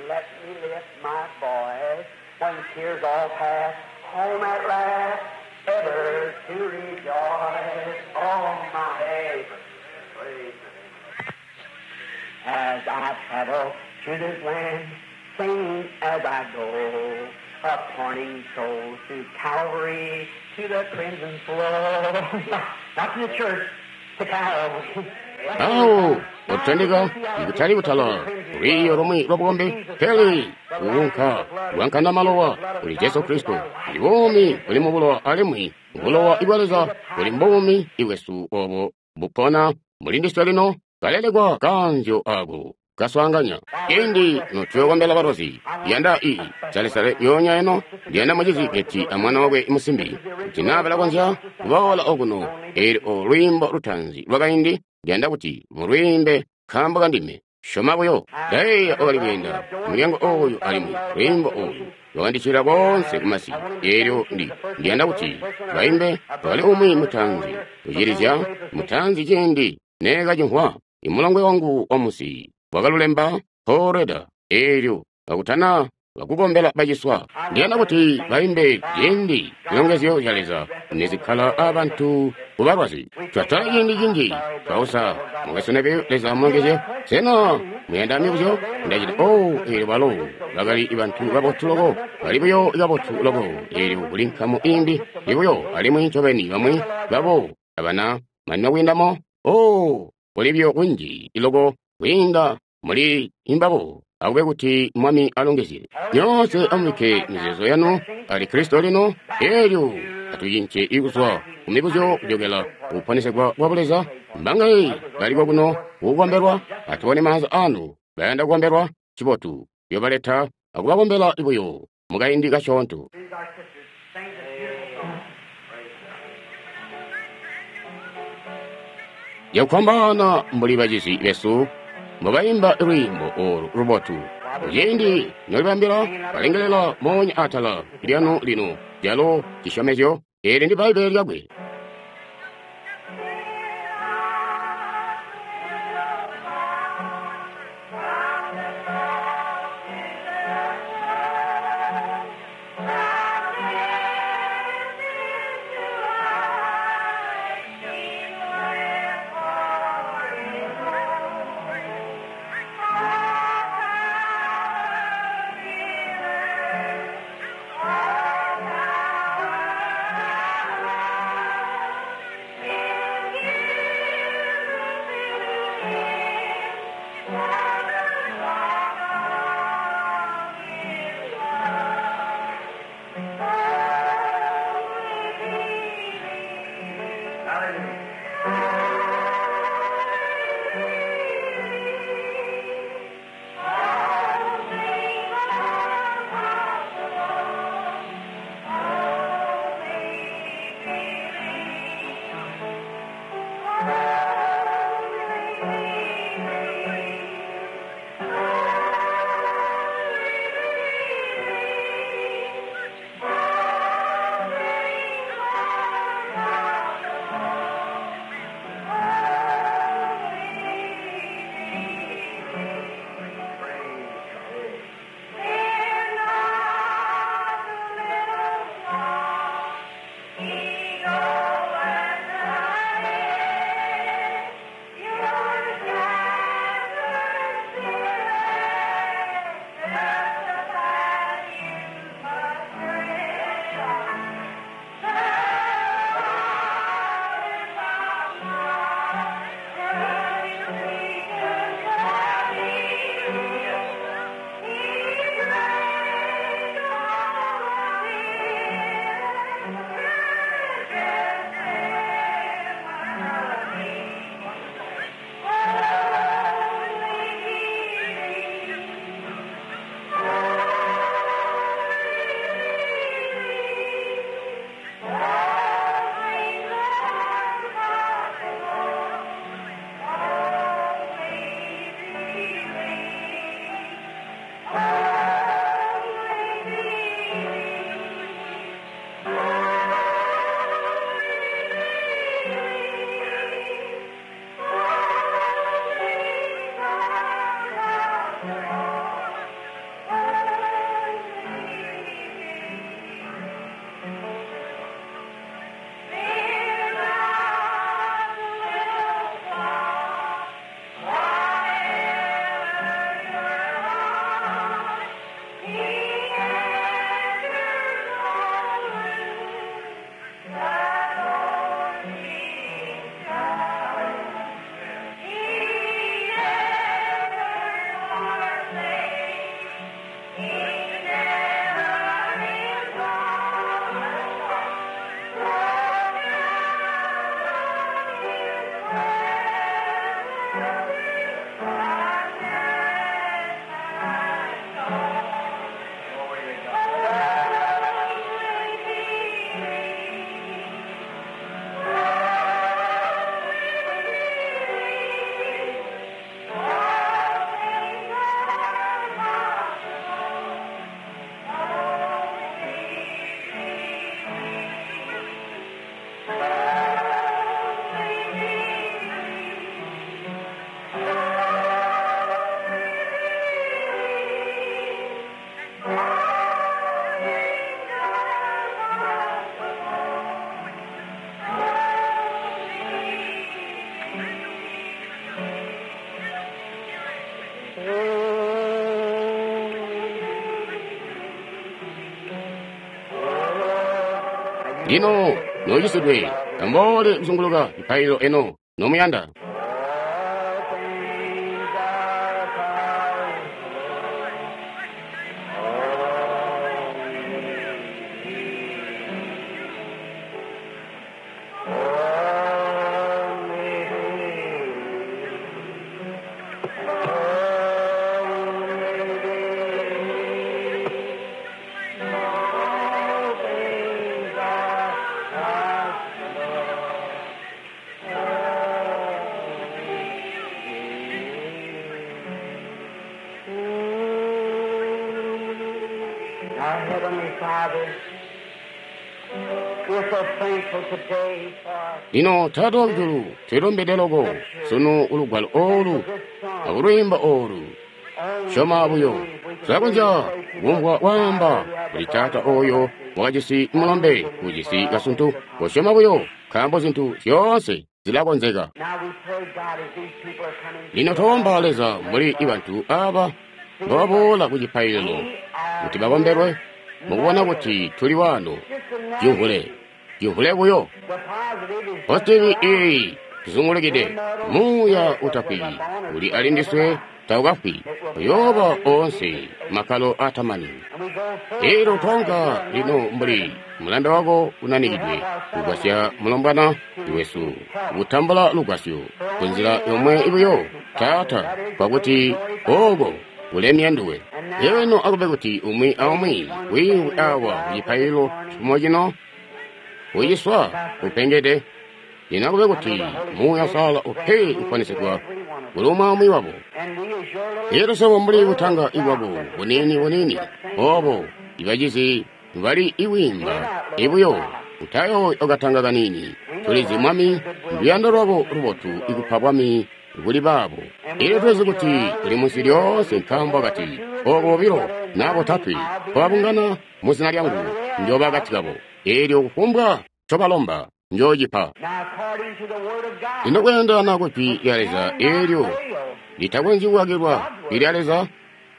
let me lift my voice. When tears all pass, home at last, ever to rejoice. Oh, my praise. As I travel through this land, singing as I go, appointing souls to Calvary, to the crimson flow. Not to the church, to Calvary. Awo otutandika ikutali kutala lwiiyo lomwe lwabukombi pele kuunka lwankana malowa kuli Jesu Kristo. Ndi buumi buli mu bulowa alimwi bulowa ibwa Leza buli mbuumi ibwesu obo bupona muli ndiswe lino kalelekwa kanzyo ako kaswaanganya. Ciindi notuyokombela balozi yanda ii salesale yoonya eno ndiyanda mucizi Beti amwana wakwe musimbi kuti naa balakonzya kuboola okuno. Eelyo lwiimbo lutaanzi lwakaindi ndiyanda kuti mulwiimbe nkaambo kandime. Syoma buyo. Ndayeeya wakali kweenda mulyango oyu alimwi lwiimbo olu lwakandicilila koonse kumasi. Eelyo ndiyanda kuti baimbe wakali umwi mutaanzi kucilizya mutaanzi ciindi neekacimvwa. Imulongwe wangu wamusi wakalulemba Paul eelyo kakutana bakukombela baciswa. Ndiyanda kuti baimbe ciindi zilongezyo zya Leza nezikkala abantu kubalwazi. Twatala ciindi cinji twausa mukasoneke Leza amulongezye. Sena muyanda mibuzyo? Ndacita o eelyo balo bakali bantu babotu loko, bali buyo kabotu loko. Eelyo kuli nkamu imbi ibuyo alimwi ncobeni bamwi babo abana manina kwiindamo. O kuli buyo kunji loko kwiinda muli imbabo. Akube kuti Mwami alongezye. Nyoonse amubikke mizeezo yanu ali Kristo lino. Eelyo atucince ikuzwa kumibuzyo kujokela kuponesegwa kwa Buleza. Mbangaye bali kokuno kukombelwa, atubone maanza anu bayanda kukombelwa cibotu. Yobaleta akubakombela buyo mukaindi kasyoonto. These our sisters sing this beautiful song. Cakufwambaana mbuli bacizi besu mbubayimba lwiimbo olu lubotu. Kuciindi nolibambila, balengelela moonya atala lyanu lino, calo cisyomezyo, eli ndi Bbaibbele lyakwe. Lino nocisidwe, amboole kuzunguluka cipaililo eno nomuyanda. All things are possible. Only believe. Only believe. All things are possible. Our Heavenly Father, we're so thankful today for Lino Taata wakujulu, twilumbide loko sunu ulugwalo oolu akulwiimba oolu. Syoma buyo. Tulakonzya kumvwa waamba kuli taata oyo wakajisi mulombe ujisi kasuntu. Kosyoma buyo, nkaambo zintu zyoonse zilakonzeka. Now we pray, God, as these people are coming. Lino twomba Leza mbuli bantu aba mbababoola ku cipaililo kuti bakombelwe mukubona kuti tuli wano. Cimvule, cimvule buyo. The positive is Positivi iyi tuzungulukide muuya utafwi uli ali ndiswe taukafwi uyooba oonse makkalo atamani. and we go forth. Elyo twaunka lino mbuli mulanda wako unanikidwe kugwasya mulombwana wesu kutambula lugwasyo kunzila yomwe ibuyo Taata, kwakuti oko kulemya nduwe. Eno akube kuti umwi aumwi wiimvwi awa kucipaililo cifumo cino uciswa upengede. Lino akube kuti Muuya Uusalala upe kuponesegwa kuli umwi aumwi wabo. And we as your little Elyo swebo mbuli butanga ibwabo bunini bunini obo ibacizi bali iwimba ibuyo utayo okatanga kanini. Tulizi Mwami luyando lwako lubotu ikupa bwami kuli baabo. Elyo tulizi kuti uli munsi lyoonse nkaambo akati oko bobilo naa botatwe twabungana mu zina lyangu njooba akati kabo. Elyo kufumbwa ncobalomba njoocipa. Now according to the word of God, Lino kweendelana ku jwi lya Leza elyo litakonzyi kukakilwa jwi lya Leza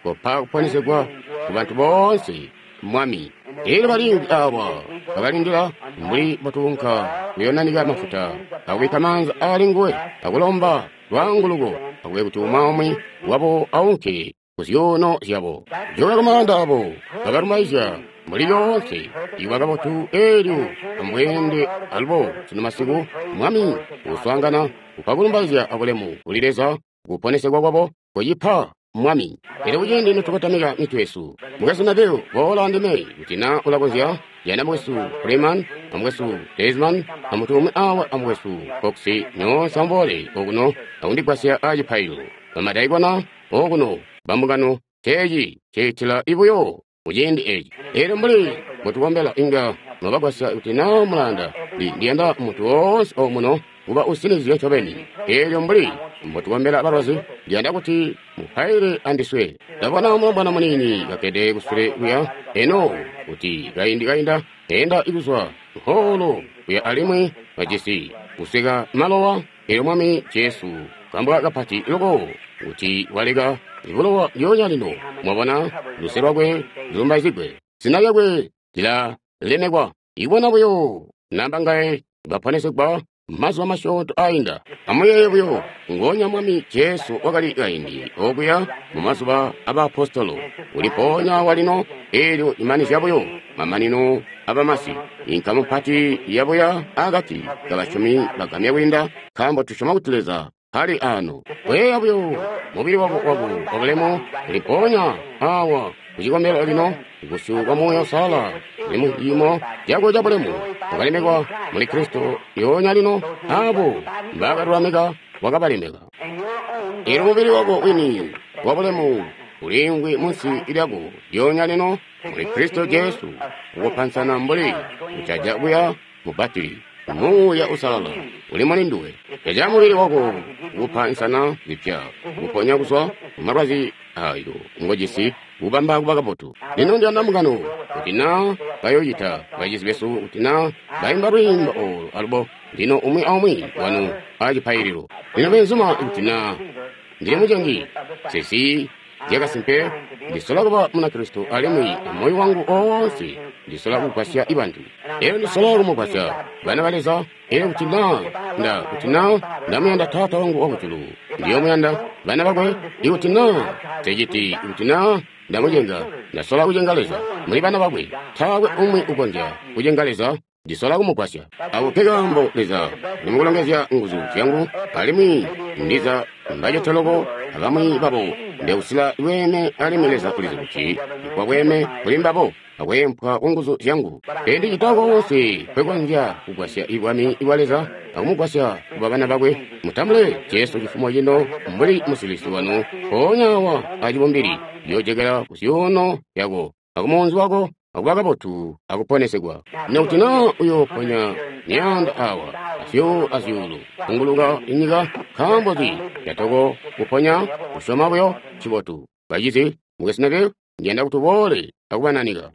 kopa kuponesegwa ku bantu boonse Mwami. Elyo balingi awa bakalindila mbuli botuunka kuyonanika mafuta akubikka maanza ali nguwe akulomba lwaanguluko akube kuti umwi aumwi wabo aunke ku zyuuno zyabo. Joka kumaanda abo bakalumaizya mbuli lyoonse iwa kabotu elyo ambweende alubo sunu masiku Mwami uswaangana kupa kulumbaizya abulemu kuli Leza kuponesegwa kwabo kucipa Mwami. Elyo kuciindi nitukotamika mitwe yesu, mukwesu Neville, boola andime kuti na ulakonzya jana mukwesu Freeman amukwesu Desman amuntu umwi awa amukwesu Cox nyoonse amuboole okuno akundigwasya acipaililo. Bamadaikona okuno bambungano ceeci ciitila ibuyo kuciindi eci. Elyo mbuli mutukombela inga mwabagwasya kuti na mulanda ndiyanda muntu woonse omuno kuba usinizye ncobeni. Elyo mbuli mbotukombela balwazi ndiyanda kuti mupaile andiswe. Ndabona mulombwana munini kakkede kusule kuya eno kuti kaindi kainda enda ikuzwa nkoolo kuya alimwi kajisi kuseka malowa. Elyo Mwami Jesu kambwa kapati loko kuti waleka bulowa lyoonya lino. Mwabona luse lwakwe lulumbaizigwe, zina lyakwe lilalemekwa. Ibona buyo namba ngaye baponesegwa mazuba masyoonto ainda. Amuyeeye buyo ngonya Mwami Jesu wakali kaindi okuya mu mazuba abaapostolo ulipoonya walino. Elyo imanizya buyo mamanino abamasi inkamu mpati yabuya akati kabasyomi bagamya kwiinda, nkaambo tusyoma kuti Leza ali ano. Weya buyo mubili wako wabulemu ulipoonya awa kucikombelo lino busyu bwa Muuya Uusalala uli mu ciimo cako cabulemu wakalemekwa muli Kristo lyoonya lino. Abo mbakalulamika wakabalemeka. and your own Elyo mubili wako wini wabulemu uliimvwi munsi lyako lyoonya lino muli Kristo Jesu ukupansana mbuli kucaja kuya mu batili. Muuya Uusalala uli muli nduwe. Caja mubili wako kukupa nsana zipya, kukuponya kuzwa kumalwazi ayo ngojisi, kubamba kuba kabotu. Lino ndiyanda mbungano kuti na bayoocita bacizi besu kuti na baimba lwiimbo olu alubo lino umwi aumwi wanu acipaililo. Lino beenzuma kuti na ndili mucengi sesi zyakasimpe ndisola kuba Munakristo alimwi amoyo wangu oonse ndisola kugwasya ibantu. Elyo ndisola kumugwasya bana ba Leza. Elyo kuti na nda kuti na ndamuyanda Taata wangu wakujulu, ndiyomuyanda bana bakwe. Ikuti na nseciti, ikuti na ndamucenga, ndasola kucenga Leza muli bana bakwe. Taakwe umwi ukonzya kucenga Leza. Ndisola kumugwasya. Ako ke kaambo Leza nimukulongezya nguzu zyangu alimwi ndiza mbacete loko abamwi babo ndeusila bweeme alimwi Leza ulizi kuti kwa bweeme kuli mbabo akweempwa ku nguzu zyangu. Pele ndicita koonse nkwekonzya kugwasya ibwami bwa Leza akumugwasya kuba bana bakwe. Mutambule Jesu cifumo cino mbuli musilisi wanu mpoonya awa acibumbili yoojekela ku zyuuno zyako. akumuunzi wako, akuba kabotu akuponesegwa. Lino kuti na uyo ponya myaanda awa, azyuulu azyuulu, kunguluka inyika, nkaambonzi catoko kuponya? Kusyoma buyo ncibotu. Bacizi, Mukwesu Neville, Ndi yanda kuti uboole akubananika.